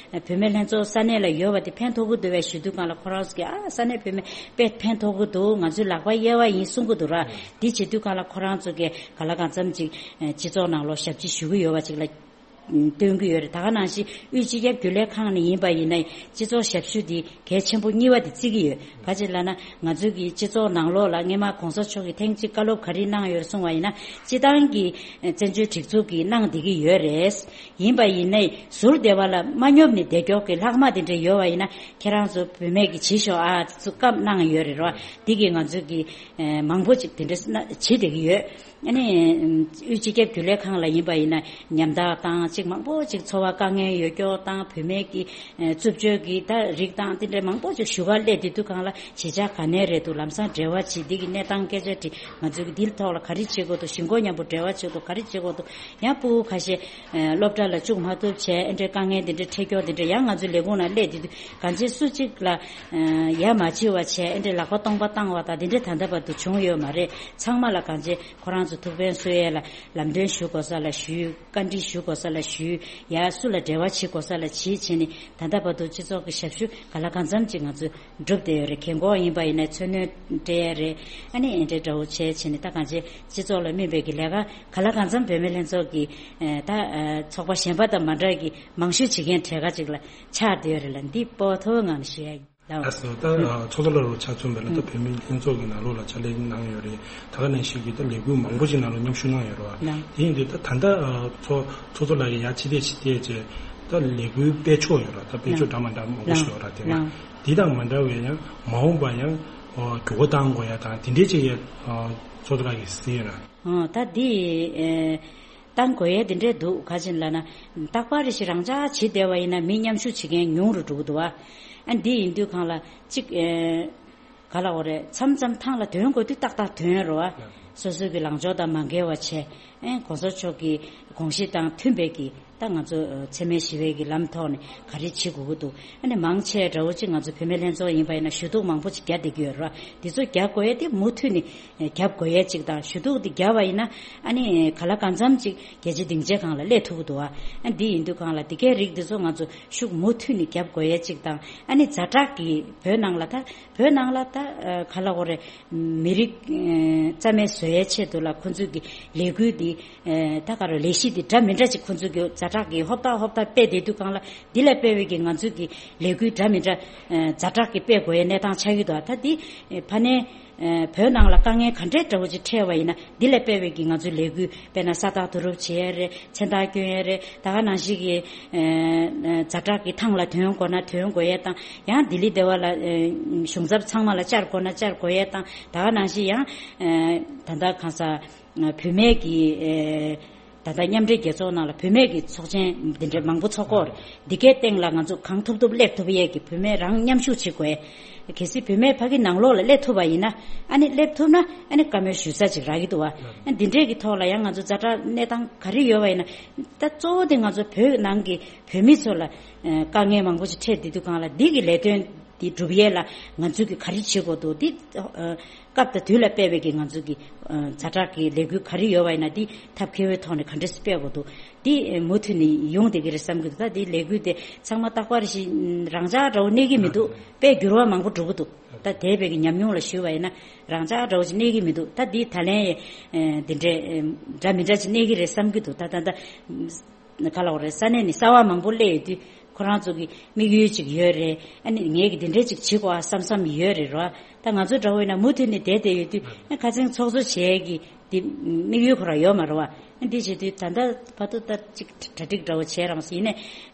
བུད་མེད་ལྷན་ཚོགས་ས་གནས་ལ་ཡོད་པ་དེ་ཕན་ཐོགས་ཀྱི་འདུག་བས་ཞུ་དུས་སྒང་ལ་ཁོ་རང་ཚོ་གིས་ཨ་ས་གནས་བུད་མེད་དཔེ་ཕན་ཐོགས་ཀྱི་འདུག་ང་ཚོའི་ལག་པ་གཡར་བ་ཡིན་གསུང་གི་འདུག་ར། འདི་བྱེད་དུས་སྒང་ལ་ཁོ་རང་ཚོ་གིས་ག་ལ་གང་འཚམ་ཅིག་སྤྱི་ཚོགས་ནང་ལོགས་ཞབས་ཕྱི་ཞུ་གི་ཡོད་པ་ཅིག་ལ་སྟོན་གྱི་ཡོད་རེད། ད་ག་ནང་བཞིན་དབུས་སྤྱི་ཁྱབ་རྒྱུན་ལས་ཁང་ནས་ཡིན་པ་ཡིན་ན་སྤྱི་ཚོགས་ཞབས་ཞུ་འདི་གལ་ཆེན་པོ་གཉིས་པ་དེ་བརྩི་གི་ཡོད། ག་ཅི་ལབ་ན་ང་ཚོའི་གི་སྤྱི་ཚོགས་ནང་ལོགས་ལ་སྔོན་མ་གོང་ས་མཆོག་གིས་ཐེངས་གཅིག་བཀའ་སློབ་ག་རེ་གནང་ཡོད་གསུང་བ་ཡིན་ན་སྤྱི་བཏང་གི་བཙན་བྱོལ་སྒྲིག་འཛུགས་ཀྱིས་གནང་བསྡད་ཀྱི་ཡོད་རེད། ཡིན་པ་ཡིན་ནའི་ཟུར་སྡེ་བ་ལ་མ་སྙོབ་ནས་བསྡད་ཀྱོག་གི་ལྷག་མ་དེ་འདྲ་ཡོད་པ་ཡིན་ན་ཁྱེད་རང་ཚོ་བུད་མེད་ཀྱིས་བྱེད་ཤོག་ཨ་ཚུ་བཀའ་གནང་ཡོད་རེད་རོ། འདི་གིས་ང་ཚོ་གི་མང་པོ་ཅིག་དེ་འདྲ་བྱེད་བསྡད་ཀྱི་ཡོད། ཨ་ནི་དབུས་སྤྱི་ཁྱབ་རྒྱུན་ལས་ཁང་ལ་ཡིན་པ་ཡིན་ན་ཉམ་ཐག་དང་ཅིག་མང་པོ་ཅིག་འཚོ་བ་དཀའ་ངལ་ཡོད་སྐྱོ་དང་བུད་མེད་ཀྱི་རྩུབ་སྤྱོད་ཀྱི་ད་རིགས་དང་དེ་འདྲའི་མང་པོ་ཅིག་ཞུ་གར་སླེབས་དེ་དུས་གང་ལ་གཞིས་ཆགས་ག་ནས་རེད་འདུག་ལམ་སང་འབྲེལ་བ་བྱེད་འདི་གི་གནས་སྟངས་སྐད་ཆ་དྲིས་ང་ཚོ་གི་འདིའི་ཐོག་ལ་ག་རེ་བྱེད་དགོས་འདུག་ཞི་འགོ་མཉམ་པོ་འབྲེལ་བ་བྱེད་དགོས་ག་རེ་བྱེད་དགོས་འདུག་ཡང་ཕྲུ་གུ་ཁ་ཤས་སློབ་གྲྭ་ལ་བཅུག་མ་ཐུབ་བྱས་ཨེ་འདྲའི་དཀའ་ངལ་འདི་འདྲའི་འཕྲད་སྐྱོ་འདི་འདྲའི་ཡང་ང་ཚོའི་ལས་ཁུངས་ནང་སླེབས་དེ་དུས་གང་ཅི་སུ་གཅིག་ལ་ཡ་མ་བྱེད་པ་བྱས་ཨེ་འདྲའི་ལག་པ་སྟོང་པ་བཏང་བ་དང་འདི་འདྲའི་ད་ལྟ་བར་དུ་བྱུང་ཡོད་མ་རེད། ཚང་མ་ལ་གང་ཅི་ཁོ་རང་ཚོ་ཐུགས་ཕན་གསོས་ཡས་ལ་ལམ་སྟོན་ཞུ་དགོས་ས་ལ་ཞུས། བཀའ་འདྲི་ཞུ་དགོས་ས་ལ་ཞུས། ཡ་སུ་ལ་འབྲེལ་བ་བྱེད་དགོས་ས་ལ་བྱེད་བྱས་ནས་ད་ལྟ་བར་དུ་སྤྱི་ཚོགས་ཀྱི་ཞབས་ཞུ་ག་ལ་གང་འཚམ་ཅིག་ང་ཚོས་སྒྲུབ་བསྡད་ཡོད་རེད། རྒན་གོག་ཡིན་པ་ཡིན་ན་མཚོན་རྣོན་སྤྲད་ཡས་རེད། ཨ་ནི་ཨེ་འདྲའི་འདྲ་བོ་བྱས་བྱས་ནས་ད་གང་ཅི་སྤྱི་ཚོགས་ལ་སྨིན་པའི་གི་ལས་ཀ་ག་ལ་གང་འཚམ་བུད་མེད་ལྷན་ཚོགས་ཀྱི་ད་ཚོགས་པ་གཞན་པ་དང་མ་འདྲ་གི་མང་ཤོས་བྱེད་མཁན་གྲས་ཀ་ཅིག་ལ་ཆགས་བསྡད་ཡོད་རེད་ལ་འདི་སྤོ་ཐོ་ངང་ཞུ་ཡ་ཡིན། ལགས་སོ། ད་ཚོགས་གཙོ་ལགས་རུ་ཆ་མཚོན་པ་ལ་ད་བོད་མི་ལྷན་ཚོགས་ཀྱི་ནང་ལོགས་ལ་ཕྱག་ལས་གནང་ཡོད་རེད། ད་ག་ནང་བཞིན་གྱི་ད་ལས་འགུལ་མང་པོ་ཅིག་ནང་ལ་མཉམ་ཞུགས་གནང་ཡོད་རེད་བ། དེ་ཡིན་དུས་ད་ད་ལྟ་ཚོགས་ཚོགས་གཙོ་ལགས་ཀྱིས་ཡ་ཕྱི་བལྟས་ཕྱི་བལྟས་བྱས་ད་ལས་འགུལ་སྤེལ་ཕྱོགས་ཡོད་ར། ད་སྤེལ་ཕྱོགས་འདྲ་མ་འདྲ་མང་པོ་ཞིག་ཡོད་ར། དེ་བ་འདི་དང་མ་འདྲ་བའི་ཡང་མ་འོངས་པ་ཡང་འགྱུར་བ་གཏང་དགོས་ཡ་དང་དེ་འདྲའི་ཅིག་ཡ་ཚོགས་གཙོ་ལགས་ཀྱིས་གཟིགས་ཡོད་ར། ད་འདི་བཏང་དགོས་ཡས་དེ་འདྲས་འདུག་ག་ཅིན་ལབ་ན། རྟག་པར་རེ་ཞིག་རང་འཇགས་བྱེད་བསྡད་པ་ཡིན་ན་མི་མཉམ་ཞུགས་བྱེད་མཁན་ཉུང་རུ་འགྲོ་གི་འདུག་བ། ཨ་འདི་ཡིན་དུས་གང་ལ་གཅིག་ག་ལ་འོ་རེད། མཚམས་མཚམས་ཐང་ལ་དོན་དགོས་དུས་ཏག་ཏག་དོན་རུ་བ། སོ་སོའི་གི་ལངས་ཕྱོགས་དང་མ་འགལ་བ་བྱས། ཨེ་གོང་ས་མཆོག་གི་དགོངས་གཞི་དང་མཐུན་པའི་གི་ད་ང་ཚོ་འཚེ་མེད་ཞི་བའི་གི་ལམ་ཐོག་ནས་ག་རེ་བྱེད་དགོས་ཀྱི་འདུག་ཨ་ནི་མང་ཆེ་འདྲ་བོ་ཅིག་ང་ཚོ་བུད་མེད་ལྷན་ཚོགས་ཡིན་པ་ཡིན་ན་ཞུ་གཏུག་མང་པོ་ཅིག་རྒྱག་བསྡད་ཀྱི་ཡོད་རེད་བ། འདི་ཚོ་རྒྱག་དགོས་ཡས་དེ་མུ་མཐུད་ནས་རྒྱབ་དགོས་ཡས་གཅིག་དང་ཞུ་གཏུག་འདི་རྒྱབ་པ་ཡིན་ན་ཨ་ནི་ག་ལ་གང་འཚམ་གཅིག་རྒྱལ་སྤྱི་སྡིངས་ཆའི་སྒང་ལ་སླེབས་ཐུབ་ཀྱི་འདུག་བ། ཨ་འདི་ཡིན་དུས་སྒང་ལ་འདི་གའི་རིགས་འདི་ཚོ་ང་ཚོ་ཤུགས་མུ་མཐུད་ནས་རྒྱབ་དགོས་ཡས་གཅིག་དང་ཨ་ནི་ཛ་དྲག་གི་བོད་ནང་ལ་ད་བོད་ནང་ལ་ད་ག་ལ་འོ་རེད། མི་རིགས་རྩ་མེད་བཟོ་ཡས་ཆེད་དུ་ལ་ཁོ་ཚོས་ཀྱི་ལས་འགུལ་འདི་ད་ག་རེ་ལས་གཞི་འདི་འདྲ་མི་འདྲ་ཅིག་ཁོ་ཚོས་ཀྱི་ཛ་དྲག་གི་ཧོབ་ཏ་ཧོབ་ཏ་སྤེལ་བསྡད་དུས་སྒང་ལ་འདི་ལ་སྤེལ་བའི་གི་ང་ཚོས་ཀྱི་ལས་འགུལ་འདྲ་མི་འདྲ་ཛ་དྲག་གི་སྤེལ་དགོས་ཡས་གནས་སྟངས་ཆགས་ཀྱི་འདུག་ད་འདི་ཕ་ནས། བོད་ནང་ལ་དཀའ་ངལ་ག་འདྲའི་འདྲ་བོ་ཅིག་འཕྲད་པ་ཡིན་ན་འདི་ལ་དཔེ་བའི་གི་ང་ཚོའི་ལས་འགུལ་དཔེར་ན་ས་རྟགས་བསྡུ་རུབ་བྱེད་ཡས་རེད། མཚན་རྟགས་སྐྱོན་ཡས་རེད། ད་ག་ནང་བཞིན་གི་ཛ་དྲག་གི་ཐང་ལ་དོན་དགོས་ན་དོན་དགོས་ཡས་དང་ཡང་ལྡི་ལི་སྡེ་བ་ལ་གཞུང་ཚབ་ཚང་མ་ལ་བཅར་དགོས་ན་བཅར་དགོས་ཡས་དང་ད་ག་ནང་བཞིན་ཡང་ད་ལྟ་གང་ས་བུད་མེད་ཀྱི་ད་ལྟ་མཉམ་འབྲེལ་རྒྱལ་ཚོགས་ནང་ལ་བུད་མེད་ཀྱི་ཚོགས་ཆེན་འདི་འདྲ་མང་པོ་ཚོགས་ཀྱི་ཡོད་རེད། འདི་གའི་སྟེང་ལ་ང་ཚོ་གང་ཐུབ་ཐུབ་སླེབས་ཐུབ་ཡས་ཀྱི་བུད་མེད་རང་མཉམ་ཞུགས་བྱེད་དགོས། གལ་སྲིད་བུད་མེད་ཕ་གི་ནང་ལོགས་ལ་སླེབས་ཐུབ་པ་ཡིན་ན་ཨ་ནི་སླེབས་ཐུབ་ན་ཨ་ནི་བཀའ་མོལ་ཞུ་ས་ཅིག་རག་གི་འདུག་བ། ཨ་འདི་འདྲས་ཀྱི་ཐོག་ལ་ཡང་ང་ཚོ་ཛ་དྲག་གནས་སྟངས་ག་རེ་ཡོད་པ་ཡིན་ན་ད་གཙོ་བོ་དེ་ང་ཚོ་བོད་ནང་གི་བོད་མི་ཚོ་ལ་དཀའ་ངལ་མང་པོ་ཞིག་འཕྲད་བསྡད་དུས་སྒང་ལ་འདི་གི་ལས་དོན་འདི་སྒྲུབ་ཡས་ལ་ང་ཚོས་ཀྱི་ག་རེ་བྱེད་དགོས་འདུག་འདི། སྐབས་དང་དུས་ལ་དཔག་པའི་གི་ང་ཚོ་གི་ཛ་དྲག་གི་ལས་འགུལ་ག་རེ་ཡོད་པ་ཡིན་ན་འདི་ཐབས་མཁས་པོའི་ཐོག་ནས་ག་འདྲས་སྤེལ་དགོས་འདུག་འདི་མུ་མཐུད་ནས་ཡོང་བསྡད་ཀྱི་རེད་བསམ་གྱི་འདུག་ད་འདི་ལས་འགུལ་དེ་ཚང་མ་རྟག་པར་ཞིག་རང་འཇགས་འདྲ་བོ་གནས་ཀྱི་མི་འདུག་དཔེ་འགྱུར་བ་མང་པོ་འགྲོ་གི་འདུག་ད་འདས་པའི་གི་ཉམས་མྱོང་ལ་ཞུས་པ་ཡིན་ན་རང་འཇགས་འདྲ་བོ་ཞིག་གནས་ཀྱི་མི་འདུག་ད་འདི་ད་ལན་ཡང་འདི་འདྲས་འདྲ་མི་འདྲ་ཞིག་གནས་ཀྱི་རེད་བསམ་གྱི་འདུག་ད་ད་ད། ག་ལ་འོ་རེད། ས་གནས་ནས་གསར་པ་མང་པོ་སླེབས་ཡོད་དུས་ཁོ་རང་ཚོ་གི་དམིགས་ཡུལ་ཅིག་ཡོད་རེད། ཨ་ནི་ངས་ཀྱི་འདི་འདྲས་ཅིག་བྱེད་དགོས་ཨ་བསམ་བསམ་ཡོད་རེད་རོ། ད་ང་ཚོ་འདྲ་བོ་ཡིན་ན་མུ་མཐུད་ནས་བསྡད་བསྡད་ཡོད་དུས་ཨ་ཁ་སང་ཚོགས་གཙོ་བྱེད་ཀྱི་འདི་དམིགས་ཡུལ་ཁོ་རང་ཡོད་མ་རེད་བ། ཨ་འདི་བྱེད་དུས་ད་ལྟ་བར་དུ་ད་ཅིག་གྲ་སྒྲིག་འདྲ་བོ་བྱས་རང་སོང་ཡིན་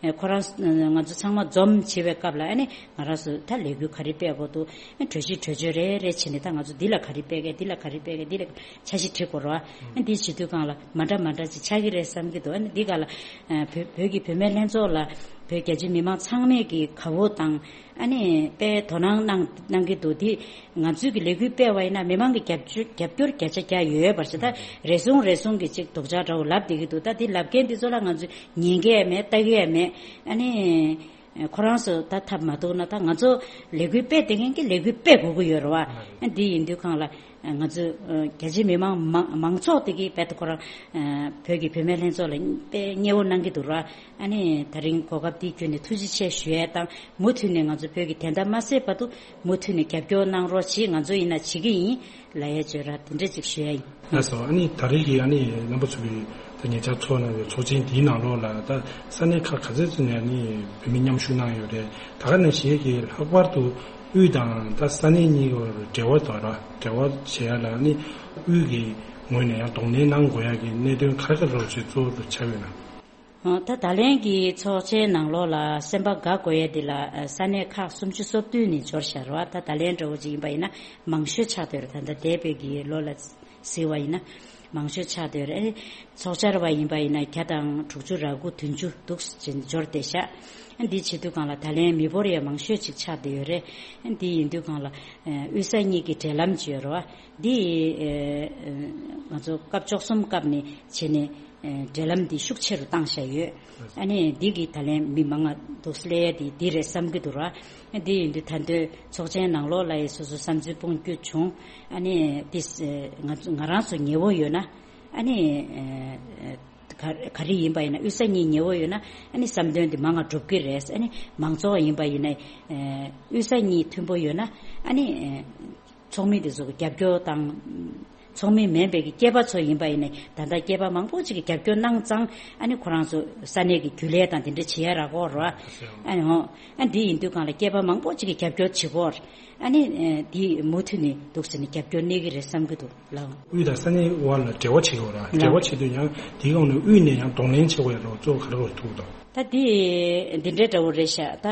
ནའི་ཁོ་རང་ང་ཚོ་ཚང་མ་འཛོམས་བྱེད་པའི་སྐབས་ལ་ཨ་ནི་ང་རང་ཚོ་ད་ལས་འགུལ་ག་རེ་སྤེལ་དགོས་འདུག་ཨ་གྲོས་གཞི་གྲོས་ཆོད་རེ་རེ་བྱས་ནས་ད་ང་ཚོ་འདི་ལ་ག་རེ་སྤེལ་གས་འདི་ལ་ག་རེ་སྤེལ་གས་འདི་ལ། འཆར་གཞི་བྲིས་དགོས་རེད་བ། ཨ་འདི་བྱེད་དུས་སྒང་ལ་མ་འདྲ་མ་འདྲ་ཅིག་ཆགས་ཀྱི་རེད་བསམ་གྱི་འདུག་ཨ་ནི་འདི་ག་ལ་བོད་བོད་ཀྱི་བུད་མེད་ལྷན་ཚོགས་ལ་བོད་རྒྱ་ཆེ་མི་མང་ཚང་མས་ཀྱི་དགའ་བོ་དང་ཨ་ནི་དཔེ་དོ་སྣང་གནང་གནང་གི་འདུག་འདི་ང་ཚོས་ཀྱི་ལས་འགུལ་སྤེལ་བ་ཡིན་ན་མི་མང་གི་རྒྱབ་སྐྱོར་རྒྱབ་སྐྱོར་བརྒྱ་ཆ་བརྒྱ་ཡོད་པར་ཞེ་ད་རེ་ཟུང་རེ་ཟུང་གི་ཅིག་སྡུག་ཅག་འདྲ་བོ་ལབ་བསྡད་ཀྱི་འདུག་ད་འདི་ལབ་མཁན་འདི་ཚོ་ལ་ང་ཚོས་ཉན་གི་ཡ་མེད་ལྟ་གི་ཡ་མེད་ཨ་ནི། ཁོ་རང་ཚོ་ད་ཐབས་མ་ཐུག་ན་ད་ང་ཚོ་ལས་འགུལ་སྤེལ་བསྡད་མཁན་གྱི་ལས་འགུལ་སྤེལ་དགོས་ཀྱི་ཡོད་རེད་བ། འདི་ཡིན་དུས་སྒང་ལ་ང་ཚོ་རྒྱ་ཆེ་མི་མང་མང་མང་ཚོགས་དེ་གིས་རྦད་དེ་ཁོ་རང་བོད་ཀྱི་བུད་མེད་ལྷན་ཚོགས་ལ་དཔེ་མཉེས་པོ་གནང་གི་འདུག་ར། ཨ་ནི་ད་རིང་གོ་སྐབས་འདི་བརྒྱུད་ནས་ཐུགས་རྗེ་ཆེ་ཞུ་ཡས་དང་མུ་མཐུད་ནས་ང་ཚོ་བོད་ཀྱི་བདེན་མཐའ་མ་གསལ་བར་དུ་མུ་མཐུད་ནས་རྒྱབ་སྐྱོར་གནང་རོགས་གྱིས། ང་ཚོ་ཡིན་ན་བྱེད་ཀྱི་ཡིན། ལ་ཡ་བཅོས་ར་དེ་འདྲ་ཅིག་ཞུ་ཡ་ཡིན། ལགས་སོ། ཨ་ནི་ད་རེས་ཀྱི་ཨ་ནི་རྣམ་པ་ཚོ་གི་ད་ཉེ་ཆར་ཚོགས་གནང་བའི་ཚོགས་ཆེན་འདིའི་ནང་ལོགས་ལ་ད་ས་གནས་ཁག་ག་ཚོད་ཙམ་ནས་ཨ་ནི་བོད་མི་མཉམ་ཞུགས་གནང་ཡོད་རེད། ད་ག་ནང་བཞིན་གྱི་ལྷག་པར་དུ་དབུས་དང་ད་ས་གནས་གཉིས་བར་འབྲེལ་བ་དང་ར་འབྲེལ་བ་བྱེད་ཡ་ལ་ཨ་ནི་དབུས་ཀྱི་ངོས་ནས་ཡང་གདོང་ལེན་གནང་དགོས་ཡ་གི་གནད་དོན་ག་རེ་ག་རེ་ཅིག་གཙོ་བོ་དུ་ཆགས་ཡོད་ན། ད་ད་ལན་གྱི་ཚོགས་ཆེན་ནང་ལོགས་ལ་སེམས་པ་དགའ་དགོས་ཡས་འདི་ལ་ས་གནས་ཁག་སུམ་ཅུ་སོ་བདུན་ནས་འབྱོར་བཞག་རེད་བ། ད་ད་ལན་འདྲ་བོ་ཅིག་ཡིན་པ་ཡིན་ན་མང་ཤོས་ཆགས་བསྡད་རེད། ད་ལྟ་འདས་པའི་གི་ལོ་ལ་གཟིགས་པ་ཡིན་ན། མང་ཤོས་ཆགས་བསྡད་ཡོད་རེད། ཚོགས་བཅར་བ་ཡིན་པ་ཡིན་ན་བརྒྱ་དང་དྲུག་ཅུ་རེ་དགུ་བདུན་ཅུ་འདུག་ཅེས་འབྱོར་བསྡད་ཤག་འདི་བྱེད་དུས་སྒང་ལ་ད་ལན་མི་འབོར་ཡང་མང་ཤོས་ཅིག་ཆགས་བསྡད་ཡོད་རེད། འདི་ཡིན་དུས་སྒང་ལ་ཨ་དབུས་ས་གཉིས་ཀྱི་འབྲེལ་ལམ་ཅིག་ཡོད་རེད་བ། འདི་ཨ་ང་ཚོ་སྐབས་བཅུ་གསུམ་སྐབས་ནས་བྱས་ནས་ཨ་འབྲེལ་ལམ་འདི་ཤུགས་ཆེ་རུ་བཏང་བཞག་ཡོད། ཨ་ནི་འདི་གི་ད་ལན་མི་མང་ང་འདུག་སླེབས་ཡ་འདི་འདི་རེད་བསམ་གྱི་འདུག་ར། འདི་ཡིན་དུས་ད་དུང་ཚོགས་ཆེན་ནང་ལོགས་ལ་ཡི་སོ་སོ་བསམ་ཚུལ་སྤུངས་རྒྱུ་བྱུང་། ཨ་ནི་འདི་ང་ང་རང་ཚོ་ཉེ་བོ་ཡོད་ན། ཨ་ནི་ཨ་ག་ག་རེ་ཡིན་པ་ཡིན་ན་དབུས་ས་གཉིས་ཉེ་བོ་ཡོད་ན་ཨ་ནི་བསམ་དོན་འདི་མང་ང་འགྲུབ་ཀྱི་རེད། ཨ་ནི་མང་ཚོགས་ཡིན་པ་ཡིན་ན་ཨ་དབུས་ས་གཉིས་མཐུན་པོ་ཡོད་ན་ཨ་ནི་ཨ་ཚོགས་མི་དེ་ཚོ་གི་རྒྱབ་སྐྱོར་དང་། ཚོགས་མི་མིན་པའི་གི་སྐྱེས་པ་ཚོ་ཡིན་པ་ཡིན་ན་ད་ལྟ་སྐྱེས་པ་མང་པོ་ཅིག་གི་རྒྱབ་སྐྱོར་གནང་ཙང་ཨ་ནི་ཁོ་རང་ཚོ་ས་གནས་ཀྱི་རྒྱུན་ལས་དང་དེ་འདྲ་བྱེད་ཡ་རག་གོ་ར། ཨ་ནི་འོ་ཨ་འདི་ཡིན་དུས་སྒང་ལ་སྐྱེས་པ་མང་པོ་ཅིག་གི་རྒྱབ་སྐྱོར་བྱེད་གོ་ར། ཨ་ནི་ཨ་འདི་མུ་མཐུད་ནས་འདུག་ཟེར་ནས་རྒྱབ་སྐྱོར་གནས་ཀྱི་རེད་བསམ་གྱི་འདུག་ལགས། དབུས་དང་ས་གནས་དབར་ལ་འབྲེལ་བ་བྱེད་དགོས་ར། ལགས། འབྲེལ་བ་བྱེད་དུས་ཡང་དེའི་སྒང་ནས་དབུས་ནས་ཡང་གདོང་ལེན་བྱེད་དགོས་ཡ་ལ་གཙོ་བོ་ག་རེ་ག་རེ་ཐུག་དང་། ད་འདི་འདི་འདྲའི་འདྲ་བོ་རེད་ཤག་ད་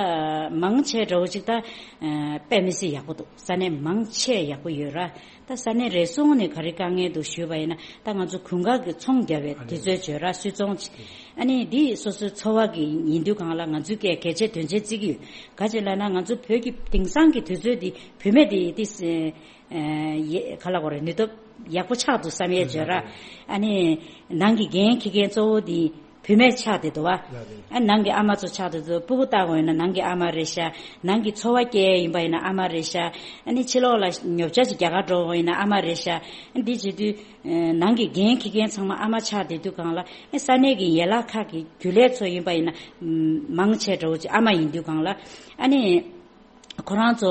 མང་ཆེ་འདྲ་བོ་ཅིག་ད་ཨ་དཔེ་མི་སྲིད་ཡག་པོ་འདུག་ས་གནས་མང་ཆེ་ཡག་པོ་ཡོད་ར། ད་ས་གནས་རེ་ཟུང་ནས་ག་རེ་དཀའ་ངལ་འདུག་ཞུས་པ་ཡིན་ན་ད་ང་ཚོ་དགུན་ཁ་གི་ཚོང་རྒྱག་པའི་དུས་ཚོད་བརྗོད་ར་སུད་ཚོང་ཅིག་ཨ་ནི་འདི་སོ་སོའི་འཚོ་བ་གི་ཡིན་དུས་སྒང་ལ་ང་ཚོའི་སྐད་གལ་ཆེ་དོན་ཆེ་བརྩི་གི་ཡོད། ག་ཅི་ལབ་ན་ང་ཚོ་བོད་ཀྱི་དེང་སང་གི་དུས་ཚོད་འདི་བུད་མེད་འདི་ཏིས་ཨ་ཡེ་ག་ལ་གོ་རེ་ནུས་སྟོབས་ཡག་པོ་ཆགས་འདུག་བསམ་ཡས་བརྗོད་ར། ཨ་ནི་ནང་གི་འགན་འཁྱེར་མཁན་གཙོ་བོ་འདི་བུད་མེད་ཆགས་བསྡད་འདུག་བ། ཨ་ནང་གི་ཨ་མ་ཚོ་ཆགས་བསྡད་འདུག་སྤུ་གུ་ལྟ་དགོས་ཡིན་ན་ནང་གི་ཨ་མ་རེད་ཤག་ནང་གི་འཚོ་བ་སྐྱེལ་ཡིན་པ་ཡིན་ན་ཨ་མ་རེད་ཤག་ཨ་ནི་ཕྱི་ལོགས་ལ་ཉོ་ཆ་ཅིག་རྒྱག་གར་འགྲོ་དགོས་ཡིན་ན་ཨ་མ་རེད་ཤག་ཨ་འདི་བྱེད་དུས་ནང་གི་འགན་འཁྱེར་མཁན་ཚང་མ་ཨ་མ་ཆགས་བསྡད་དུས་སྒང་ལ་ཨ་ས་གནས་ཀྱི་ཡན་ལག་ཁག་གི་རྒྱུན་ལས་ཚོ་ཡིན་པ་ཡིན་ན་མང་ཆེ་འདྲ་བོ་ཅིག་ཨ་མ་ཡིན་དུས་སྒང་ལ་ཨ་ནི། ཁོ་རང་ཚོ་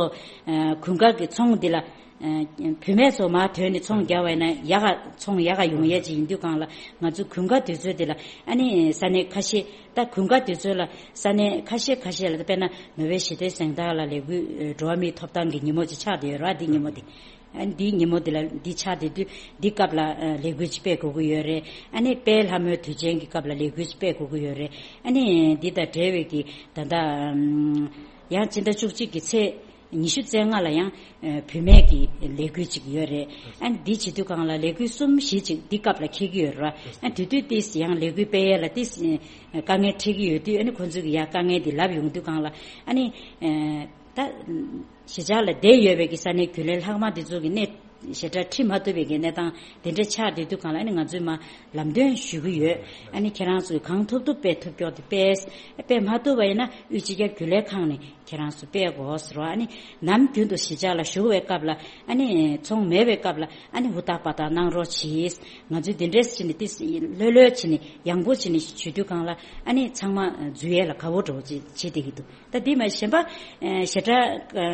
ཨ་དགུན་ཁ་གི་ཚོང་འདི་ལ་ཨ་བུད་མེད་ཚོ་མར་ཐོན་ནས་ཚོང་རྒྱག་པ་ཡིན་ན་ཡག་ག་ཚོང་ཡག་ག་ཡོང་ཡས་ཅིག་ཡིན་དུས་སྒང་ལ་ང་ཚོ་དགུན་ཁ་དུས་ཚོད་འདི་ལ་ཨ་ནི་ས་གནས་ཁ་ཤས་ད་དགུན་ཁ་དུས་ཚོད་ལ་ས་གནས་ཁ་ཤས་ཁ་ཤས་ལ་དཔེར་ན་ནོ་བེལ་ཞི་བདེའི་གཟེངས་རྟགས་ལ་ལས་འགུལ་འགྲོ་བ་མིའི་ཐོབ་ཐང་གི་ཉིན་མོ་ཅིག་ཆགས་བསྡད་ཡོད་ར། འདི་ཉིན་མོ་འདི་ཨ་འདི་ཉིན་མོ་འདི་ལ་འདི་ཆགས་བསྡད་དུས་འདི་སྐབས་ལ་ཨ་ལས་འགུལ་ཅིག་སྤེལ་དགོས་ཀྱི་ཡོད་རེད། ཨ་ནི་དཔལ་ལྷ་མོའི་དུས་ཆེན་གྱི་སྐབས་ལ་ལས་འགུལ་ཅིག་སྤེལ་དགོས་ཀྱི་ཡོད་རེད། ཨ་ནི་འདི་དང་འབྲེལ་བའི་གི་ད་ལྟ་ཨམ། ཡང་སྤྱི་ཟླ་བཅུ་གཅིག་གི་ཚེས་ཉི་ཤུ་རྩ་ལྔ་ལ་ཡང་ཨ་བུད་མེད་ཀྱི་ལས་འགུལ་ཅིག་ཡོད་རེད། ཨ་ནི་འདི་བྱེད་དུས་སྒང་ལ་ལས་འགུལ་གསུམ་བཞི་ཅིག་འདི་སྐབས་ལ་འཁེལ་གྱི་ཡོད་རེད། ཨ་ནི་དེ་དུས་ཏིས་ཡང་ལས་འགུལ་སྤེལ་ཡས་ལ་ཏིས་དཀའ་ངལ་འཕྲད་ཀྱི་ཡོད་དུས་ཨ་ནི་ཁོང་ཚོས་ཀྱི་ཡ་དཀའ་ངལ་འདི་ལབ་ཡོང་དུས་སྒང་ལ་ཨ་ནི་ཨ་ད་གཞིས་ཆགས་ལ་བསྡད་ཡོད་པའི་གི་ས་གནས་རྒྱུན་ལས་ལྷག་མ་འདི་ཚོ་གི་གནས་ཞེ་དྲག་ཁྲིད་མ་ཐུབ་པའི་གི་གནས་སྟངས་དེ་འདྲ་ཆགས་བསྡད་དུས་སྒང་ལ་ཨ་ནི་ང་ཚོས་མ་ལམ་སྟོན་ཞུ་གི་ཡོད། ཨ་ནི་ཁྱེད་རང་ཚོས་གང་ཐུབ་ཐུབ་སྤེལ་ཐུབ་ཀྱོག་དེ་སྤེལ། སྤེལ་མ་ཐུབ་པ་ཡིན་ན་དབུས་སྤྱི་ཁྱབ་རྒྱུན་ལས་ཁང་ནས་ཁྱེད་རང་ཚོ་སྤེལ་དགོས་ཟེར་བ། ཨ་ནི་ནམ་རྒྱུན་དུ་གཞིས་ཆགས་ལ་བཞུགས་པའི་སྐབས་ལ་ཨ་ནི་ཚོང་མེད་པའི་སྐབས་ལ་ཨ་ནི་ཧུར་ཐག་པ་ཐག་གནང་རོགས་གྱིས། ང་ཚོས་འདི་འདྲས་བྱས་ནས་ཏིས་ལྷོད་ལྷོད་བྱས་ནས་ཡང་པོ་བྱས་ནས་ཞུ་དུས་སྒང་ལ་ཨ་ནི་ཚང་མ་འཛུལ་ཡས་ལ་དགའ་བོ་འདྲ་བོ་ཅིག་བྱེད་བསྡད་ཀྱི་འདུག་ད་འདི་མ་གཞན་པ་ཨ་ཞེ་དྲག་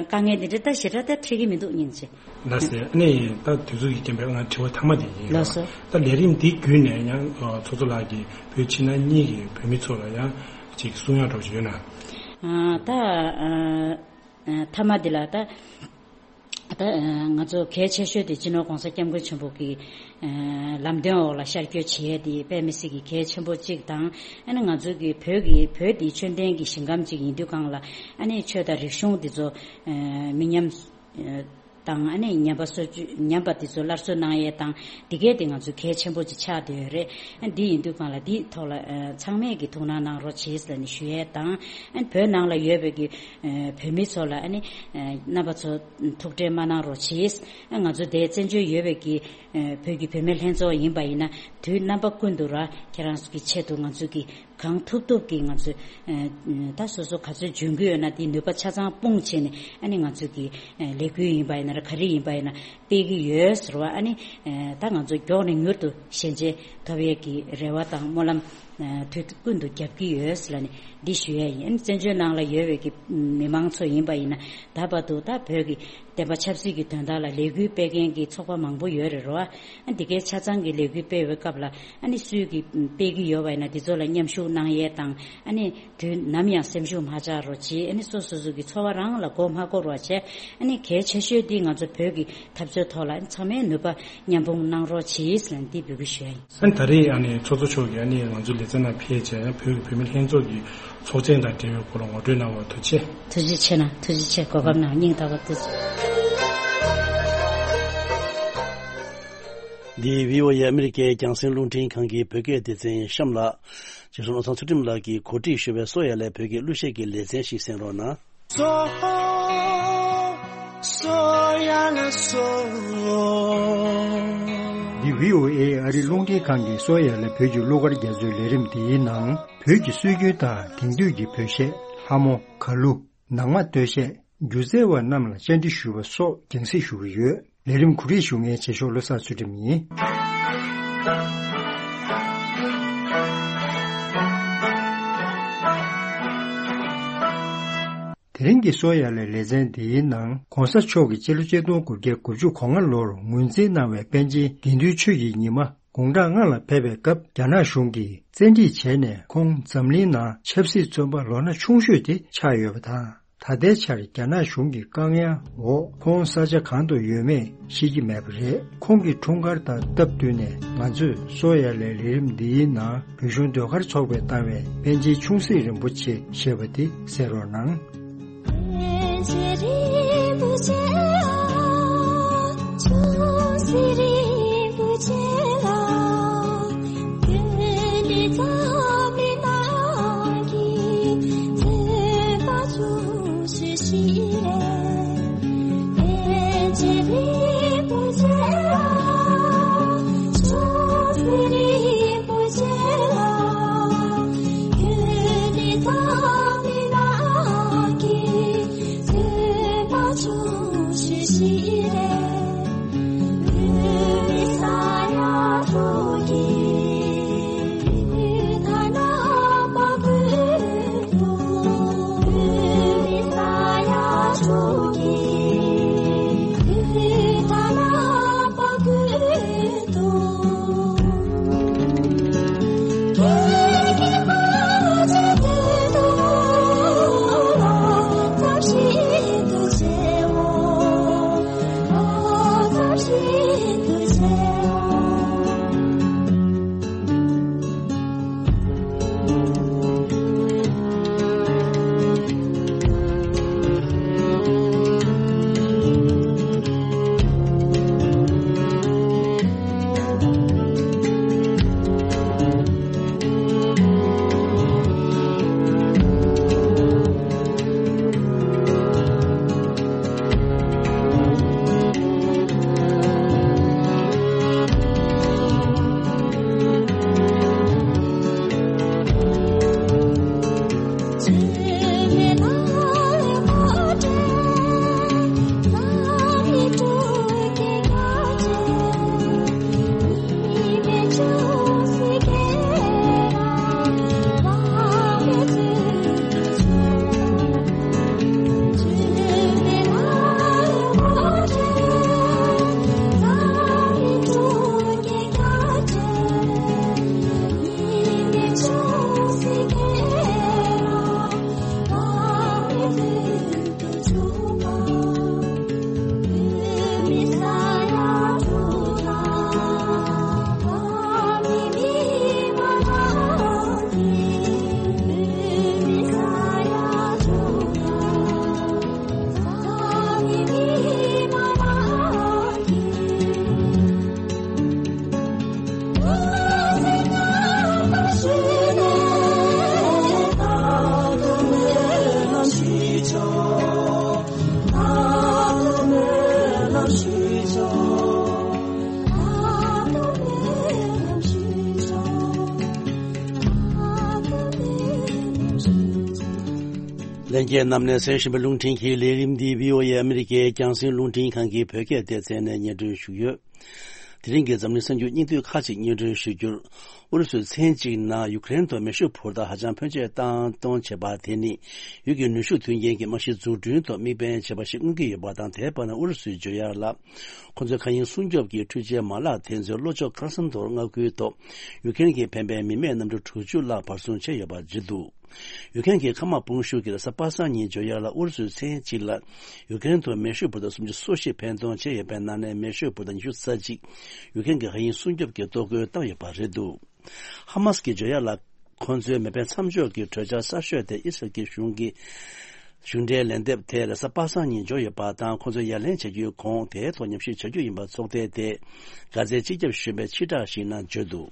དཀའ་ངལ་འདི་འདྲ་ད་ཞེ་དྲག་ད་འཕྲད་ཀྱི་མི་འདུག་སྙིང་རྗེ། ལགས་སེ། ཨ་ནི་ད་དུས་ཚོད་ཀྱི་རྐྱེན་པས་ང་དྲི་བ་མཐའ་མ་དེ་ཡིན། ལགས་སོ། ད་ལས་རིམ་འདི་བརྒྱུད་ནས་ཡང་ཚོགས་གཙོ་ལགས་ཀྱིས་བོད་ཕྱི་ནང་གཉིས་ཀྱི་བོད་མི་ཚོ་ལ་ཡང་ཅིག་གསུང་ཡག་འདྲ་བོ་ཞིག་ཡོད་ན། ཨ་ད་ཨ་ཨ་མཐའ་མ་འདི་ལ་ད་ད་ང་ཚོ་གལ་ཆེ་ཤོས་དེ་སྤྱི་ནོར་༸གོང་ས་༸སྐྱབས་མགོན་ཆེན་པོ་གི་ལམ་སྟོན་འོག་ལ་ཤར་བསྐྱོད་བྱེད་ཡས་དེ་དཔེ་མི་སྲིད་ཀྱི་གལ་ཆེན་པོ་གཅིག་དང་། ཨ་ནི་ང་ཚོ་གི་བོད་ཀྱི་བོད་འདི་ཆོས་ལྡན་གྱི་ཞིང་ཁམས་གཅིག་ཡིན་དུས་སྒང་ལ་ཨ་ནི་ཆོས་དང་རིག་གཞུང་འདི་ཚོ་མི་ཉམས་དང་ཨ་ནི་ཉམས་པ་སོར་ཆུད་ཉམས་པ་འདི་ཚོ་སླར་གསོ་གནང་ཡས་དང་འདི་གས་དེ་ང་ཚོ་གལ་ཆེན་པོ་ཅིག་ཆགས་བསྡད་ཡོད་རེད། ཨ་འདི་ཡིན་དུས་སྒང་ལ་འདིའི་ཐོག་ལ་ཚང་མས་ཀྱི་ཐུགས་སྣང་གནང་རོགས་གྱིས་ལབ་ནས་ཞུ་ཡས་དང་། ཨ་ནི་བོད་ནང་ལ་ཡོད་པའི་གི་བོད་མི་ཚོ་ལ་ཨ་ནི་རྣམ་པ་ཚོ་ཐུགས་ཁྲལ་མ་གནང་རོགས་གྱིས། ང་ཚོ་འདིར་བཙན་བྱོལ་ཡོད་པའི་གི་བོད་ཀྱི་བུད་མེད་ལྷན་ཚོགས་ཡིན་པ་ཡིན་ན་དུས་རྣམ་པ་ཀུན་ཏུ་ར་ཁྱེད་རང་ཚོ་གི་ཆེད་དུ་ང་ཚོ་གི་གང་ཐུབ་ཐུབ་ཀྱིས་ང་ཚོས་ད་སོ་སོ་ག་ཚོད་འཇོན་གྱི་ཡོད་ན་དེའི་ནུས་པ་ཆ་ཚང་སྤུངས་བྱས་ནས་ཨ་ནི་ང་ཚོ་གི་ལས་འགུལ་ཡིན་པ་ཡིན་ན་ར་ག་རེ་ཡིན་པ་ཡིན་ན་སྤེལ་གྱི་ཡོད་ཟེར་བ། ཨ་ནི་ད་ང་ཚོ་མགྱོགས་ནས་མྱུར་དུ་ཞལ་མཇལ་ཐོབ་ཡས་ཀྱི་རེ་བ་དང་སྨོན་ལམ་དུས་ཀུན་ཏུ་རྒྱབ་ཀྱི་ཡོད་ལབ་ནས་འདི་ཞུ་ཡས་ཡིན། ཨ་ནི་བཙན་བྱོལ་ནང་ལ་ཡོད་པའི་གི་མི་མང་ཚོ་ཡིན་པ་ཡིན་ན་ད་བར་དུ་ད་བོད་ཀྱི་བདེན་པ་ཆབ་སྲིད་ཀྱི་དོན་དག་ལ་ལས་འགུལ་སྤེལ་མཁན་གྱི་ཚོགས་པ་མང་པོ་ཡོད་རེད་རོ། ཨ་འདི་གའི་ཆ་ཚང་གི་ལས་འགུལ་སྤེལ་བའི་སྐབས་ལ་ཨ་ནི་སུས་ཀྱིས་སྤེལ་གྱི་ཡོད་པ་ཡིན་ན་འདི་ཚོ་ལ་མཉམ་ཞུགས་གནང་ཡས་དང་། ཨ་ནི་དུས་ནམ་ཡང་སེམས་ཤུགས་མ་ཆག་རོགས་བྱེད། ཨ་ནི་སོ་སོ་སོ་གི་འཚོ་བ་རང་ལ་མགོ་མ་འཁོར་བ་བྱས། ཨ་ནི་གལ་ཆེ་ཤོས་འདི་ང་ཚོ་བོད་ཀྱི་འཐབ་རྩོད་ཐོག་ལ་ཨ་ནི་ཚང་མས་ནུས་པ་མཉམ་སྤུངས་གནང་རོགས་བྱེད་ཟེར་ནས་འདི་འབོད་སྐུལ་ཞུ་ཡ་ཡིན། ཨ་ནི་ད་རེས་ཨ་ནི་ཚོགས་གཙོ་མཆོག་གིས་ཨ་ནི་ང་ཚོའི་ལེ་ཚན་ནང་ཕེབས་བྱས་ཡང་བོད་ཀྱི་བུད་མེད་ལྷན་ཚོགས་ཀྱི་ཚོགས་ཆེན་དང་འབྲེལ་བའི་སྐོར་ལ་ངོ་སྤྲོད་གནང་བར་ཐུགས་རྗེ་ཆེ། ཐུགས་རྗེ་ཆེ་གནང་། ཐུགས་རྗེ་ཆེ། གོ་སྐབས་གནང་སྙིང་ཐག་པ་ཐུགས་རྗེ་ཆེ། འདི་བྷི་ཨོ་ཨེ་ཨ་མི་རི་ཀའི་རྒྱང་སྲིང་རླུང་འཕྲིན་ཁང་གི་བོད་སྐད་སྡེ་ཚན་ཡིན། གཤམ་ལ་རྗེ་བཙུན་བློ་བཟང་ཚུལ་ཁྲིམས་ལགས་ཀྱིས་གོ་སྒྲིག་ཞུས་པའི་གསོ་ཡ་ལས་བོད་ཀྱི་གླུ་གཞས་ཀྱི་ལེ་ཚན་ཞིག་གསན་རོགས་གནང་། གསོ། གསོ་ཡ་ལ་གསོ། འདི་བྷི་ཨོ་ཨེ་ཨ་རི་རླུང་འཕྲིན་ཁང་གི་གསོ་ཡ་ལ་བོད་ཀྱི་གླུ་གར་རྒྱ་མཚོའི་ལས་རིམ་འདིའི་ནང་བོད་ཀྱི་སྲོལ་རྒྱུན་དང་དེང་དུས་ཀྱི་བོད་གཞས། ལྷ་མོ། གར་གླུ། ནང་མ་སྟོད་གཞས། སྒྱུ་རྩལ་བ་རྣམས་ལ་བཅར་འདྲི་ཞུས་པ་སོགས་རྒྱང་སྲིང་ཞུ་གི་ཡོད། ལས་རིམ་གོ་སྒྲིག་ཞུ་མཁན་རྗེས་ཕྱོགས་བློ་བཟང་ཚུལ་ཁྲིམས་ཡིན། དེ་རིང་གི་གསོ་ཡ་ལས་ལེ་ཚན་འདིའི་ནང་གོང་ས་མཆོག་གིས་སྤྱི་ལོ་ཆིག་སྟོང་དགུ་བརྒྱ་དགུ་བཅུ་གོ་ལྔ་ལོར་ངོས་འཛིན་གནང་བའི་པཎ་ཆེན་དགེ་འདུན་ཆོས་ཀྱི་ཉི་མ་དགུང་གྲངས་ལྔ་ལ་ཕེབས་པའི་སྐབས་རྒྱ་ནག་གཞུང་གིས་བཙན་ཁྲིད་བྱས་ནས་ཁོང་འཛམ་གླིང་ནང་ཆབ་སྲིད་བཙོན་པ་ལོ་ན་ཆུང་ཤོས་དེ་ཆགས་ཡོད་པ་དང་། ད་ལྟའི་ཆར་རྒྱ་ནག་གཞུང་གི་བཀག་ཉར་འོག་ཁོང་ས་ཆ་གང་དུ་ཡོད་མེད་ཤེས་ཀྱི་མེད་པ་རེད། ཁོང་གི་འཁྲུངས་སྐར་དང་སྟབས་བསྟུན་ནས་ང་ཚོས་གསོ་ཡ་ལས་ལས་རིམ་འདིའི་ནང་བོད་གཞུང་ཟློས་གར་ཚོགས་པས་བཏང་བའི་པཎ་ཆེན་ཆུང་སྲིད་རིན་པོ་ཆེ་ཞེས་པ་དེ་གསན་རོགས་གནང་། ལྷན་རྒྱས་རྣམས་ནས་གསན་བཞིན་པའི་རླུང་འཕྲིན་གྱི་ལས་རིམ་འདི་བྷི་ཨོ་ཨེ་ཨ་མི་རི་ཀའི་རྒྱང་སྲིང་རླུང་འཕྲིན་ཁང་གི་བོད་སྐད་སྡེ་ཚན་ནས་སྙན་སྒྲོན་ཞུས་ཡོད། དེ་རིང་གི་འཛམ་གླིང་གསར་འགྱུར་སྙིང་བསྡུས་ཁག་ཅིག་སྙན་སྒྲོན་ཞུ་རྒྱུར། ཨུ་རུ་སུའི་མཚན་གཅིག་ནང་ཡུ་ཀེ་རེན་དུ་མེ་ཤུགས་འཕུར་མདའ་ཧ་ཅང་ཕོན་ཆེ་བཏང་གཏོང་བྱེད་པ་དེ་ནི། ཡུལ་གྱི་ནུས་ཤུགས་མཐུན་རྐྱེན་གྱི་རྨང་གཞི་འཛུགས་སྐྲུན་ཐོག་དམིགས་འབེན་བྱས་པ་ཞིག་མངོན་གྱི་ཡོད་པ་དང་། དེའི་བར་ན་ཨུ་རུ་སུས་བརྗོད་ཡག་ལ། ཁོ་ཚོའི་མཁའ་དབྱིངས་སྲུང་སྐྱོབ་ཀྱི་འཕྲུལ་ཆས་མ་ལག་དེ་ཚོའི་བློ་ཕྱོགས་ཁར་སང་དུ་མངའ་ཁུལ་ཐོག་ཡུ་ཀེ་རེན་གྱིས་འཕེན་པའི་མི་མེད་གནམ་གྲུ་དྲུག་ཅུ་ལྷག་བར་སྲུང་བྱས་ཡོད་པ་བརྗོད་འདུག་ཡུ་ཀེ་རེན་གྱི་མཁའ་དམག་དཔུང་ཤུགས་ཀྱིས་རེས་གཟའ་པ་སངས་ཉིན་བརྗོད་ཡག་ལ་ཨུ་རུ་སུའི་མཚན་གཅིག་ལ་ཡུ་ཀེ་རེན་དུ་མེ་ཤུགས་འཕུར་མདའ་སུམ་ཅུ་སོ་བཞི་འཕེན་གཏོང་བྱས་ཡོད་པའི་ནང་ནས་མེ་ཤུགས་འཕུར་མདའ་ཉི་ཤུ་རྩ་གཅིག་ཡུ་ཀེ་རེན་གྱི་མཁའ་དབྱིངས་སྲུང་སྐྱོབ་ཀྱིས་གཏོར་རྒོལ་བཏང་ཡོད་པ་རེད་འདུག་ཧ་མཱ་སི་ཀྱིས་བརྗོད་ཡག་ལ། ཁོ་ཚོའི་མེ་འཕེན་མཚམས་འཇོག་གི་གྲོས་འཆར་གསར་ཤོས་དེ་ཨི་སི་རལ་གྱི་གཞུང་གིས་ གཞུང་འབྲེལ་ལན་འདེབས་དེ་རེས་གཟའ་པ་སངས་ཉིན་འབྱོར་ཡོད་པ་དང་། ཁོང་ཚོས་ཡ་ལན་བྱ་རྒྱུའི་གོང་དེའི་ཐོག་ཉམས་ཞིབ་བྱ་རྒྱུ་ཡིན་པ་ཚོགས་སྡེ་དེས་གྷ་ཛའི་སྤྱི་ཁྱབ་གཞོན་པས་ཕྱིར་བསྒྲགས་ཤིག་ནང་བརྗོད་འདུག་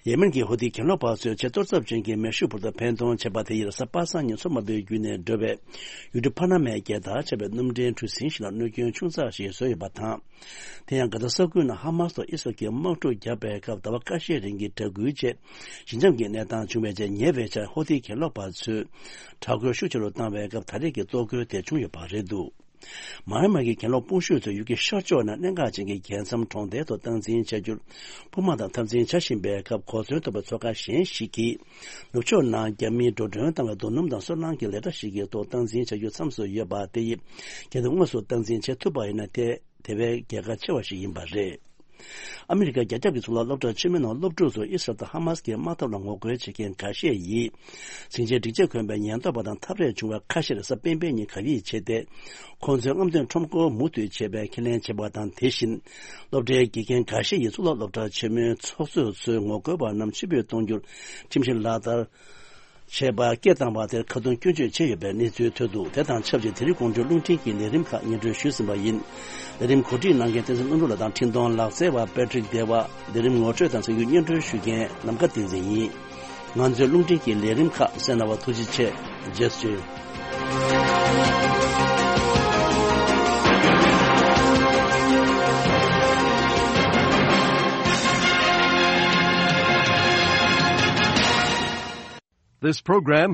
ཡེ་མེན་གྱི་ཧོ་ཐི་གྱེན་ལོག་པ་ཚོས་ཆེས་གཏོར་ཚབས་ཅན་གྱི་མེ་ཤུགས་འབུར་ཐོན་འཕེན་གཏོང་བྱས་པ་དེ་ཡིས་གཟའ་པ་སངས་ཉིན་མཚོ་དམར་པོའི་བརྒྱུད་ནས་འགྲོ་བའི་ཡུལ་གྲུ་ཕ་ན་མའི་རྒྱལ་དར་ཆགས་པའི་སྣུམ་འདྲེན་གྲུ་གཟིངས་ཤིག་ལ་གནོད་སྐྱོན་ཆུང་ཙག་ཞིག་བཟོས་ཡོད་པ་དང་། དེ་ཡང་། གྷ་ཛ་ས་ཁུལ་ནང་ཧ་མ་སི་དང་ཨི་སི་རལ་གྱིས་དམག་འཁྲུག་བརྒྱབ་པའི་སྐབས། ཟླ་བ་ཁ་ཤས་རིང་གི་དྲག་རྒོལ་རྗེས་ཞི་འཇམ་གྱི་གནས་སྟངས་བྱུང་བའི་རྗེས། ཉེ་བའི་ཆར་ཧོ་ཐི་གྱེན་ལོག་པ་ཚོས་དྲག་རྒོལ་ཤུགས་ཆེ་རུ་བཏང་བའི་སྐབས། ད་རེས་ཀྱི་གཏོར་རྒོལ་དེ་བྱུང་ཡོད་པ་རེད་འདུག་མཱ་ཨན་མཱ་གི་གྱེན་ལོག་དཔུང་ཤུགས་ཚོས་ཡུལ་གྱི་ཤར་ཕྱོགས་ནང་གནད་འགག་ཅན་གྱི་རྒྱལ་མཚམས་གྲོང་རྡལ་ཐོག་སྟངས་འཛིན་བྱ་རྒྱུར་དཔུང་དམག་དང་འཐབ་འཛིང་བྱ་བཞིན་པའི་སྐབས། གོ་མཚོན་ཐོབ་པའི་ཚོགས་ཁང་གཞན་ཞིག་གིས་ནུབ་ཕྱོགས་ནང་རྒྱ་མིས་འགྲོ་གྲོན་བཏང་བའི་རྡོ་སྣུམ་དང་སོལ་རླངས་ཀྱི་ལས་གྲྭ་ཞིག་གི་ཐོག་སྟངས་འཛིན་བྱ་རྒྱུ་མཚམས་སུ་ཡོད་པ་དེ་ཡིས། གལ་ཏེ་དངོས་སུ་སྟངས་འཛིན་བྱེད་ཐུབ་པ་ཡིན་ན། དེ་དེ་བས་རྒྱལ་ཁ་ཆེ་བ་ཞིག་ཡིན་པ་རེད། ཨ་མི་རི་ཀ་རྒྱ་ཁྱབ་ཀྱི་གཙུག་ལག་སློབ་གྲྭ་ཆེན་མོའི་ནང་སློབ་ཕྲུག་ཚོ་ཨི་སི་རལ་དང་ཧ་མ་སི་གི་དམག་འཐབ་ལ་ངོ་རྒོལ་བྱེད་མཁན་འགའ་ཤས་ཡིས། ཟིང་ཆའི་སྒྲིག་ཆས་གོན་པའི་ཉེན་རྟོག་པ་དང་འཐབ་རེས་བྱུང་བའི་ཁ་ཤས་རེས་གཟའ་སྤེན་པའི་ཉིན་གབ་ཡིབ་བྱས་ཏེ། ཁོང་ཚོའི་རྔམ་སྟོན་ཁྲོམ་སྐོར་མུ་མཐུད་བྱེད་པའི་ཁས་ལེན་བྱས་པ་དང་། དེ་བཞིན་སློབ་གྲྭའི་དགེ་རྒན་འགའ་ཤས་ཡིས་གཙུག་ལག་སློབ་གྲྭ་ཆེན་མོའི་ཚོགས་གཙོ་ཚོས་ངོ་རྒོལ་པ་རྣམས་ཕྱིར་འབུད་གཏོང་རྒྱུར་ཁྲིམས་གཞི་ལག་བསྟར་བྱས་པ་སྐད་བཏང་བ་དེར་ཁ་རྡུང་སྐྱོན་བརྗོད་བྱས་ཡོད་པའི་གནས་ཚུལ་ཐོན་འདུག་དེ་དང་ཆབས་ཅིག་དེ་རིང་དགོང་དྲོའི་རླུང་འཕྲིན་གྱི་ལས་རིམ་ཁག་སྙན་སྒྲོན་ཞུས་ཟིན་པ་ཡིན། ལས་རིམ་གོ་སྒྲིག་གནང་མཁན་བསྟན་འཛིན་ཀླུ་སྒྲུབ་ལགས་དང་འཕྲིན་གཏོང་ལག་རྩལ་བ་པེ་ཏྲིག་ལྡེ་བ། ལས་རིམ་ངོ་སྤྲོད་དང་གསར་འགྱུར་སྙན་སྒྲོན་ཞུ་མཁན་ནམ་མཁའ་བསྟན་འཛིན་ཡིན། ང་ཚོའི་རླུང་འཕྲིན་གྱི་ལས་རིམ་ཁག་གསན་གནང་བར་ཐུགས་རྗེ་ཆེ། རྗེས་སུ་མཇལ། This program